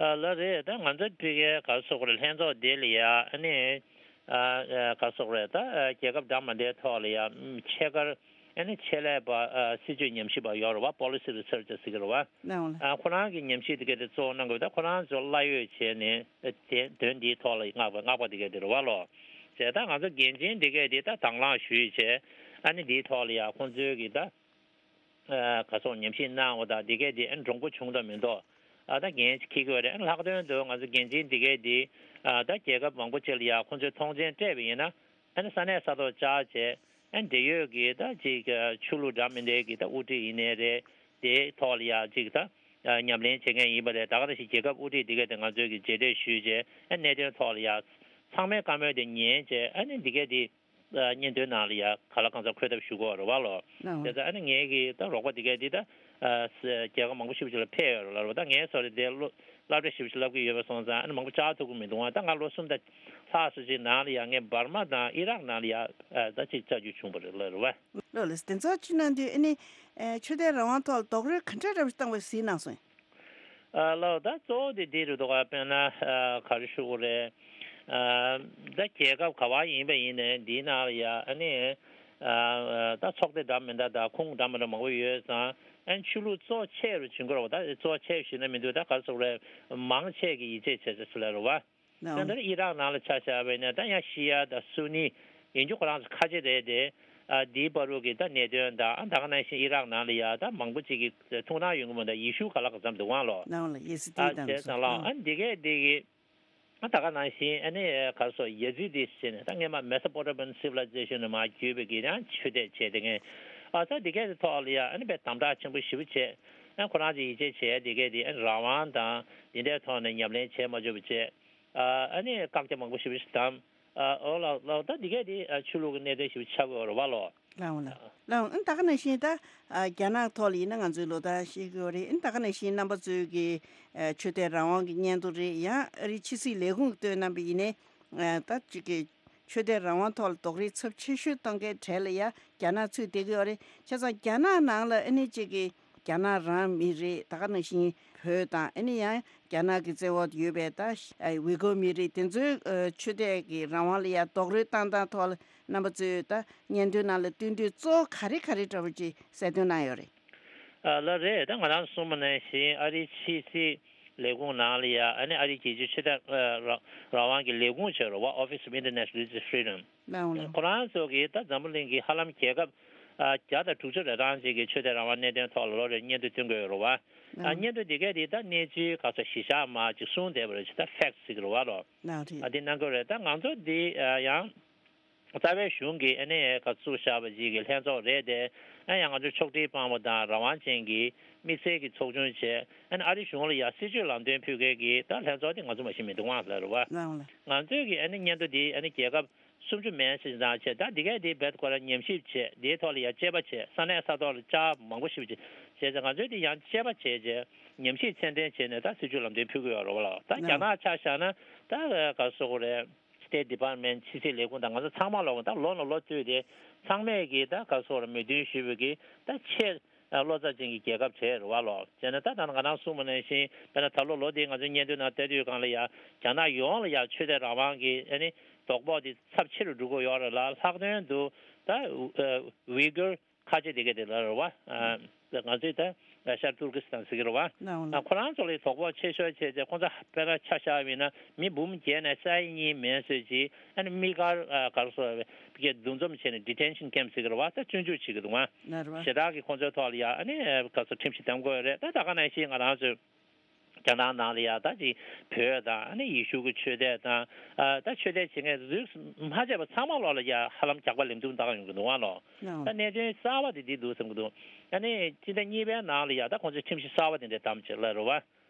ཨ་ལགས་རེད། ད་ང་ཚོ་ཕ་གིའི་ག་རེ་ཟེར་དགོས་རེད། ལྷན་ཚོགས་དེ་ལ་ཡ་ཨ་ནི་ ཨ་ཨ་ག་སོག་རེད་ད། ཨ་རྒྱལ་ཁབ་འདྲ་མི་འདྲའི་ཐོག་ལ་ཡང་ཆེད་མཁར་ཨ་ནི་ཆེད་ལས་པ་ཨ་སྲིད་ཇུས་ཉམས་ཞིབ་པ་ཡོད་རེད་བ། Policy Researcher་ཟེར་གྱི་རེད་བ། ལའང་ལ། ཨ་ཁོ་རང་གི་ཉམས་ཞིབ་དེ་ག་དེ་གཙོ་བོ་གནང་དགོས་ད། ཁོ་རང་ཚོ་གླ་ཡོད་བྱས་ནས་དེ་དོན་འདིའི་ཐོག་ལ་མངགས་པ་མངགས་པ་དེ་ག་དེ་རེད་བ་ལོ། བྱས་ད་ང་ཚོ་འགན་འཛིན་དེ་ག་དེ་ད་དང་བླངས་ཞུས་བྱས་ཨ་ནི་འདིའི་ཐོག་ལ་ཡང་ཁོང་ཚོའི་གི་ད། ཨ་ག་སོགས་ཉམས་ཞིབ་གནང་བ་དང་འདི་གས་འདི་ཨ་གྲུང་པོ་བྱུང་དང་མི་འདུག་ཨ་ད་འགན་འཁྱེར་གྱི་ཡོད་རེད། ཨ་ལྷག་དོན་དུ་ང་ཚོ་འགན་འཛིན་འདི་གས་འདི་ཨ་ད་རྒྱལ་ཁབ་མང་པོ་ཅིག་ལ་ཡ་ཁོང་ཚོས་མཐོང་མཆན་སྤྲད་པ་ཡིན་ན་ཨ་ནི་ས་གནས་ས་ཐོག་བཅར་བྱས་ཨ་འབྲེལ་ཡོད་ཀྱི་ད་ཅིག་ཆོས་ལུགས་འདྲ་མི་འདྲའི་གི་ད་དབུ་ཁྲིད་ཡིན་ནའི་རེད། དེའི་ཐོག་ལ་ཡ་ཅིག་ད་ཉམས་ལེན་བྱེད་མཁན་ཡིན་པ་རེད། ད་ག་ནང་བཞིན་རྒྱལ་ཁབ་དབུ་ཁྲིད་འདི་གས་དེ་ང་ཚོས་ཀྱི་མཇལ་འཕྲད་ཞུས་བྱས་ཨ་གནད་དོན་ཐོག་ལ་ཡ་ཚང་མའི་བཀའ་མོལ་དེ་ཉན་བྱས་ཨ་ནི་འདི་གས་འདི། སྙན་ཐོའི་ནང་ལ་ཡ་ག་ལ་གང་འཚམ་འཁོད་ཐབས་ཞུ་དགོས་རེད་བ་ལོ། ལའང་། དེ་ཚོ་ཨ་ནི་ངའི་གི་ད་རོགས་པ་དེ་གས་དེ་ད་རྒྱལ་ཁབ་མང་པོ་ཞིག་ལ་ཕེབས་ཡོད་རེད་ལ་རོ། ད་ངའི་སོ་རེ་དེ་སློབ་སློབ་གྲྭ་ཞིག་ལ་བསླབ་ཀྱི་ཡོད་པ་སོང་ཙང་ཨ་ནི་མང་པོ་བཅར་ཐུབ་ཀྱི་མི་འདུག་ཨ་ད་ང་ལོ་གསུམ་དང་ལྷག་སུ་ཅིག་ནང་ལ་ཡ་ངས་འབར་མ་དང་ཨི་རག་ནང་ལ་ཡ་ད་ཅིག་བཅར་རྒྱུ་བྱུང་བ་རེད་ལ་རོ་བ། ལོ་ལ་དེ་ཚོ་ཅི་ནང་དུས་ཨ་ནི་ཆོས་དད་རང་དབང་ཐོག་ལ་རྡོག་རོལ་ག་འདྲ་རབ་བཏང་བའི་གཟིགས་གནང་སོང་། ཨ་ལགས། ད་གཙོ་བོ་དེ་འདི་རེད་འདུག་ག་དཔེར་ན་ཨ་ག་རེ་ཞུ་དགོས་རེད། ཨ་ད་རྒྱལ་ཁབ་ག་བ་ཡིན་པ་ཡིན་ནའི་འདིའི་ནང་ལ་ཡ་ཨ་ནི་ཨ་ད་ཚོགས་སྡེ་འདྲ་མི་འདྲ་དང་ཁུངས་འདྲ་མི་འདྲ་མང་པོ་ཡོད་ཙང་ཨ་ནི་ཆོས་ལུགས་གཙོ་ཆེ་རུ་བྱུང་གི་རེད་བ། ད་གཙོ་ཆེ་ཞུས་ན་མི་འདུག་ད་ག་རེ་ཟེར་དགོས་རེད། མང་ཆེ་གི་ཡིད་ཆེས་བྱེད་ས་ཟེར་ལ་རེད་བ། དེ་ལྟར་ཨི་རག་ནང་ལ་ཆ་བཞག་པ་ཡིན་ན་ད་ཡང་ཤི་ཡ་དང་སུ་ནི་ཡིན་རྒྱུ་ཁོ་རང་ཚོ་ཁ་ཆེ་རེད་དེ། ཨ་འདིའི་བར་དུ་གི་ད་གནད་དོན་དང་ཨ་ད་ག་ནང་བཞིན་ཨི་རག་ནང་ལ་ཡ་ད་མང་པོ་ཅིག་གི་ཐུགས་སྣང་ཡོང་གི་མ་གཏོགས་ཡེ་ཤུ་ག་ལ་ག་ཙམ་འདུག་ཨང་ལོ། ནའང་ལ་ཡེ་སི་ཏི་ཨ་དང་བྱས་ཙང་ལ་ཨ་འདི་གས་འདི་གི་ཨ་ད་ག་ནང་བཞིན་ཨ་ནི་ག་རེ་ཟེར་ཡེ་ཛི་ཏི་ཟེར་ནས་ད་སྔས་མ་Mesopotamian Civilization་ནས་མར་བརྒྱུད་པའི་གི་ཡང་ཆོས་དད་བྱས་དེ་ངས་ཨ་ད་འདི་གས་དེ་ཐོག་ལ་ཡ་ཨ་ནི་དཔེ་དམ་དྲག་ཆེན་པོ་ཞེ་པོ་བྱས། ཨ་ཁོ་རང་ཚོ་ཡིད་ཆེས་བྱས་འདི་གས་དེ་ཨ་ནི་རང་དབང་དང་འདི་འདྲའི་ཐོག་ནས་ཉམས་ལེན་བྱས་མ་བཅུག་པ་བྱས། ཨ་ནི་བཀག་རྒྱ་མང་པོ་ཞེ་པོ་ཞིག་བསྡམས། ཨ་འོ་ལགས་ལགས། ད་འདི་གས་དེ་ཨ་ཆོས་ལུགས་ཀྱི་གནད་དོན་ཞིག་ཆགས་ཀྱི་ཡོད་རེད་བ་ལོ། ལའང་ལ། ལའང་ཨ་ད་ག་ནང་བཞིན་ད་ཨ་རྒྱ་ནག་ཐོག་ལ་ཡིན་ན་ང་ཚོའི་ལོ་ཟླ་ཤེས་ཀྱི་ཡོད་རེད། ཨ་ད་ག་ནང་བཞིན་རྣམ་པ་ཚོའི་གི་ཨ་ཆོས་དད་རང་དབང་གི་སྙན་ཐོ་རེད། ཡང་ཨ་རིའི་ཕྱི་སྲིད་ལས་ཁུངས་ཀྱིས་བཏོན་གནང་བ་ཡིན་ནའི་ཨ་ད་ཅིག་གི་ཆོས་དད་རང་དབང་ཐོག་ལ་རྡོག་རོལ་ཚབས་ཆེ་ཤོས་གཏོང་མཁན་གྲས་ལ་ཡ་རྒྱ་ནག་ཚུད་བསྡད་ཀྱི་ཡོད་རེད། བྱས་ཙང་རྒྱ་ནག་ནང་ལ་ཨ་ནི་ཅིག་གི་རྒྱ་ནག་རང་མི་རིགས་ད་ག་ནང་བཞིན་བོད་དང་ཨ་ནི་ཡང་རྒྱ་ནག་གི་བཙན་འོག་ཏུ་ཡོད་པའི་ད་ཝི་གོ་མི་རིགས་དེ་ཚོའི་ཨ་ཆོས་དད་ཀྱི་རང་དབང་ལ་ཡང་རྡོག་རོལ་བཏང་སྟངས་ཐོག་ལ་རྣམ་པ་ཚོས་ད་སྙན་ཐོའི་ནང་ལ་བཏོན་དུས་གཙོ་བོ་ག་རེ་ག་རེ་འདྲ་པོ་ཅིག་གསལ་སྟོན་གནང་ཡོད་རེད། ཨ་ལགས་རེད། ད་ང་རང་གསུངས་པ་ནང་བཞིན་ཨ་རིའི་ཕྱི་སྲིད་ལས་ཁུངས་ནང་ལ་ཡ་ཨ་ནི་ཨ་རིའི་རྒྱལ་སྤྱིའི་ཆོས་དད་ཨ་རང་རང་དབང་གི་ལས་ཁུངས་བྱས་རེད་བ། Office of International Religious Freedom། ལའང་ལ། ཁོ་རང་ཚོ་གིས་ད་འཛམ་བུ་གླིང་གི་ཧ་ལམ་རྒྱལ་ཁབ་ཨ་བརྒྱ་དང་དྲུག་ཅུ་རེ་གྲངས་ཅིག་གི་ཆོས་དད་རང་དབང་གནད་དོན་ཐོག་ལ་ལོ་རེར་སྙན་ཐོ་བཏོན་གྱི་ཡོད་རེད་བ། ཨ་ལའང་། སྙན་ཐོ་འདི་གས་འདི་ད་གནས་ཚུལ་ག་ཚོད་གཞི་བཞག་མ་ཅིག་གསུངས་བསྡད་པ་རེད། ཅིག་ད་ཕེག་ཊི་ཟེར་གྱི་རེད་བ་ལོ། ལའང་རེད། ཨ་འདི་གནང་གི་ཡོད་རེད། ད་ང་ཚོ་འདི་ཨ་ཡང་རྩ་བའི་གཞུང་གིས་ཨ་ནི་ག་བཙུགས་བཞག་པ་ཅིག་གི་ལྷན་ཚོགས་རེད་དེ། ཨ་ཡང་ང་ཚོ་ཕྱོགས་སྒྲིག་སྤངས་པ་དང་རང་དབང་ཅན་གྱི་དམིགས་བསལ་གྱི་ཚོགས་ཆུང་བྱས། ཨ་ནི་ཨ་རི་གཞུང་ལ་ཡང་སྲིད་བྱུས་ལམ་སྟོན་ཕུལ་མཁན་གྱི་ད་ལྷན་ཚོགས་དེ་ང་ཚོ་མ་གཞི་མི་འདུག་ཨང་ལ་རེད་བ། ལའང་ལ། ང་ཚོས་ཀྱི་ཨ་ནི་སྙན་ཐོ་འདི་ཨ་ནི་རྒྱལ་ཁབ་སུམ་ཅུ་མན་ཙམ་བྱས། ད་འདི་གས་འདི་རྦད་ཁོ་རང་ཉམས་ཞིབ་བྱས། འདིའི་ཐོག་ལ་ཡང་དཔྱད་པ་བྱས། ས་གནས་ས་ཐོག་ལ་བཅར་མང་པོ་ཞིག་བྱས། བྱས་ཙང་ང་ཚོས་འདི་ཡང་དཔྱད་པ་བྱས་བྱས་ཉམས་ཞིབ་ཚད་ལྡན་བྱས་ནས་ད་སྲིད་བྱུས་ལམ་སྟོན་ཕུལ་གྱི་ཡོད་རེད་བ་ལ། ད་རྒྱ་ནག་ཆ་བཞག་ན་ད་ག་རེ་ཟེར་དགོས་རེད། State Department། ཕྱི་སྲིད་ལས་ཁུངས་དང་ང་ཚོ་ཚང་མ་ལོག་ད་ལོ་ནས་ལོ་བསྟུད་དེ་ཚང་མས་ཀྱིས་ད་ག་རེ་ཟེར་དགོས་རེད། མོས་མཐུན་ཞུས་པའི་གི་ད་ཆེས་བློ་རྩ་ཅན་གྱི་རྒྱལ་ཁབ་བྱས་རེད་བ་ལོ། བྱས་ན་ད་ད་ང་རང་གསུངས་པ་ནང་བཞིན་དཔེར་ན་ད་ལོ་ལོ་འདིའི་ང་ཚོའི་སྙན་ཐོའི་ནང་ལྟ་དུས་སྒང་ལ་ཡ་རྒྱ་ནག་ཡོངས་ལ་ཡ་ཆོས་དད་རང་དབང་གི་ཨ་ནི་དོ་ཕོག་དེ་ཚབས་ཆེ་རུ་འགྲོ་གི་ཡོད་རེད་ལ། ལྷག་དོན་དུ་ད་ཝི་གུར་ཁ་ཆེ་དེ་ག་དེ་ལ་རེད་བ། ང་ཚོས་ད་ཤར་ཏུར་ཀི་སི་ཐན་ཟེར་གྱི་རེད་བ། ཁོ་རང་ཚོ་ལ་དོ་ཕོག་ཆེ་ཤོས་བྱས་ཚེ་ཁོ་ཚོ་དཔེར་ན་ཆ་བཞག་པ་ཡིན་ན་མི་འབུམ་བརྒྱད་ནས་ས་ཡ་གཉིས་མན་ཙམ་ཅིག་ཨ་ནི་དམིགས་བཀར་ག་རེ་ཟེར་དགོས་རེད། འདུ་འཛོམས་བྱས་ནས་detention camp་ཟེར་གྱི་རེད་བ། ད་བཙོན་འཇུག་བྱེད་ཀྱི་འདུག་ཨ། ཞེ་དྲག་གི་ཁོ་ཚོའི་ཐོག་ལ་ཡ་ཨ་ནི་ག་རེ་ཟེར་ཁྲིམས་གཞི་བསྡམ་དགོས་རེད། ད་ད་ག་ནང་བཞིན་ང་རང་ཚོའི་རྒྱ་ནག་ནང་ལ་ཡ་ད་ཅིག་བོད་དང་ཨ་ནི་ཡེ་ཤུ་གི་ཆོས་དད་དང་། ཨ་ད་ཆོས་དད་བྱེད་མཁན་རིགས་མ་ཆད་པ་ཚང་མ་ལོག་ལ་ཡ་ཧ་ལམ་ཇག་པ་ལེབ་འདུག་ད་ག་ཡོང་གི་འདུག་ཨ་ལོ། ད་གནད་དོན་གསར་བ་དེ་འདི་འདུག་བསམ་གྱི་འདུག་ཨ་ནི་སྤྱི་ཟླ་གཉིས་པའི་ནང་ལ་ཡ་ད་ཁོང་ཚོས་ཁྲིམས་གཞི་གསར་བ་དེ་འདྲ་བདམས་བྱས་ལ་རེད་བ། བྱས་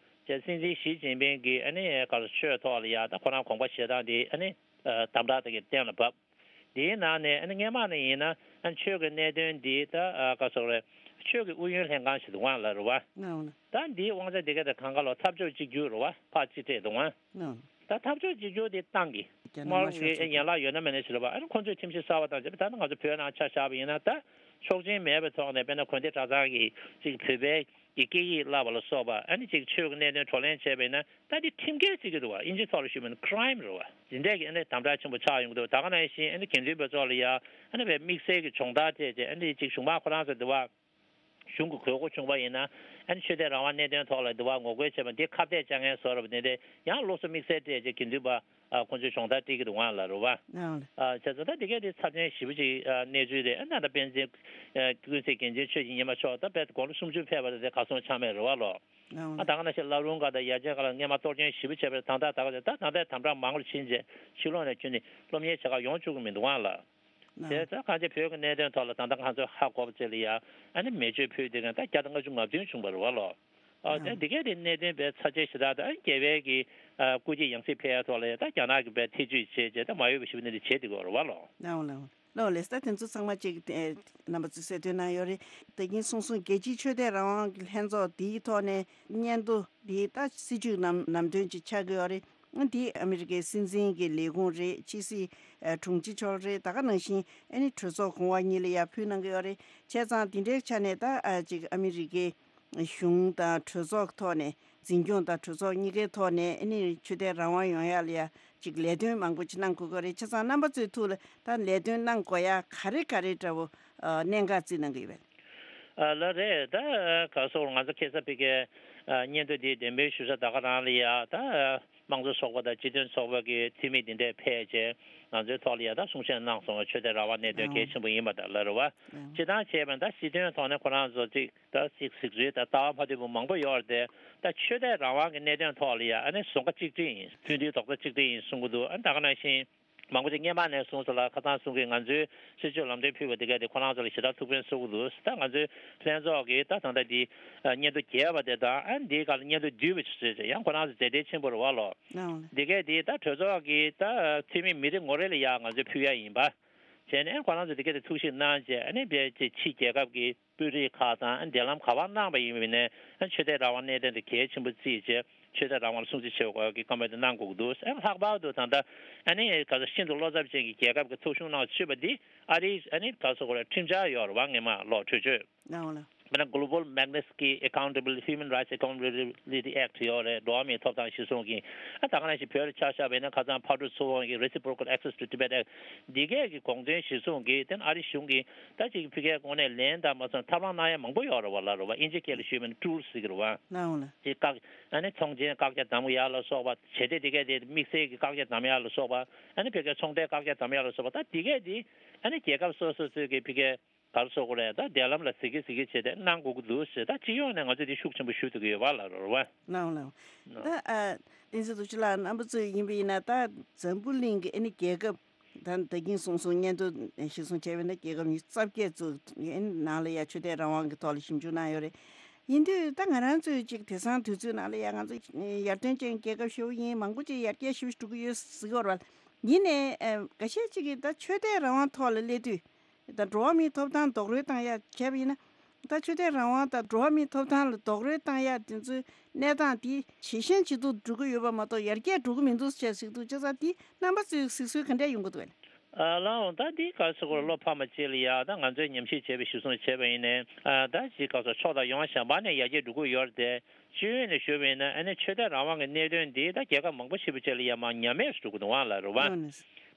སྲིད་འཛིན་ཞི་ཅིན་ཕིང་གིས་ཨ་ནི་ག་རེ་ཆོས་ཐོག་ལ་ཡ་ད་ཁོ་རང་དགོངས་པ་བཞེས་སྟངས་དེ་ཨ་ནི་དམ་དྲག་དེ་གི་གཏན་ལ་ཕབ། དེའི་ནང་ནས་ཨ་ནི་སྔས་མ་ནས་ཡིན་ན་ཨ་ནི་ཆོས་ཀྱི་གནད་དོན་འདི་ད་ག་རེ་ཟེར་དགོས་རེད། ཆོས་ཀྱི་ཨུ་ཡོན་ལྷན་ཁང་ཞིག་འདུག་ཨང་ལ་རེད་བ། ད་འདིའི་དབང་ཆ་དེ་ག་དེ་གང་ག་ལོ་འཐབ་ཕྱོགས་གཅིག་གྱུར་རེད་བ། ཕར་གཅིག་སྤྲད་འདུག་ཨང་། ད་འཐབ་ཕྱོགས་གཅིག་གྱུར་དེ་བཏང་གི། རྒྱ་ནག་དམར་ཤོག་ཚོགས་པ་ཡན་ལག་ཡོད་ན་མེད་ན་ཞིག་རེད་པ། ཨ་ནི་ཁོང་ཚོས་ཁྲིམས་གཞི་གསར་པ་དང་བཅས་པ། ད་ནི་ང་ཚོ་བོད་ནང་ཆ་བཞག་པ་ཡིན་ན། ད་ཆོག་མཆན་མེད་པའི་ཐོག་ནས་དཔེར་ན་དགོན་སྡེ་གྲྭ་ཚང་གི་ཅིག་བོད་པའི་གི་སྐད་ཡིག་བསླབ་པ་ལ་སོགས་པ། ཨ་ནི་ཅིག་ཆོས་ཀྱི་གནད་དོན་བགྲོ་གླེང་བྱས་པ་ཡིན་ན། ད་འདི་ཁྲིམས་འགལ་བརྩི་གི་འདུག་པ། དབྱིན་ཇིའི་ཐོག་ལ་ཞུས་པ་ཡིན་ན་ཁི་རའིམ་རེད་པ། འདི་འདྲས་ཀྱི་ཨ་ནི་དམ་དྲག་ཆེན་པོ་ཆགས་ཡོང་གི་འདུག། ད་ག་ནང་བཞིན་ཨ་ནི་དགེ་འདུན་པ་ཚོ་ལ་ཡ་ཨ་ནི་བའི་དམིགས་བསལ་གྱི་སྦྱོང་བརྡར་སྤྲད་བྱས། ཨ་ནི་ཅིག་གཞུང་མང་ཁོ་རང་ཚོ་འདི་པ། གཞུང་གི་དགོས་མཁོ་བྱུང་བ་ཡིན་ན། ཨ་ནི་ཆོས་དད་རང་དབང་གནད་དོན་ཐོག་ལ་འདི་པ་ངོ་རྒོལ་བྱས་པ་འདི་ཁ་གཏད་བཅག་མཁན་བཟོ་འདྲ་པོ་དེ་འདྲ་ཡང་སློབ་གསོ་དམིགས་བསལ་སྤྲད་བྱས། དགེ་འདུན་པ་ཨ་ཁོང་ཚོས་སྦྱོང་བརྡར་སྤྲད་ཀྱི་འདུག་ག་ལ་རེད་པ། ཨང་། ཨ་བྱས་ཙང་ད་འདི་གས་དེ་ཚབས་ཆེན་ཞེ་པོ་ཅིག་ཨ་གནས་ཚུལ་རེད། ཨ་ད་ད་དཔལ་ཆེན་ཨ་ཀུན་གཟིགས་རྒྱལ་མཚན་ཆོས་ཀྱི་ཉི་མ་མཆོག་ད་དཔེ་དགུང་ལོ་སུམ་ཅུ་ཕེབས་པ་རེད། དེ་གར་སོང་ཆགས་མེད་རེད་པ་ལོ། ཨང་། ཨ་ད་ག་ནང་བཞིན་བླ་རུང་སྒར་དང་ཡ་ཆེན་སྒར་ལ་སྔོན་མ་གཏོར་སྐྱོན་ཞེ་པོ་བྱས་པ་རེད། ད་ལྟ་ད་ག་ད་ད་ལྟའི་དམ་དྲག་མང་རུ་ཕྱིན་རྗེས་ཕྱི་ལོགས་ནས་ཁྱོན་ནས་སློབ་གཉེར་བྱེད་གར་ཡོང་བཅུག་གི་མི་འདུག་ག་ལ། དེ་ད་གང་ཅི་བོད་ཀྱི་གནད་དོན་ཐོག་ལ་ད་ལྟ་ང་ཚོས་ཧ་གོ་བ་ཅིག་ལ་ཡ་ཨ་ནི་མེ་མཆོད་ཕུལ་དེ་ག་ད་བརྒྱ་དང་ལྔ་བཅུ་ང་བདུན་བྱུང་བ་རེད་པ་ལོ། ཨ་དེ་འདི་གས་དེ་གནད་དོན་དཔེ་ཚབས་ཆེ་ཞེ་དྲག་དང་། རྒྱལ་བའི་གི་ཨ་སྐུ་སྐྱེ་ཡང་སྲིད་ཕེབས་ཡ་ཐོག་ལ་ཡ་ད་རྒྱ་ནག་གི་དཔེ་ཐེ་བྱུས་བྱས་བྱས་ད་མ་འོས་པ་ཞེ་པོ་འདི་འདྲ་བྱས་བསྡད་ཀྱི་ཡོད་རེད་པ་ལོ། ལགས་ལགས་ལགས་ལགས། ད་དེ་ཚོ་ཚང་མ་ཅིག་ཨེ་རྣམ་པ་ཚོས་གསལ་སྟོན་གནང་ཡོད་རེད། ད་གིན་གསུངས་སོང་། རྒྱལ་སྤྱིའི་ཆོས་དད་རང་དབང་གི་ལྷན་ཚོགས་འདིའི་ཐོག་ནས་སྙན་ཐོ་འདི་ད་སྲིད་བྱུས་ནམ་ནམ་དོན་ཅིག་ཆགས་ཀྱི་ཡོད་རེད། འདི་ཨ་མི་རི་ཀའི་སྲིད་འཛིན་གྱི་ལས་ཁུངས་རེད། ཕྱི་སྲིད་ཨ་དྲུང་ཆེ་མཆོག་རེད། ད་ག་ནང་བཞིན་ཨ་ནི་གྲོས་ཚོགས་གོང་འོག་གཉིས་ལ་ཡར་ཕུལ་གནང་གི་ཡོད་རེད། བྱས་ཙང་འདི་འདྲའི་ཆ་ནས་ད་ཨ་ཅིག་ཨ་མི་རི་ཀའི་གཞུང་དང་གྲོས་ཚོགས་ཐོག་ནས། འཛིན་སྐྱོང་དང་གྲོས་ཚོགས་གཉིས་ཀའི་ཐོག་ནས་ཨ་ནི་ཆོས་དད་རང་དབང་ཡོང་ཡ་ལ་ཡ་ཅིག་ལས་དོན་མང་པོ་ཅིག་གནང་དགོས་ཀྱི་རེད། བྱས་ཙང་རྣམ་པ་ཚོའི་ཐུགས་ལ་ད་ལས་དོན་གནང་དགོས་ཡ་ག་རེ་ག་རེ་འདྲ་བོ་ཨ་གནད་འགག་བརྩིས་གནང་གི་ཡོད་པས། ཨ་ལགས་རེད། ད་ག་སོགས་ང་ཚོ་ཁ་སང་ཕ་གིའི་ཨ་སྙན་ཐོ་འདི་འདེམས་སྤེལ་ཞུ་ས་ད་ག་རང་ལ་ཡ་ད་དམངས་གཙོ་ཚོགས་པ་དང་སྤྱི་མཐུན་ཚོགས་པ་གི་འཐུས་མི་འདི་འདྲས་ཕེབས་བྱས་ང་ཚོའི་ཐོག་ལ་ཡ་ད་གསུང་བཤད་གནང་སོང་བ། ཆོས་དད་རང་དབང་གནད་དོན་གལ་ཆེན་པོ་ཡིན་པ་དང་ལ་རེད་པ། སྤྱིར་བཏང་བྱས་པ་ད་སྲིད་དོན་ཐོག་ནས་ཁོ་རང་ཚོ་ཅིག་ད་ཅིག་གཟིགས་ཚུལ་ད་ལྟ་བ་མ་མཐུན་པ་མང་པོ་ཡོད་རེད་དེ། ད་ཆོས་དད་རང་དབང་གི་གནད་དོན་ཐོག་ལ་ཡ་ཨ་ནི་བཟོ་འགའ་གཅིག་སྒྲིལ་ཡིན། མཐུན་སྒྲིལ་རྡོག་རྩ་གཅིག་སྒྲིལ་ཡིན་གསུང་གི་འདུག། ཨ་ད་ག་ནང་བཞིན་མང་པོ་ཅིག་སྔོན་མ་ནས་གསུངས་སོང་ལ། ཁ་སང་གསུང་གི་ང་ཚོའི་སྲིད་བྱུས་ལམ་སྟོན་ཕུལ་བ་དེ་ག་དེ་ཁོ་རང་ཚོ་ལ་ཞེ་དྲག་ཐུགས་ཕན་གསོས་ཀྱི་འདུག། ད་ང་ཚོའི་ལྷན་ཚོགས་ཀྱིས་ད་ད་ལྟ་འདི་སྙན་ཐོ་རྒྱས་པ་དེ་དང་། ཨ་འདིའི་སྒང་ལ་སྙན་ཐོ་བསྡུས་པ་ཞིག་བཟོས་ཏེ་ཡང་ཁོ་རང་ཚོ་མཛད་བྲེལ་ཆེན་པོ་རེད་པ་ལོ། འདི་ག་དེ་ད་གྲོས་ཚོགས་ཀྱི་ད་འཐུས་མི་མི་རེ་ངོ་རེ་ལ་ཡ་ང་ཚོས་ཕུལ་ཡ་ཡིན་པ། བྱས་ནས་ཁོ་རང་ཚོ་དེ་ག་དེ་ཐུགས་ཞིབ་གནང་བྱས། ཨ་ནི་ཕལ་ཆེར་ཕྱི་རྒྱལ་ཁབ་ཀྱི་དཔོན་རིགས་ཁག་དང་ཨ་འབྲེལ་ལམ་ག་པར་གནང་པ་ཡིན་པ་ཡིན་ནའི། ཨ་ཆོས་དད་རང་དབང་གནད་དོན་དེ་གལ་ཆེན་པོ་བརྩིས་བྱས་ཆོས་དད་རང་དབང་ལ་སྲུང་བརྩི་བྱེད་དགོས་ཀྱི་བཀའ་མོལ་དེ་གནང་དགོས་ཀྱི་འདུག། ཨ་ལྷག་པར་དུ་ད་ལྟ་ཨ་ནི་ག་ཚོད་ཤིན་ཏུ་བློ་འཚབ་ཅན་གྱི་རྒྱལ་ཁབ་ཀྱི་ཚོགས་ཆུང་ནང་ཚུད་པ་འདི་ཨ་རིའི་ཨ་ནི་ག་ཚོད་ཁོ་ར་ཁྲིམས་འཆར་ཡོད་རེད་པ། སྔོན་མ་ལོ་གྲོས་ཆོད། དཔེར་ན་Global Magnitsky Accountable Human Rights Accountability Act ཡོད་རེད། འགྲོ་བ་མིའི་ཐོབ་ཐང་གཞིར་བཟུང་གི། ཨ་ད་ག་ནང་བཞིན་བོད་ལ་ཆ་བཞག་པ་ཡིན་ན་ཁ་སང་ཕག་གྲུ་ཚུར་འོང་གི་Reciprocal Access to Tibet Act འདི་གས་ཀྱི་དགོངས་དོན་གཞིར་བཟུང་གི་དེ་ཨ་རི་གཞུང་གིས་ད་ཅིག་ཕ་གིའི་ངོས་ནས་ལན་དང་མ་སོང་ཐབས་ལམ་གནང་ཡ་མང་པོ་ཡོད་རེད་པ་ལ་རེད་པ། དབྱིན་ཇི་སྐད་ལ་ཞུས་པ་ཡིན་ན་ཊུལ་ཟེར་གི་རེད་པ། ལའང་ལ། ཅིག་བཀག་ཨ་ནི་ཚོང་ཆེན་བཀག་རྒྱ་བསྡམ་ཡ་ལ་སོགས་པ། བྱས་ཏེ་དེ་གས་དེ་དམིགས་བསལ་གྱི་བཀག་རྒྱ་བསྡམ་ཡ་ལ་སོགས་པ། ཨ་ནི་ཕ་གིའི་ཚོང་འབྲེལ་བཀག་རྒྱ་བསྡམ་ཡ་ལ་སོགས་པ། ད་དེ་གས་དེ་ཨ་ནི་རྒྱལ་ཁབ་སོ་སོ་ཚོས་ཀྱི་ཕ་གིའི་ག་རེ་ཟེར་དགོས་རེད། ད་འབྲེལ་ལམ་ལ་གཟིགས་ཀྱི་གཟིགས་ཀྱི་བྱས་ཏེ་གནང་དགོས་ཀྱི་འདུག་ཟེར། ད་སྤྱི་ཡོངས་ནས་ང་ཚོས་འདི་ཤུགས་ཆེན་པོ་ཞུ་ཐུབ་ཀྱི་ཡོད་པ་ལ་རེད་པ། ལའང་ལའང་། ད་ཨ་བསྟན་འཛིན་རྡོ་རྗེ་ལགས་རྣམ་པ་ཚོས་ཡིན་པ་ཡིན་ན་ད་འཛམ་བུ་གླིང་གི་ཨ་ནི་རྒྱལ་ཁབ་ད་ད་གིན་གསུངས་སོང་། སྙན་ཐོ་གཞིར་བཟུང་བྱས་པ་ཡིན་ན་རྒྱལ་ཁབ་ཉི་ཤུ་རྩ་བརྒྱད་ཙམ་ཨ་ནི་ནང་ལ་ཡ་ཆོས་དད་རང་དབང་གི་ཐོག་ལ་ཞིབ་འཇུག་གནང་ཡོད་རེད། ཡིན་དུས་ད་ང་རང་ཚོས་ཅིག་དེང་སང་དུས་ཚོད་ནང་ལ་ཡ་ང་ཚོ་ཡར་ཐོན་ཅན་རྒྱལ་ཁབ་ཞེ་པོ་ཡིན། མང་པོ་ཅིག་ཡར་རྒྱས་ཞེ་པོ་འགྲོ་གི་ཡོད་ཟེར་གྱི་ཡོད་རེད་པ། ཡིན་ནའི་ཨ་འགའ་ཤས་ཅིག་གིས་ད་ཆོས་དད་རང་དབང་ཐོག་ལ་སླེབས་དུས། ད་འགྲོ་བ་མིའི་ཐོབ་ཐང་རྡོག་རོལ་བཏང་ཡ་བྱས་པ་ཡིན་ན། ད་ཆོས་དད་རང་དབང་དང་འགྲོ་བ་མིའི་ཐོབ་ཐང་ལ་རྡོག་རོལ་བཏང་ཡ་དེ་ཚོའི་གནས་སྟངས་དེ་ཇེ་ཞན་ཇེ་སྡུག་འགྲོ་གི་ཡོད་པ་མ་གཏོགས་ཡར་རྒྱས་འགྲོ་གི་མི་འདུག་ཅེས་གཟིགས་འདུག། བྱས་ཙང་དེ་རྣམ་པ་ཚོས་གཟིགས་ཚུལ་ག་འདྲས་ཡོང་གི་འདུག་གས། ཨ་ལའང་ད་འདི་ག་རེ་ཟེར་དགོས་རེད། བློ་ཕམ་པ་ཅིག་ལ་ཡ་ད་ང་ཚོས་ཉམས་ཞིབ་བྱས་པའི་གཞིར་བཟུང་བྱས་པ་ཡིན་ནའི། ཨ་ད་ཅིག་ག་རེ་ཟེར། ཕྱོགས་དང་ཡང་གཞན་པ་ནས་ཡར་རྒྱས་འགྲོ་གི་ཡོད་རེད་དེ། སྤྱི་ཡོངས་ནས་ཞུས་པ་ཡིན་ན་ཨ་ནི་ཆོས་དད་རང་དབང་གི་གནད་དོན་འདི་ད་རྒྱལ་ཁབ་མང་པོ་ཞེ་པོ་ཅིག་ལ་ཡ་མར་ཉམས་དམས་སུ་འགྲོ་གི་འདུག་པ་ལ་རེད་པ། ཨོ་ནི།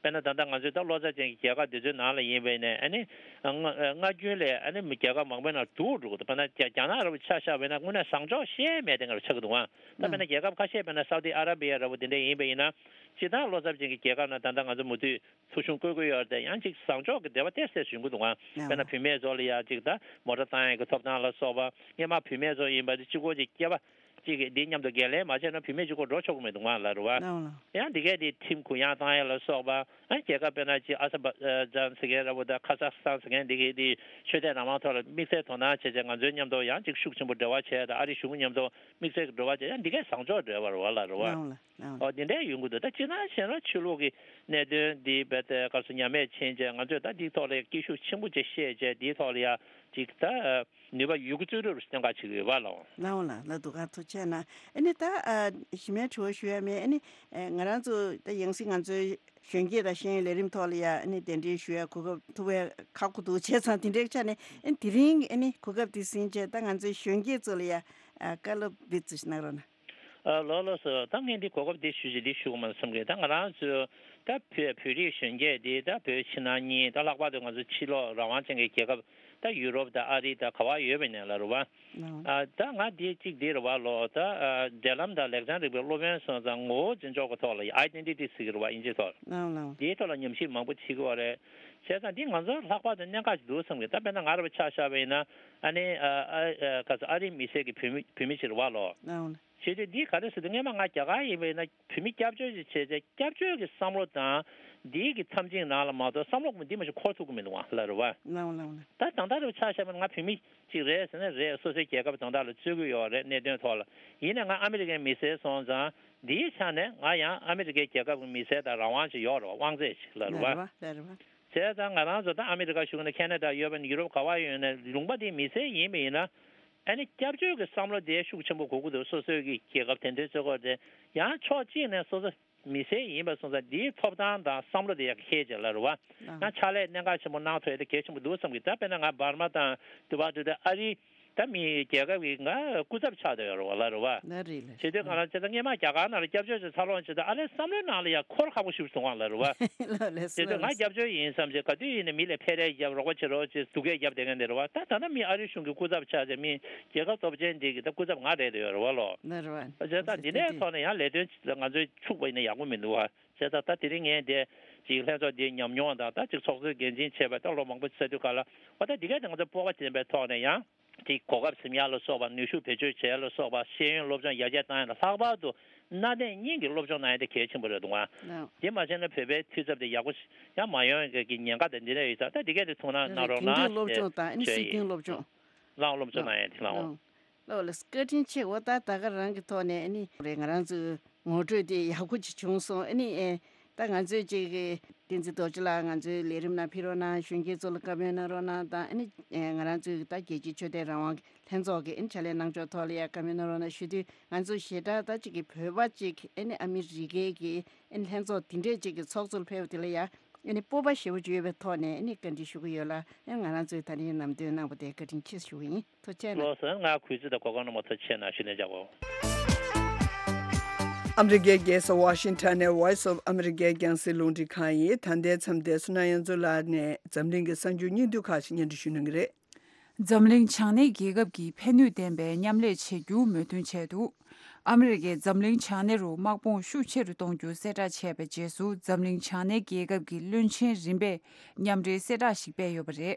དཔེར་ན་ད་ལྟ་ང་ཚོའི་ད་ལོ་ཙཱ་ཅན་གྱི་རྒྱལ་ཁབ་འདི་ཚོའི་ནང་ལ་ཡིན་པ་ཡིན་ནའི་ཨ་ནི་སྔ་སྔ་རྒྱུན་ལས་ཨ་ནི་རྒྱལ་ཁབ་མང་པོའི་ནང་སྡུག་འགྲོ་གི་འདུག། དཔེར་ན་རྒྱ་རྒྱ་ནག་འདྲ་པོ་ཆ་བཞག་པ་ཡིན་ན་དངོས་གནས་བཟང་ཕྱོགས་བཤད་མེད་དེ་འདྲ་ཆགས་ཀྱི་འདུག་པ། ད་དཔེར་ན་རྒྱལ་ཁབ་ཁ་ཤས་དཔེར་ན་སའུ་ཏི་ཨ་ར་བི་ཡ་འདྲ་པོ་དེ་འདྲ་ཡིན་པ་ཡིན་ན། སྤྱིར་བཏང་ལོ་ཙཱ་ཅན་གྱི་རྒྱལ་ཁབ་ནང་ད་ལྟ་ང་ཚོ་མུ་མཐུད་ཐོ་གཞུང་བཀོད་ཀྱི་ཡོད་རེད་དེ། ཡང་ཅིག་བཟང་ཕྱོགས་ཀྱི་འབྲེལ་བ་ཏོག་ཙམ་བྱུང་གི་འདུག་ག། དཔེར་ན་བུད་མེད་ཚོ་ལ་ཡང་ཅིག་ད་མོ་ཊ་བཏང་ཡག་གི་ཐོབ་ཐང་ལ་སོགས་པ། སྔོན་མ་བུད་མེད་ཚོ་ཡིན་པ་དེ་གཅིག་པོ་ཅིག་སྐྱེས་པ་གཅིག་གིས་འདི་མཉམ་དུ་འགན་ལེན་མ་བྱས་ན་བུད་མེད་གཅིག་པོ་འགྲོ་ཆོག་གི་མི་འདུག་ག་ལ་རེད་པ། ཡང་འདི་གས་དེ་ཁྲིམས་གུ་ཡངས་བཏང་ཡག་ལ་སོགས་པ། ཨ་རྒྱལ་ཁབ་དཔེར་ན་ཅིག་ཨ་ཟར་བྷ་ཇན་ཟེར་མཁན་འདྲ་པོ་དང་ཁ་ཟག་སི་ཐན་ཟེར་མཁན་འདི་གས་དེ་ཆོས་དད་རང་དབང་ཐོག་ལ་དམིགས་བསལ་དོ་སྣང་བྱས་བྱས་ང་ཚོའི་མཉམ་དུ་ཡང་ཅིག་ཤུགས་ཆེན་པོ་འབྲེལ་བ་བྱས་དང་། ཨ་རི་གཞུང་མཉམ་དུ་དམིགས་བསལ་གྱི་འབྲེལ་བ་བྱས། ཡང་འདི་གས་བཟང་ཕྱོགས་འབྲེལ་བ་རེད་པ་ལ་རེད་པ། ཨོ། འོ་འདི་འདྲའི་ཡོང་གི་འདུག་ད་སྤྱིར་བཏང་བྱས་ན་ཆོས་ལུགས་ཀྱི་གནད་དོན་འདི་རྦད་དེ་ག་རེ་ཟེར་ཉམས་དམས་ཕྱིན་བྱས་ང་ཚོས་ད་འདིའི་ཐོག་ལ་སྐད་ཤུགས་ཆེན་པོ་ཅིག་བཤད་བྱས་འདིའི་ཐོག་ལ་ཡ་ཅིག་ད་ནུས་པ་ཡོད་རྒུ་བརྩོན་འགྲུས་སུ་གནད་འགག་བྱེད་ཀྱི་ཡོད་པ་ལགས། ལགས་འོང་ལགས། ལགས་འདུག་ག་ཐུགས་རྗེ་གནང་། ཨ་ནི་ད་ཨ་གཞི་མའི་དྲི་བ་ཞུ་ཡ་མེད། ཨ་ནི་ཨ་ང་རང་ཚོ་ད་ཡང་སྲིད་ང་ཚོའི་གཞོན་སྐྱེས་དང་ཤེས་ཡོན་ལས་རིམ་ཐོག་ལ་ཡ་ཨ་ནི་གདན་འདྲེན་ཞུ་ཡ་གོ་སྐབས་ཐོབ་པའི་ཁག་པོ་འདུག་བྱས་ཙང་དེ་འདྲའི་ཆ་ནས་ཨ་ནི་དེ་རིང་ཨ་ནི་གོ་སྐབས་དེ་ཟིན་བྱས་ད་ང་ཚོའི་གཞོན་སྐྱེས་ཚོ་ལ་ཡ་ཨ་བཀའ་སློབ་འདི་ཚོ་ཞིག་གནང་རོགས་གནང་། ཨ་ལགས་ལགས་སོ། ད་ངས་འདི་གོ་སྐབས་འདི་ཞུ་ཞིག་འདི་ཞུ་དགོས་མ་བསམ་གི། ད་ང་རང་ཚོ་ད་བོད་བོད་རིགས་གཞོན་སྐྱེས་འདི་ད་བོད་ཕྱི་ནང་གཉིས་ད་ལྷག་པར་དུ་ང་ཚོ་ཕྱི་ལོགས་རང་དབང་ཅན་གྱི་རྒྱལ་ཁབ་ད་ཡུ་རོབ་དང་ཨ་རི་དང་ག་བ་ཡོད་པ་ཡིན་ནའི་ལགས་རེད་བ། ཨ་ད་ང་འདི་གཅིག་འདི་རེད་བ་ལོ། ད་ཨ་འབྲེལ་ལམ་དང་ལེགས་བྱང་རིག་པའི་སློབ་ཡོན་སོང་ཙང་ངོ་བོ་འཛིན་ཕྱོགས་ཀྱི་ཐོག་ལ་ཨའི་ཌེན་ཊི་ཊི་ཟེར་གི་རེད་བ་དབྱིན་ཇིའི་ཐོག་འདིའི་ཐོག་ལ་ཉམས་ཞིབ་མང་པོ་བྱེད་དགོས་རེད། བྱས་ཙང་འདི་ང་ཚོར་ལྷག་པར་དུ་གནད་འགག་ཅིག་འདུག་བསམ་གི། ད་དཔེར་ན་ང་རང་ཆ་བཞག་པ་ཡིན་ན་ཨ་ནི་ཨ་ཨ་ག་ཚོད་ཨ་རིའི་མི་སེར་གྱི་བོད་མི་བོད་མི་ཅིག་རེད་བ་ལོ། བྱས་དུས་འདི་ག་རེ་ཟེར་དུས་སྔོན་མ་ང་རྒྱ་གར་ཡིན་པ་ཡིན་ན་བོད་མི་སྐྱབས་བཅོལ་ཅིག་བྱས་ཚེ་སྐྱབས་བཅོལ་གྱི་བསམ་བློ་དང་འདིའི་གི་མཚམས་ཆིངས་ནང་ལ་མ་གཏོགས་བསམ་བློ་འདི་མ་གཞི་འཁོར་ཐུབ་ཀྱི་མི་འདུག་ཨ་ལགས་རེད་བ། ལགས་འོང་ལགས་འོང་། ད་ད་ལྟ་རུ་ཆ་བཞག་པ་ན་ང་བོད་མི་ཅིག་རེད་ཟེར་ན་རེད། སོ་སོའི་རྒྱལ་ཁབ་དོན་དག་ལ་རྩོད་ཀྱི་ཡོད་རེད་གནད་དོན་ཐོག་ལ། ཡིན་ནའི་ང་ཨ་མི་རི་ཀའི་མི་སེར་སོང་ཙང་འདིའི་ཆ་ནས་ང་ཡང་ཨ་མི་རི་ཀའི་རྒྱལ་ཁབ་ཀྱི་མི་སེར་དང་རང་དབང་ཅིག་ཡོད་རེད་བ། དབང་ཚད་ཅིག་ལགས་རེད་བ། ལགས་རེད་བ། བྱས་ཙང་ང་རང་ཚོ་ད་ཨ་མི་རི་ཀ་བཞུགས་ན་ཁེ་ན་ཌ་ཡོད་པ་ཡིན་ན་ཡུ་རོབ་ག་བ་ཡོད་ན་ལུང་པ་དེའི་མི་སེར་ཡིན་པ་ཡིན་ན། ཨ་ནི་སྐྱབས་བཅོལ་གྱི་བསམ་བློ་དེ་ཤུགས་ཆེན་པོ་དགོས་ཀྱི་འདུག་སོ་སོའི་གི་རྒྱལ་ཁབ་དེ་འདྲའི་རྩོད་སྐོར་དེ་ཡང་ཕྱོགས་གཅིག་ནས་སོ་སོ་མི་སེར་ཡིན་པ་སོང་ཙང་འདིའི་ཐོབ་ཐང་དང་བསམ་བློ་དེ་ཡག་ཤེས་ཅིག་ལ་རེད་བ། ཡང་ཕྱག་ལས་གནད་འགག་ཆེན་པོ་གནང་ཐུབ་ཡ་དེ་གལ་ཆེན་པོ་འདུག་བསམ་གི། ད་དཔེར་ན་ང་འབར་མ་དང་དུ་བ་དུ་དེ་ཨ་རི་ད་མི་རྒྱལ་ཁབ་ཀྱི་ང་སྐུ་ཚབ་ཆགས་བསྡད་ཡོད་རེད་བ་ལ་རེད་བ། ལ་རེད་ལ། བྱེད་དུས་གང་ལ་བྱེད་ད་སྔས་མ་རྒྱ་གར་ནང་ལ་སྐྱབས་བཅོལ་ཅིག་འཚར་ལོངས་བྱེད་ད་ཨ་ལས་བསམ་བློའི་ནང་ལ་ཡང་འཁོར་ཁག་པོ་ཞིག་བྱུང་བ་ལ་རེད་བ། ལ་ལ་བྱེད་དུས་ང་སྐྱབས་བཅོལ་ཡིན་བསམ་བྱས་ག་དུས་ཡིན་ནའི་མི་ལ་ཕེ་རེ་རྒྱབ་རོགས་པ་བྱེད་རོགས་བྱེད་སྡུག་སྐད་རྒྱབ་བསྡད་མཁན་དེ་རེད་བ། ད་ད་ལྟ་མི་ཨ་རི་གཞུང་གི་སྐུ་ཚབ་ཆགས་བྱས་མི་རྒྱལ་ཁབ་སྟོབས་ཆེན་འདི་གི་ད་སྐུ་ཚབ་ང་རེད་བསྡད་ཡོད་རེད་བ་ལོ། ལ་རེད་བ། བྱས་ད་འདི་ནས་ཐོག་ནས་ཡང་ལས་དོན་ང་ཚོས་འཁྱུག་པ་ཡིན་ན་ཡག་པོ་མི་འདུག་བ། བྱས་ད་ད་དེ་རིང་ངས་འདི་ཅིག་ལྷན་ཚོགས་འདིའི་ཉམས་མྱོང་དང་ད་ཅིག་ཚོགས་གཙོའི་འགན་འཛིན་བྱས་པའི་ད་ལོ་མང་པོ་ཚར་དུས་ག་ལ་བ་ད་འདི་གས་དེ་ང་ཚོ་སྤོབས་པ་ལྡན་པའི་ཐོག་ནས་ཡང་། དེ་གོ་སྐབས་ཟིན་ཡག་ལ་སོགས་པ་ནུས་ཤུགས་བེད་སྤྱོད་བྱེད་ཡག་ལ་སོགས་པ་ཤེས་ཡོན་སློབ་སྦྱོང་ཡར་རྒྱས་བཏང་ཡག་ལ་ལྷག་པར་དུ་གནའ་དེང་གཉིས་ཀྱི་སློབ་སྦྱོང་གནང་ཡག་དེ་གལ་ཆེན་པོ་རེད་འདུག་ཨ། ལགས། དེ་མ་བྱས་ན་བོད་པའི་འཐུས་ཚབ་དེ་ཡག་པོ་ཞིག་ཡང་མ་ཡོང་ཡག་གི་ཉེན་ཁ་དེ་འདི་འདྲ་ཡོད་ཙང་ད་འདི་གས་དེ་ཐུགས་སྣང་གནང་རོགས་གནང་ཞེས་བརྗོད་ཡིན། ལགས་སློབ་སྦྱོང་གནང་ཡག་དེ་ལགས་འོང་། ལགས་སློབ་སྦྱོང་གནང་ཡག་དེ་ལགས་འོང་། ལགས་ལགས་བཀའ་དྲིན་ཆེ། འོ་ད་ད་ག་རང་གི་ཐོག་ནས་ཨ་ནི་རེད་ང་རང་ཚོའི་ངོ་སྤྲོད་དེ་ཡག་པོ་ཅིག་བྱུང་སོང་། ཨ་ནི་ཨེ་ད་ང་ཚོའི་ཅིག་གི་བསྟན་འཛིན་རྡོ་རྗེ་ལགས་ང་ཚོའི་ལས་རིམ་ནང་ཕེབས་རོགས་གནང་། གཞོན་སྐྱེས་ཚོ་ལ་བཀའ་མོལ་གནང་རོགས་གནང་དང་ཨ་ནི་ཨེ་ང་རང་ཚོའི་ད་རྒྱལ་སྤྱིའི་ཆོས་དད་རང་དབང་ལྷན་ཚོགས་ཀྱི་ཨ་ནི་ཕྱག་ལས་གནང་ཕྱོགས་ཐོག་ལ་ཡ་བཀའ་མོལ་གནང་རོགས་གནང་ཞུ་དུས་ང་ཚོ་ཞེ་དྲག་ད་ཅིག་གི་བོད་པ་ཅིག་ཨ་ནི་ཨ་མི་རི་ཀའི་གི་ཨ་ནི་ལྷན་ཚོགས་དེ་འདྲས་ཅིག་གི་ཚོགས་གཙོར་ཕེབས་པ་དེ་ལ་ཡ་ཨ་ནི་སྤོབས་པ་ཞེ་པོ་ཅིག་ཡོད་པའི་ཐོག་ནས་ཨ་ནི་བཀའ་འདྲི་ཞུ་གི་ཡོད་ལ་ཨ་ནི་ང་རང་ཚོའི་ད་རིང་ལམ་སྟོན་གནང་བ་དེ་བཀའ་དྲིན་ཆེ་ཞུ་གི་ཡིན། ཐུགས་རྗེ་གནང་། ལགས་སོ། ང་གུས་བརྩི་དང་གོ་སྐབས་གནང་བར་ཐུགས་རྗེ་གནང་ཞུ་ནས་བཞག་གོ། ཨ་མི་རི་ཀའི་རྒྱལ་ས་ཝ་ཤིང་ཊོན་ནས་Voice of America་རྒྱང་སྲིང་རླུང་འཕྲིན་ཁང་ཡིན། ད་ལྟའི་མཚམས་འདིར་བསོད་ནམས་དབྱངས་མཚོ་ལགས་ནས་འཛམ་གླིང་གི་གསར་འགྱུར་སྙིང་བསྡུས་ཁག་ཅིག་སྙན་སྒྲོན་ཞུ་གནང་གི་རེད། འཛམ་གླིང་བྱང་སྣེའི་རྒྱལ་ཁབ་ཀྱིས་ཕན་ནུས་ལྡན་པའི་མཉམ་ལས་བྱེད་རྒྱུ་མོས་མཐུན་བྱས་འདུག་ཨ་མི་རི་ཀས་འཛམ་གླིང་བྱང་སྣེ་རུ་དམག་དཔུང་ཤུགས་ཆེ་རུ་གཏོང་རྒྱུ་གསལ་བསྒྲགས་བྱས་པའི་རྗེས་སུ་འཛམ་གླིང་བྱང་སྣེའི་རྒྱལ་ཁབ་ཀྱིས་བློན་ཆེན་རིམ་པས་མཉམ་འབྲེལ་གསལ་བསྒྲགས་ཤིག་སྤེལ་ཡོད་པ་རེད།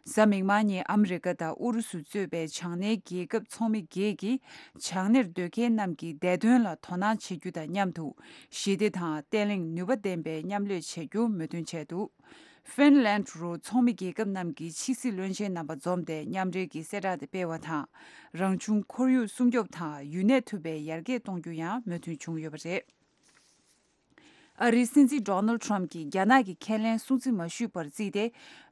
གཟའ་མིག་དམར་ཉིན་ཨ་མི་རི་ཀ་དང་ཨུ་རུ་སུ་གཙོས་པའི་བྱང་སྣེའི་རྒྱལ་ཁབ་ཚོགས་མི་བརྒྱད་ཀྱིས་བྱང་སྣེར་སྡོད་མཁན་རྣམས་ཀྱི་བདེ་དོན་ལ་དོ་སྣང་བྱེད་རྒྱུ་དང་མཉམ་དུ་ཞི་བདེ་དང་བརྟན་ལྷིང་ནུས་པ་ལྡན་པའི་མཉམ་ལས་བྱེད་རྒྱུ་མོས་མཐུན་བྱས་འདུག་ཧྥིན་ལན་རུ་ཚོགས་མི་རྒྱལ་ཁབ་རྣམས་ཀྱི་ཕྱི་སྲིད་བློན་ཆེན་རྣམ་པ་འཛོམས་ཏེ་མཉམ་འབྲེལ་གྱི་གསལ་བསྒྲགས་དེ་སྤེལ་བ་དང་། རང་བྱུང་ཁོར་ཡུག་སྲུང་སྐྱོབ་དང་ཡུན་གནས་ཐུབ་པའི་ཡར་རྒྱས་གཏོང་རྒྱུ་ཡང་མོས་མཐུན་བྱུང་ཡོད་པ་རེད། ཨ་རིའི་སྲིད་འཛིན་ཌོ་ནལ་ཌི་ཊརམ་ཕི་གྱིས་རྒྱ་ནག་གི་ཁས་ལེན་སྲུང་བརྩི་མ་ཞུས་པར་བརྩིས་ཏེ།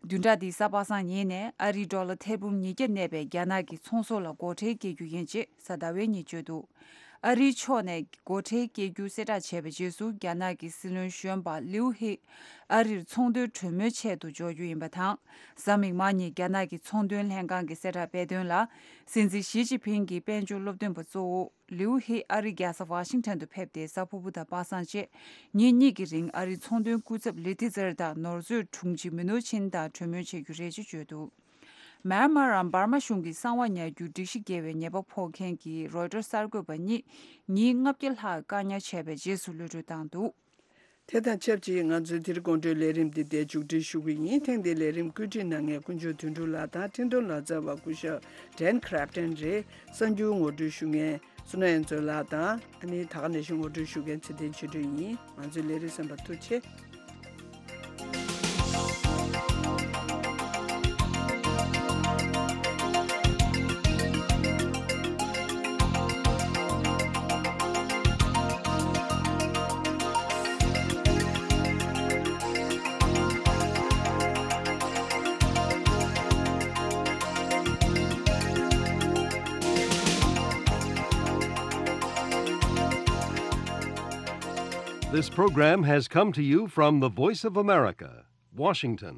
བདུན་ཕྲག་འདིའི་གཟའ་པ་སངས་ཉིན་ནས་ཨ་རིའི་ཌོ་ལར་ཐེར་འབུམ་ཉིས་བརྒྱ་གནས་པའི་རྒྱ་ནག་གི་ཚོང་ཟོག་ལ་སྒོ་ཁྲལ་བཀལ་རྒྱུ་ཡིན་ཅེས་གཟའ་ཟླ་བའི་ཉིན་བརྗོད་འདུག་ཨ་རིའི་ཕྱོགས་ནས་སྒོ་ཁྲལ་བཀལ་རྒྱུ་གསལ་བསྒྲགས་བྱས་པའི་རྗེས་སུ་རྒྱ་ནག་གི་སྲིད་བློན་གཞོན་པ་ལིའུ་ཧེ་ཨ་རིར་ཚོང་དོན་གྲོས་མོལ་ཆེད་དུ་འབྱོར་རྒྱུ་ཡིན་པ་དང་། གཟའ་མིག་དམར་ཉིན་རྒྱ་ནག་གི་ཚོང་དོན་ལྷན་ཁང་གིས་གསལ་བསྒྲགས་སྤེལ་དོན་ལ། སྲིད་འཛིན་ཞི་ཅིན་ཕིང་གི་དཔལ་འབྱོར་སློབ་སྟོན་པ་གཙོ་བོ། ལིའུ་ཧེ་ཨ་རིའི་རྒྱལ་ས་ཝ་ཤིང་ཊོན་དུ་ཕེབས་ཏེ་གཟའ་ཕུར་བུ་དང་པ་སངས་བཅས་ཉིན་གཉིས་ཀྱི་རིང་ཨ་རིའི་ཚོང་དོན་སྐུ་ཚབ་ལི་ཐི་ཛར་དང་ནོར་མཛོད་དྲུང་ཆེ་མི་ནུ་ཆིན་དང་གྲོས་མོལ་བྱེད་རྒྱུ་རེད་ཅེས་བརྗོད་འདུག་མེན་མར་འམ་འབར་མ་གཞུང་གིས་གསང་བ་ཉར་རྒྱུར་སྒྲིག་གཞི་འགལ་བའི་ཉེས་པ་ཕོག་མཁན་གྱི་རོའི་ཊར་གསར་འགོད་པ་གཉིས་ཉིན་ལྔ་བརྒྱ་ལྷག་བཀག་ཉར་བྱས་པའི་རྗེས་སུ་གློད་གྲོལ་བཏང་འདུག་དེ་དང་ཆབས་ཅིག་ང་ཚོའི་དེ་རིང་དགོང་དྲོའི་ལས་རིམ་འདི་འདིར་མཇུག་སྒྲིལ་ཞུ་གི་ཡིན། ཐེངས་འདིའི་ལས་རིམ་བཀོད་སྒྲིག་གནང་མཁན་དཀོན་མཆོག་དོན་གྲུབ་ལགས་དང་འཕྲིན་གཏོང་ལག་རྩལ་བ་སྐུ་ཞབས་ཌན་ཁྲབ་ཊོན་རེད། གསར་འགྱུར་ངོ་སྤྲོད་ཞུ་མཁན་བསོད་ནམས་དབྱངས་མཚོ་ལགས་དང་ཨ་ནི་ད་ག་ནང་བཞིན་ངོ་སྤྲོད་ཞུ་མཁན་ཚེ་བརྟན་ཆོས་སྒྲོན་ཡིན། ང་ཚོའི་ལས་རིམ་གསན་པར་ཐུགས་རྗེ་ཆེ། This program has come to you from the Voice of America, Washington.